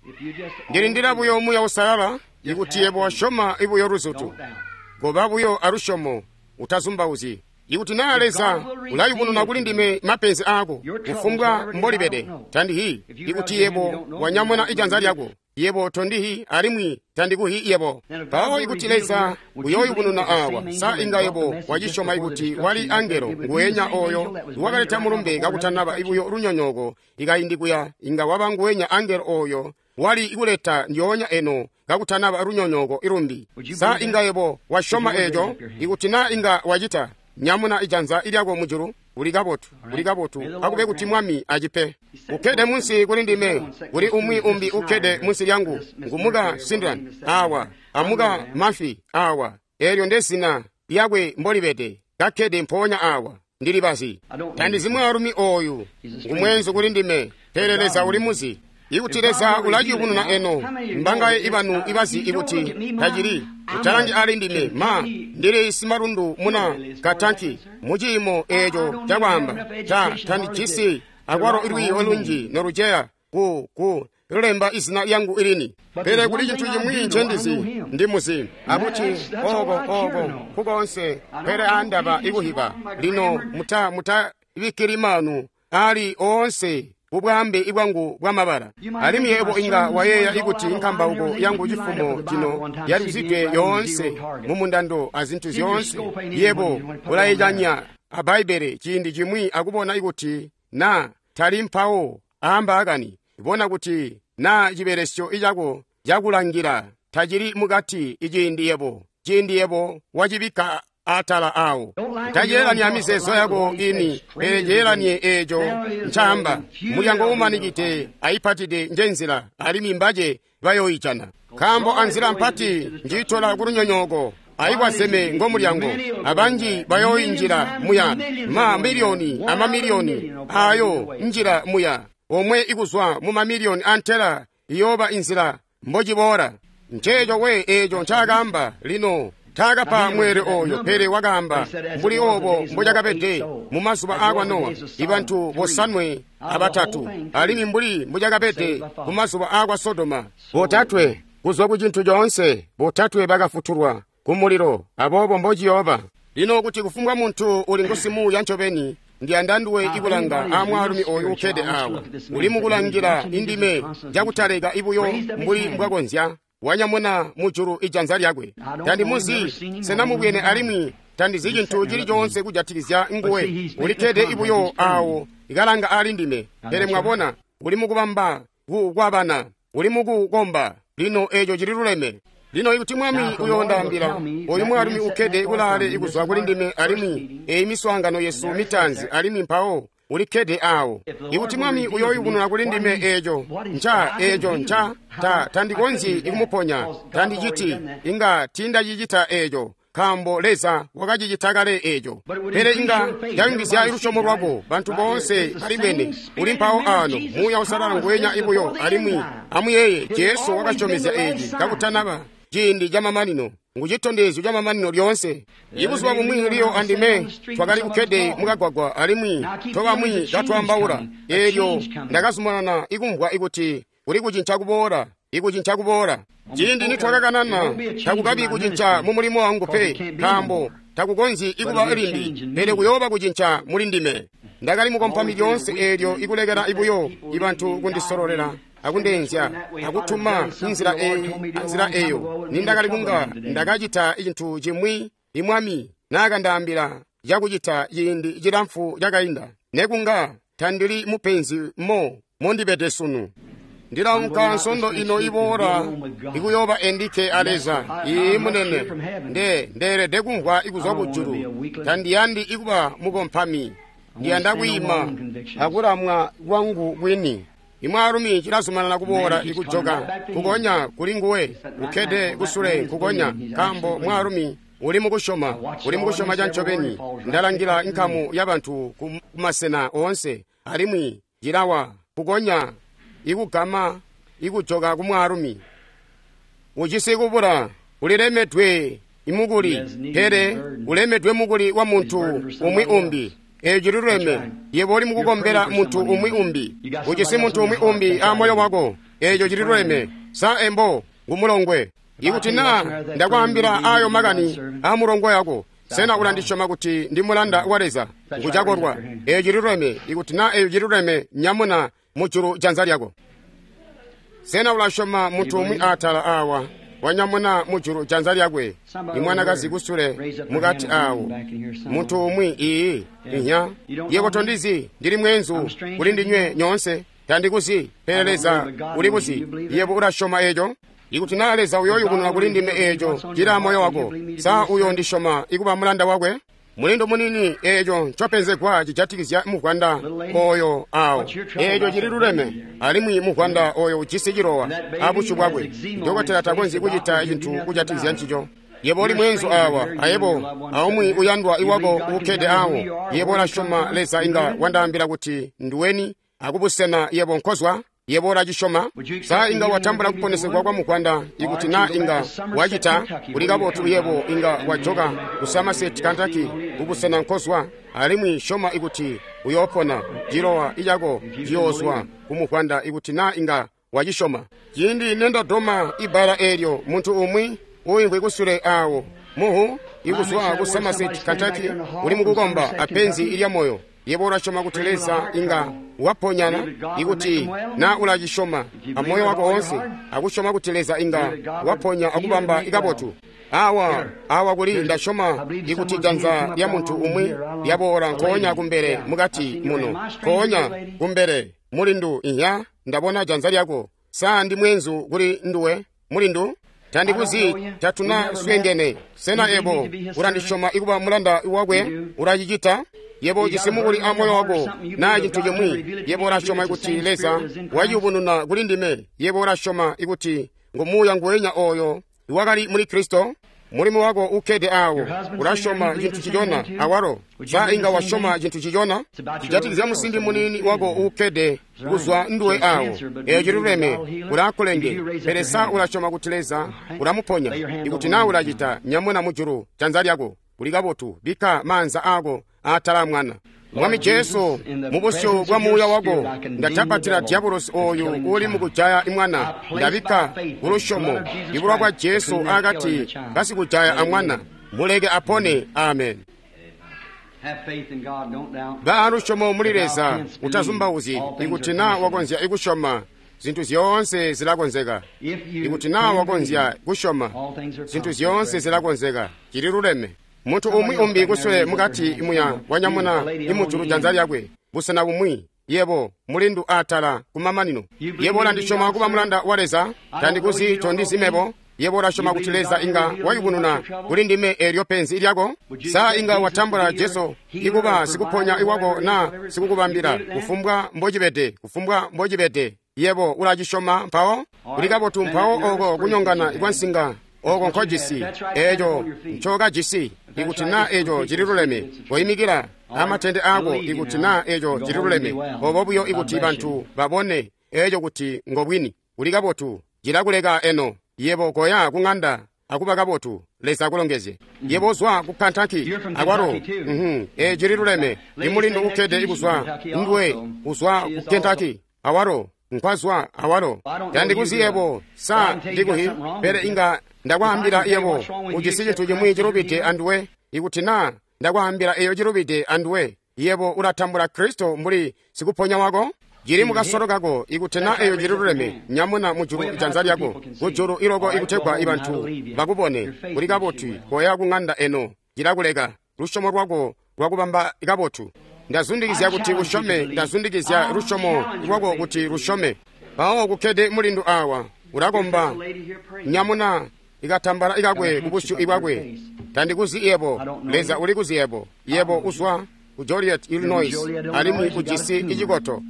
If you just Ndilindira buyo Muuya Usalala, ikuti yebo wasyoma ibuyo luzutu. Goba buyo alusyomo, utazumbauzyi. Ikuti naa Leza ulayubununa kuli ndime mapenzi ako, kufumbwa mbolibede, tandihi. Ikuti yebo wanyamuna ijanza lyako, yebo tondihi alimwi tandikuhi yebo. Mpawo ikuti Leza uyoyubununa awa, sa inga yebo wacisyoma ikuti wali angelo nguwenya oyo wakaleta mulumbe kakutanaba ibuyo lunyonyooko ikaindi kuya, inga waba nguwenya angelo oyo wali ikuleta ndyoonya eno kakutanaba lunyonyooko ilumbi. Sa inga yebo wasyoma eco? Ikuti naa inga wacita, nyamuna ijanza ilyako mujulu. Uli kabotu, uli kabotu. Akube kuti Mwami acipe. Ukkede munsi kuli ndime, kuli umwi umbi ukkede munsi lyangu, ngumuka Sindran awa, amuka Mafi awa. Eelyo ndezina lyakwe mbolibede, kakkede mpoonya awa. Ndilibazi. Tandizi mwaalumi oyu, ngumwenzu kuli ndime, pele Leza uli muzi. Ikuti Leza ulaciyubununa eno, mbangaye ibanu ibazi ikuti tacili utalangi ali ndime, ma ndili simalundu muna katanki muciimo eco cakwaamba ta tandijisi akwalo ilwiiyo lunji noluceya ku ku lulemba izina lyangu ilini. Pele kuli cinthu chimwi ncendizi ndimuzi akuti oko oko kukonse pele andaba ikuhiba lino muta mutabikkili manu ali oonse kubwambe ibwangu bwamabala. Alimwi yebo inga wayeeya ikuti nkambauko yangu cifumo cino yaluzidwe yoonse mumundando azinthu zyoonse. Yebo ulayicanya a Bbaibele ciindi chimwi akubona ikuti na tali mpawo aamba akani, bona kuti na cibelesyo icako cakulangila tacili mukati iciindi yebo ciindi yebo wacibikka atala awo. Taceelanya mizeezo yako ini, pele ceelanye eco ncaamba. Mulyango umanikide ayipatide njenzila, alimwi mbace bayoyijana. Nkaambo anzila mpati njiitola kulunyonyooko, ayikwazeme ngomulyango, abanji bayoyinjila muya. Ma miliyoni amamiliyoni ayo njila muya, omwe ikuzwa mu mamiliyoni antela iyooba inzila mbociboola. Nceeco we eco ncaakaamba lino. Taakapa mweelwe oyo, pele wakaamba mbuli obo mbocakabede mu mazuba aakwa Nowa, ibantu bosanwe abatatu, alimwi mbuli mbocakabede mu mazuba aakwa Sodoma, botatwe kuzwa ku cintu coonse, botatwe bakafutulwa ku mulilo. Aboobo mbociyooba lino kuti kufumbwa muntu uli ngusimuuya ncobeni, ndiyanda nduwe ikulanga amwaalumi oyu ukkede awa, uli mukulangila indime cakutaleka ibuyo mbuli mbwakonzya. Wanyamuna mujulu ijanza lyakwe. Tandimuzi, sena mubwene alimwi tandizi cintu cili coonse kujatikizya nguwe. Ulikkede ibuyo awo ikalanga ali ndime. Pele mwabona, Uli mukubamba kukwabana. Uli mukukomba. Lino eco cili luleme. Lino ikuti Mwami uyoondaambila, oyu mwaalumi ukkede kulaale ikuzwa kuli ndime alimwi eyi miswaangano yesu mitaanzi alimwi mpawo ulikkede awo. Ikuti Mwami uyoyubununa kuli ndime eco nca eco nca ta tandikonzyi ikumuponya, tandiciti, inga tindacicita eco, nkaambo Leza wakacicita kale eco. Pele inga yayungizya lusyomo lwako, bantu boonse balibwene uli mpawo ano, Muuya Uusalala nguwenya ibuyo. Alimwi amuyeeye, Jesu wakasyomezya eci kakutanaba ciindi camamanino, ngu citondezyo camamanino lyoonse. Ibuzuba bumwi Leo andime twakali kukkede mukagwagwa alimwi tobamwi katwaambaula. Eelyo ndakazumanana ikumvwa ikuti kuli kucinca kuboola, ikucinca kuboola. Ciindi nitwakakanana, takukabi kucinca mu mulimo wangu pe, nkaambo takukonzyi ikuba limbi, pele kuyooba kucinca muli ndime. Ndakali mukompami lyoonse eelyo ikulekela ibuyo ibantu kundisololela akundeenzya akutuma inzila eyi anzila eyo. Nindakali kunga ndakacita cintu cimwi imwami naakandaambila cakucita ciindi cilamfu cakainda, nekunga tandili mupenzi mo mondibede sunu. Ndilaunka nsondo ino iboola ikuyooba endike a Leza. Ii munene, nde ndeelede kumvwa ikuzwa kujulu. Tandiyandi ikuba mukompami, ndiyanda kwiima akulamwa kwangu kwini. Imwaalumi cilazumanana kuboola ikujoka kukonya kuli nguwe ukkede kusule kukonya, nkaambo mwaalumi uli mukusyoma, uli mukusyoma cancobeni. Ndalangila nkamu yabantu kumasena oonse, alimwi cilawa kukonya ikugama ikujoka kumwaalumi. Ujisi kubula, ulilemedwe imukuli, pele ulemedwe mukuli wa muntu umwi umbi. Eco cililuleme. Yebo uli mukukombela muntu umwi umbi. Ujisi muntu umwi umbi a moyo wako. Eco cililuleme. Sa embo ngumulongwe. Ikuti naa ndakwaambila ayo makani a mulongwe wako, sena ulandisyoma kuti ndi mulanda wa Leza? Ngucakolwa. Eco cililuleme. Ikuti naa eco cililuleme, nyamuna mujulu janza lyako. Sena ulasyoma muntu umwi atala awa wanyamuna mujulu janza lyakwe? Imwanakazi kusule mukati awo muntu umwi. Iyi inya yebo tondizi, ndili mwenzu kuli ndinywe nyoonse, tandikuzi, pele Leza ulikuzi. Yebo ulasyoma eco? Ikuti naa Leza uyoyubununa kuli ndime eco cili moyo wako, sa uyondisyoma ikuba mulanda wakwe? Mulindo munini, eco ncopenzegwa cijatikizya muvwanda oyo awo. Eco cili luleme. Alimwi muvwanda oyo ujisi cilowa abusyu bwakwe. Dokotela takonzyi kucita cintu kujatikizya ncico. Yebo uli mwenzu awa, ayebo aumwi uyandwa iwako ukkede awo. Yebo ulasyoma Leza inga wandaambila kuti nduweni akubusena yebo nkozwa? Yebo ulacisyoma? Sa inga watambula kuponesegwa kwa muvwanda? Ikuti naa inga wacita, kuli kabotu. Yebo inga wajoka ku Somerset, Kentucky, kubusena nkozwa, alimwi syoma ikuti uyoopona. Cilowa icako ciyoozwa kumuvwanda ikuti naa inga wacisyoma. Ciindi nendadoma ibbala eelyo, muntu umwi uimvwi kusule awo muhu ikuzwa ku Somerset, Kentucky, uli mukukomba apenzi ilya moyo. Yebo ulasyoma kuti Leza inga waponyana? Ikuti na ulacisyoma amoyo wako woonse, akusyoma kuti Leza inga waponya akubamba ikabotu. Awa awa kuli ndasyoma ikuti janza lya muntu umwi lyaboola nkoonya kumbele mukati muno, nkoonya kumbele mulindu. Inya ndabona janza lyako. Sa ndi mwenzu kuli nduwe mulindu? Tandikuzi, tatuna swengene. Sena ebo ulandisyoma ikuba mulanda wakwe? Ulacicita? Yebo ujisi mukuli a moyo wako naa cintu cimwi. Yebo ulasyoma ikuti Leza wayubununa kuli ndime? Yebo ulasyoma ikuti ngu Muuya nguwenya oyo iwakali muli Kristo? Mulimo wako ukkede awo, ulasyoma cintu cicona awalo. Sa inga wasyoma cintu cicona? Cijatikizya musimbi munini wako ukkede kuzwa nduwe awo. Eco ciluleme, ulakulenge. Pele sa ulasyoma kuti Leza ulamuponya? Ikuti naa ulacita, nyamuna mujulu janza lyako. Kuli kabotu, bikka maanza ako atala mwana. Mwami Jesu, mubusyu bwa Muuya wako ndatapatila diabolosi oyu uli mukujaya imwana. Ndabikka kulusyomo ibulwa bwa Jesu akati kasikujaya amwana. Muleke apone. Amen. Ba lusyomo muli Leza, utazumbauzyi. Ikuti naa wakonzya ikusyoma, zintu zyoonse zilakonzeka. Ikuti naa wakonzya kusyoma, zintu zyoonse zilakonzeka. Cili luleme. Muntu umwi umbi kusule mukati muya wanyamuna imujulu janza lyakwe busena bumwi. Yebo, mulindu atala kumamanino. Yebo ulandisyoma kuba mulanda wa Leza, tandikuzi tondizi mebo. Yebo ulasyoma kuti Leza inga wayubununa kuli ndime eelyo penzi lyako? Sa inga watambula Jesu ikuba sikuponya iwako na sikukubambila kufumbwa mbocibede, kufumbwa mbocibede. Yebo ulacisyoma mpawo? Kuli kabotu mpawo oko kunyongana kwa nsinga oko nkojisi, eeco ncokajisi. Ikuti na eeco cililuleme, koyimikila amatende ako. Ikuti na eeco cililuleme, obo buyo ikuti bantu babone eeco kuti ngobwini. Kuli kabotu, cilakuleka eno. Yebo koya kung'anda akuba kabotu. Leza akulongezye. Yebo uzwa ku Kentucky akwalo. Mhm, e cililuleme. Imulindu ukkede ikuzwa nduwe uzwa ku Kentucky awalo nkwazwa awalo. Tandikuzi yebo, sa ndikuhi, pele inga ndakwaambila yebo ujisi cintu cimwi cilubide anduwe. Ikuti na ndakwaambila eyo cilubide anduwe, yebo ulatambula Kristo mbuli sikuponya wako. Cili mukasolo kako. Ikuti na eyo cililuleme, nyamuna mujulu janza lyako kujulu iloko ikutegwa ibantu bakubone. Kuli kabotu, koya kung'anda eno, cilakuleka. Lusyomo lwako lwakubamba kabotu. Ndazundikizya kuti usyome, ndazundikizya lusyomo lwako kuti lusyome. Mpawo kukkede mulindu awa ulakomba, nyamuna ikatambala ikakwe kubusyu ibwakwe. Tandikuzi yebo, Leza ulikuzi yebo. Yebo uzwa ku Joliet, Illinois, alimwi ujisi icikoto.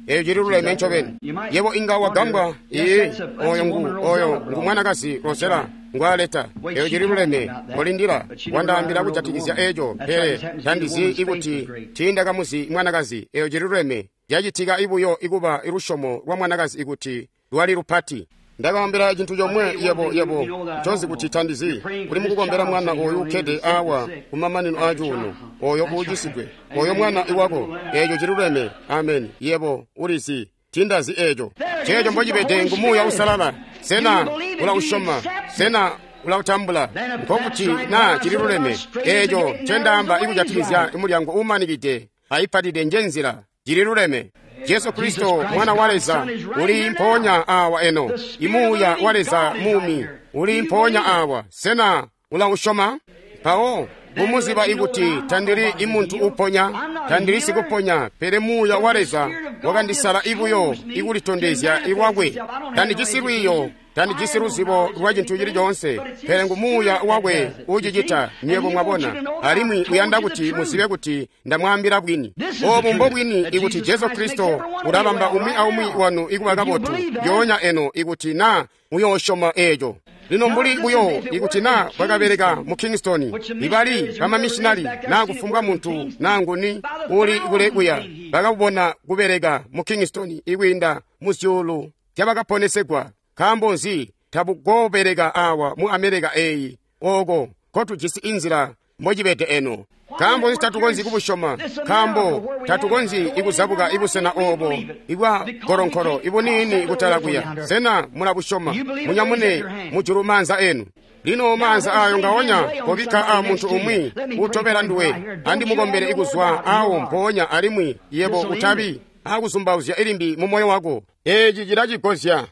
Eyo cililuleme ncobeni. Yebo inga wagambwa. Ee, oyo ngu oyo ngu mwanakazi Rosella ngwaleta. Eyo cililuleme. Kolindila, wandaambila kujatikizya eco, pele tandizi ikuti tiindakamuzi mwanakazi. Eyo cililuleme. Cacitika ibuyo ikuba ilusyomo lwa mwanakazi ikuti lwali lupati. Ndakaambila cintu comwe yebo yebo ncozi kuti tandizi. Uli mukukombela mwana oyu ukkede awa kumamanino a cuuno, oyo uucisidwe, oyo mwana iwako. Eeco cililuleme. Amen. Yebo ulizi tindazi eeco. Ceeco mbocibede ngu Muuya Uusalala. Sena ulausyoma? Sena ulautambula? Nkokuti na cililuleme. Eeco ncendaamba ikujatikizya mulyango uumanikide aipatide nje nzila. Cililuleme. Jesu Kristo mwana wa Leza uli mpoonya awa eno. Imuuya wa Leza muumi uli mpoonya awa. Sena ulausyoma? Mpawo mumuziba ikuti tandili imuntu uponya, tandili sikuponya, pele Muuya wa Leza wakandisala ibuyo ikulitondezya iwakwe. Tandijisi lwiiyo, tandijisi luzibo lwa cintu cili coonse, pele ngu Muuya wakwe ucicita. Nywebo mwabona, alimwi uyanda kuti muzibe kuti ndamwaambila bwini. Obu mbobwini ikuti Jesu Kristo ulabamba umwi aumwi wanu ikuba kabotu yoonya eno, ikuti na muyoosyoma eeco. Lino mbuli buyo ikuti na bwakabeleka mu Kingston, ibali bamamishinali na kufumbwa muntu na nguni uli kule kuya, bakabona kubeleka mu Kingston ikwiinda mu zyuulu zyabakaponesegwa. Nkaambo nzi tabukobeleka awa mu Amerika eyi, oko kotujisi inzila mbocibede eno? Nkaambo nzi tatukonzyi kubusyoma? Nkaambo tatukonzyi ikuzabuka ibusena obo ibwa golonkolo ibuniini kutala kuya. Sena mulabusyoma? Munyamune mujulu maanza enu. Lino maanza ayo ngaonya kobikka a muntu umwi utobela nduwe. Andimukombele ikuzwa awo mpoonya, alimwi yebo utabi akuzumbauzya ilimbi mu moyo wako. Eeci cilacigozya.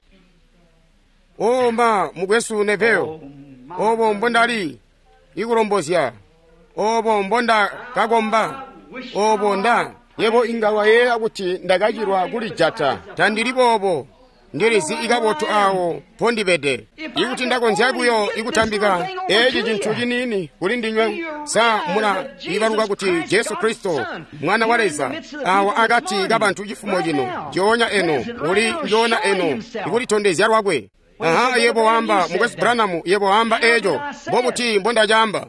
Omba mukwesu Neville, obo mbondali ikulombozya, obo mbonda kakomba, obo nda yebo inga wayeeya kuti ndakachilwa kulijata. Tandili boobo. Ndilizi ikabotu awo pondibede. Ikuti ndakonzya buyo ikutambika eci cintu ciniini kuli ndinywe, sa mula ibaluka kuti Jesu Kristo mwana wa Leza awa akati kabantu cifumo cino njoonya eno uli njoona eno ikulitondezya lwakwe. Aha, yebo wamba mukwesu Branham, yebo wamba eco mbobuti mbondacamba?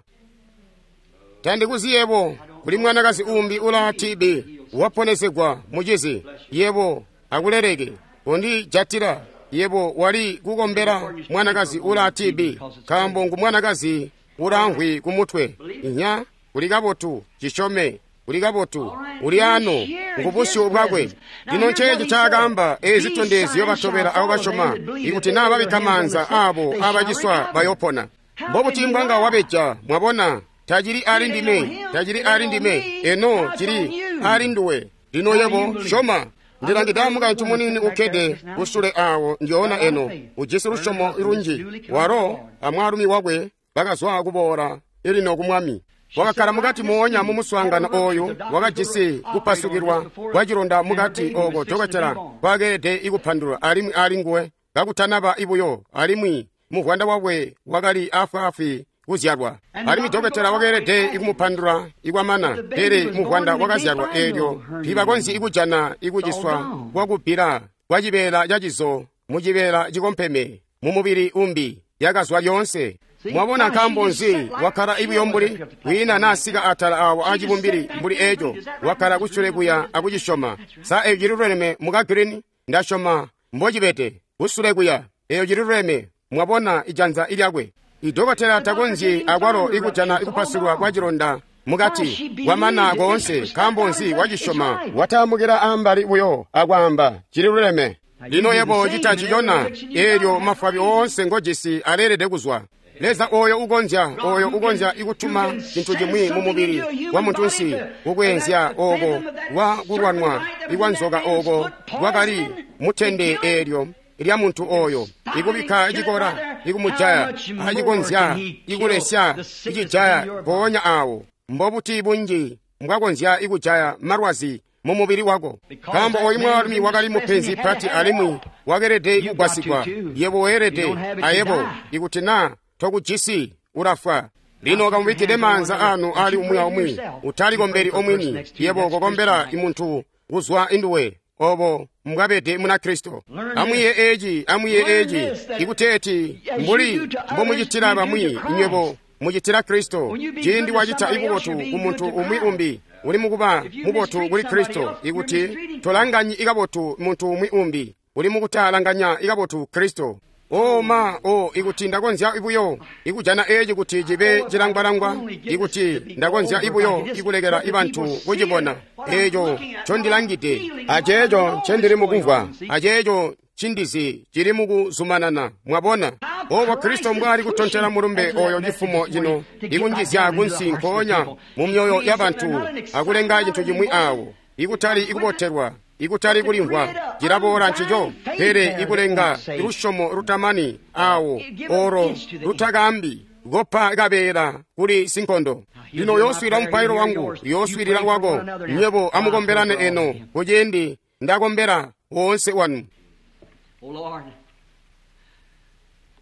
Tandikuzi yebo kuli mwanakazi umbi ula T B waponesegwa mucizi. Yebo akuleleke kondijatila. Yebo wali kukombela mwanakazi ula T B nkaambo ngu mwanakazi ulamvwi kumutwe. Inya, kuli kabotu, cisyome. Kuli kabotu, uli ano ngubusyu bwakwe. Lino nceeci ncaakaamba, eezi zitondezyo batobela abo basyoma, ikuti naa babikka maanza aabo abaciswa bayopona. Mbobuti mbwanga wabeja? Mwabona, tacili ali ndime, tacili ali ndime, eno cili ali nduwe. Lino yebo syoma. Ndilangide mukaintu muniini ukkede kusule awo njoona eno, ujisi lusyomo lunji. Walo amwaalumi wakwe bakazwa kuboola ilino ku Mwami. Wakakkala mukati moonya mu muswaangano oyu, wakajisi kupasukilwa kwa cilonda mukati oko dokotela kwakeelede ikupandulula alimwi ali nguwe kakutanaba ibuyo, alimwi muvwanda wakwe wakali afwaafwi kuzyalwa. Alimwi dokotela wakeelede ikumupandula ikwamana, pele muvwanda wakazyalwa eelyo tiibakonzyi ikujana ikuciswa kwakubbila kwa cibeela cacizo mu cibeela cikompeme mu mubili umbi yakazwa lyoonse. Mwabona nkaambo nzi wakkala ibuyo mbuli kwiina naasika atala awo acibumbili mbuli eco, wakkala kusule kuya akucisyoma. Sa eyo cililuleme muka Green? Ndasyoma mbocibede kusule kuya, eyo cililuleme. Mwabona ijanza ilyakwe. Idokotela takonzyi akwalo ikujana ikupasulwa kwa cilonda mukati kwamana koonse. Nkaambo nzi wacisyoma, wataamukila ambali buyo akwaamba cililuleme. Lino yebo cita cicona, eelyo mafwabi oonse ngojisi aleelede kuzwa. Leza oyo ukonzya, oyo ukonzya ikutuma cintu cimwi mu mubili wa muntunsi kukweenzya oko kwa kulwanwa ikwa nzoka oko kwakali mutende eelyo lya muntu oyo, ikubikka cikora ikumujaya, acikonzya ikulesya icijaya mpoonya awo. Mbobuti bunji mbwakonzya ikujaya malwazi mu mubili wako? Nkaambo oyu mwaalumi wakali mupenzi pati alimwi wakeelede kugwasigwa. Yebo weelede ayebo, ikuti naa tokujisi ulafwa. Lino kamubikkide maanza anu ali umwi aumwi, utalikombeli omwini, yebo kokombela imuntu kuzwa induwe. Obo mbwabede Munakristo. Amwiye eci, amwiye eci, ikuteeti mbuli mbomucitila bamwi, nywebo mucitila Kristo. Ciindi wacita ibubotu ku muntu umwi umbi, uli mukuba mubotu kuli Kristo. Ikuti tolanganyi ikabotu muntu umwi umbi, uli mukutalanganya ikabotu Kristo. O ma, o ikuti ndakonzya ibuyo ikujana eci kuti cibe cilangwalangwa, ikuti ndakonzya ibuyo ikulekela ibantu kucibona eco ncondilangide, aceeco ncendili mukumvwa, aceeco cindizi cili mukuzumanana. Mwabona obo Kristo mbwali kutontela mulumbe oyo cifumo cino, ikunjizya kunsi nkoonya mu myoyo yabantu akulenga cintu cimwi awo, ikutali ikubotelwa, ikutali kulimvwa, cilaboola ncico, pele ikulenga lusyomo lutamani awo oro lutakambi kopa kabeela kuli sinkondo. Lino yooswiilila mupailo wangu, yooswiilila wako. Nywebo amukombelane eno kuciindi ndakombela woonse wanu.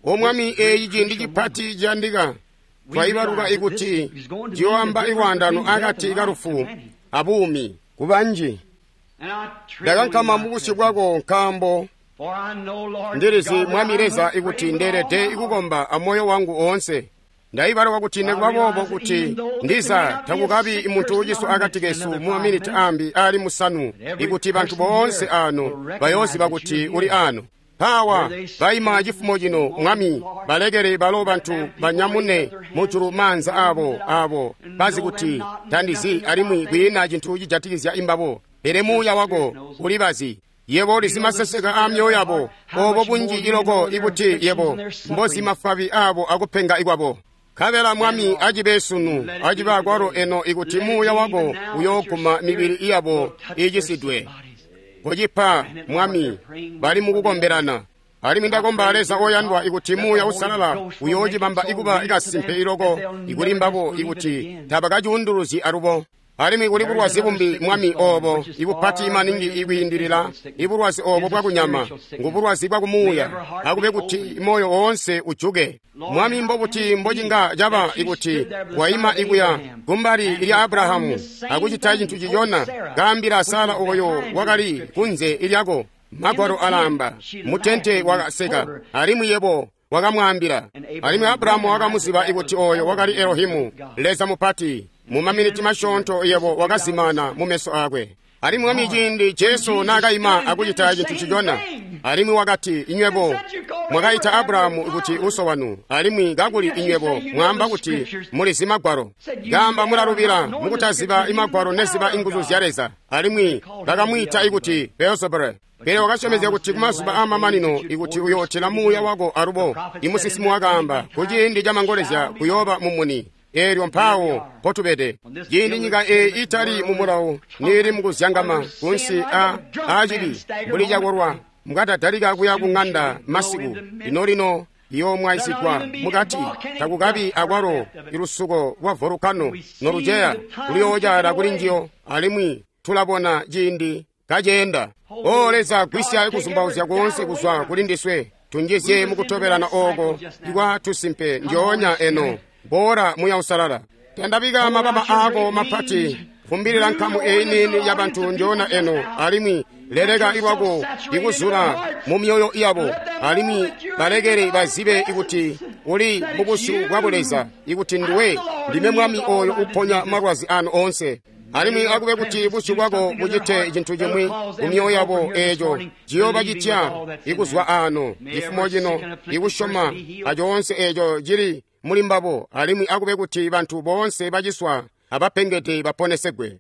O Mwami, eeci ciindi cipati ciyandika. Twaibaluka ikuti ciyooamba ilwaandano akati kalufu abuumi kubanji. Ndakankama mubusyu bwako nkaambo ndilizi Mwami Leza ikuti ndeelede ikukomba amoyo wangu oonse. Ndaibaluka kuti nikuba boobo kuti ndiza takukabi muntu uciswa akati kesu mu maminiti ambi ali musanu, ikuti bantu boonse ano bayooziba kuti uli ano. Mpawa baima cifumo cino, Mwami, balekele balo bantu banyamune mujulu maanza abo abo bazi kuti tandizi alimwi kwiina cintu cijatikizya imbabo, pele muuya wako ulibazi. Yebo ulizi maseseka a myoyo yabo, obo bunji iloko ikuti yebo mbozi mafabi abo akupenga ikwabo. Nkabela Mwami acibe sunu, acibe akwalo eno ikuti muuya wako uyooguma mibili iyabo iicisidwe. Kocipa, Mwami, bali mukukombelana. Alimwi ndakomba Leza oyandwa ikuti muuya usalala uyoocibamba ikuba ikasimpe iloko ikuli mbabo ikuti tabakacuunduluzyi alubo. Alimwi kuli bulwazi bumbi, Mwami, obo ibupati maningi ikwiindilila ibulwazi obo bwakunyama, ngubulwazi bwakumuuya. Akube kuti moyo oonse ujuke. Mwami, mbobuti mbocinga caba ikuti waima ikuya kumbali lya Abrahamu akucita cintu cicona, kaambila Sara oyo wakali kunze ilyako. Magwalo alaamba mutente wakaseka, alimwi yebo wakamwaambila. Alimwi Abrahamu wakamuziba ikuti oyo wakali Elohimu, Leza mupati. Mu maminiti masyoonto yebo wakazimana mu meso akwe. Alimwi Mwami, ciindi Jesu naakaima akucita cintu cicona, alimwi wakati, inywebo mwakaita Abrahamu kuti uso wanu, alimwi kakuli inywebo mwaamba kuti mulizi Magwalo. Kaamba mulalubila mukutaziba imagwalo neziba inguzu zya Leza. Alimwi bakamwiita ikuti Beelzebule. Pele wakasyomezya kuti kumazuba aamamanino ikuti uyootela muuya wako alubo. Imusinsimi wakaamba kuciindi camangolezya kuyooba mumuni. Eelyo mpawo potubede. Ciindi nyika eeyi itali mu mulawo niili mukuzyangama kunsi a acibi mbuli cakolwa, mukatadalika kuya ku ŋanda masiku. Lino lino iyoomwaisigwa mukati takukabi akwalo ilusuko lwa volukano noluceya luyoocaala kuli njiyo alimwi tulabona ciindi kaceenda. O Leza, gwisya kuzumbauzya koonse kuzwa kuli ndiswe, tunjizye mukutobelana ooko ikwa tusimpe ndyoonya eno. Boola Muya Usalala, tandabika mababa aako mapati, fumbilila nkamu eyi niini ya bantu ndyoonya eno, alimwi leleka ilwako ikuzula mu myoyo yabo, alimwi balekele bazibe ikuti uli mubusyu bwa Buleza, ikuti nduwe ndime Mwami oyo uponya malwazi anu oonse. Alimwi akube kuti busyu bwako bucite cintu cimwi mu myoyo yabo eeco ciyoobacitya ikuzwa ano cifumo cino ikusyoma acoonse eeco cili muli mbabo, alimwi akube kuti bantu boonse baciswa abapengede baponesegwe.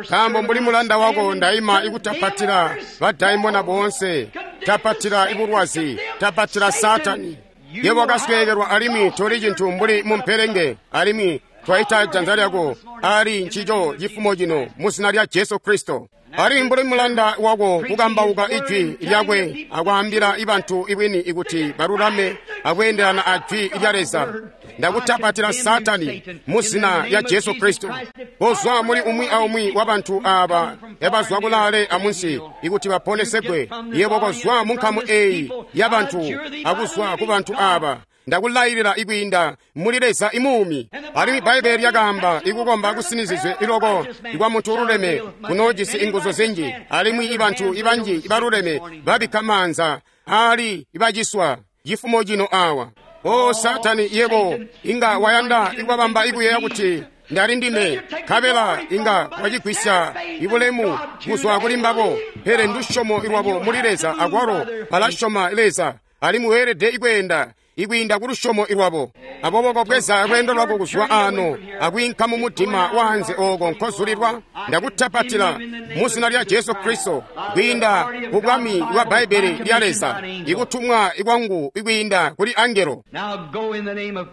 Nkaambo mbuli mulanda wako ndaima ikutapatila badaimona boonse, tapatila ibulwazi, tapatila Satani. Yebo wakasweekelwa alimwi toli cintu mbuli mumpelenge, alimwi twaita janza lyako ali ncico cifumo cino mu zina lya Jesu Kristo. Alimwi mbuli mulanda wako kukambauka ijwi lyakwe akwaambila ibantu ibwini ikuti balulame akweendelana a jwi lya Leza, ndakutapatila Satani mu zina lya Jesu Kristo. Kozwa muli umwi aumwi wa bantu aaba ebazwa kulaale amunsi ikuti baponesegwe. Yebo kozwa mu nkamu eyi ya bantu akuzwa ku bantu aaba. Ndakulailila ikwiinda muli Leza imuumi. Alimwi Bbaibele lyakaamba ikukomba kusinizizwe iloko ikwa muntu ululeme kunoojisi inguzu zinji, alimwi ibantu ibanji ibaluleme babikka maanza aali ibaciswa cifumo cino awa. O Satani, yebo inga wayanda ikubabamba ikuyeeya kuti ndali ndime, nkabela inga wacigwisya ibulemu kuzwa kuli mbabo, pele ndusyomo lwabo muli Leza akwalo balasyoma Leza, alimwi weelede ikweenda ikwiinda ku lusyomo lwabo. Aboobo kobweza lweendo lwako kuzwa ano akwiinka mu mudima waanze ooko nkozulilwa. Ndakutapatila mu zina lya Jesu Kristo kwiinda ku bwami bwa Bbaibele lya Leza, ikutumwa ikwangu ikwiinda kuli angelo.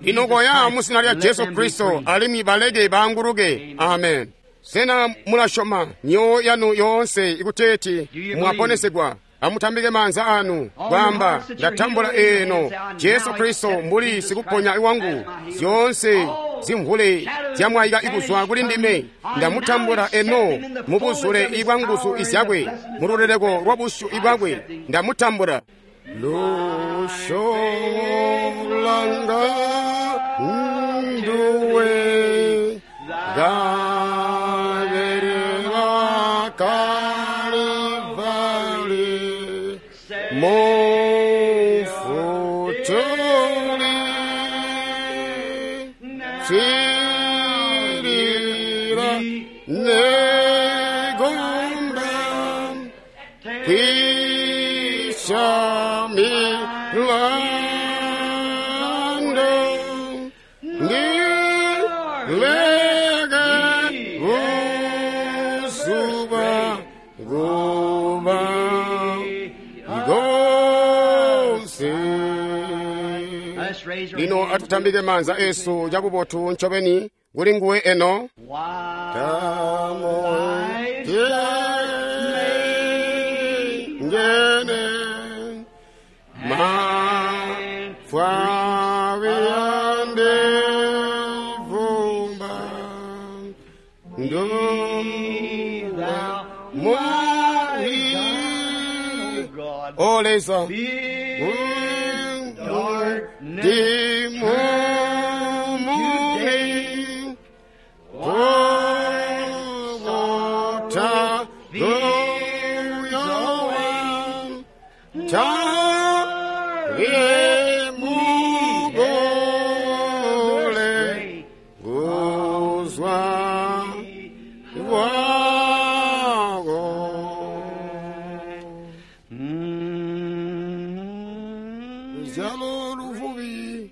Lino koya mu zina lya Jesu Kristo alimwi baleke baanguluke. Amen. Sena mulasyoma myoyo yanu yoonse ikuteeti mwaponesegwa? Amutambike maanza anu kwaamba, ndatambula eno Jesu Kristo mbuli sikuponya wangu, zyoonse zimvule zyamwayika ikuzwa kuli ndime. Ndamutambula eno mubuzule ibwa nguzu izyakwe, mululeleko lwa busyu ibwakwe ndamutambula. Lusyomo lwanga nduwe gaberera Kalvari mufutuli tsirira negomba kwisha milando ndileke uzuba nguba ngonse. Lino atutambike maanza esu cabubotu ncobeni kuli nguwe eno. Ngene mafwawiyande vumba nduwa muri O Leza ndimumuni kugota goyowa tagemugole guzwa wako. Luzyalo luvubi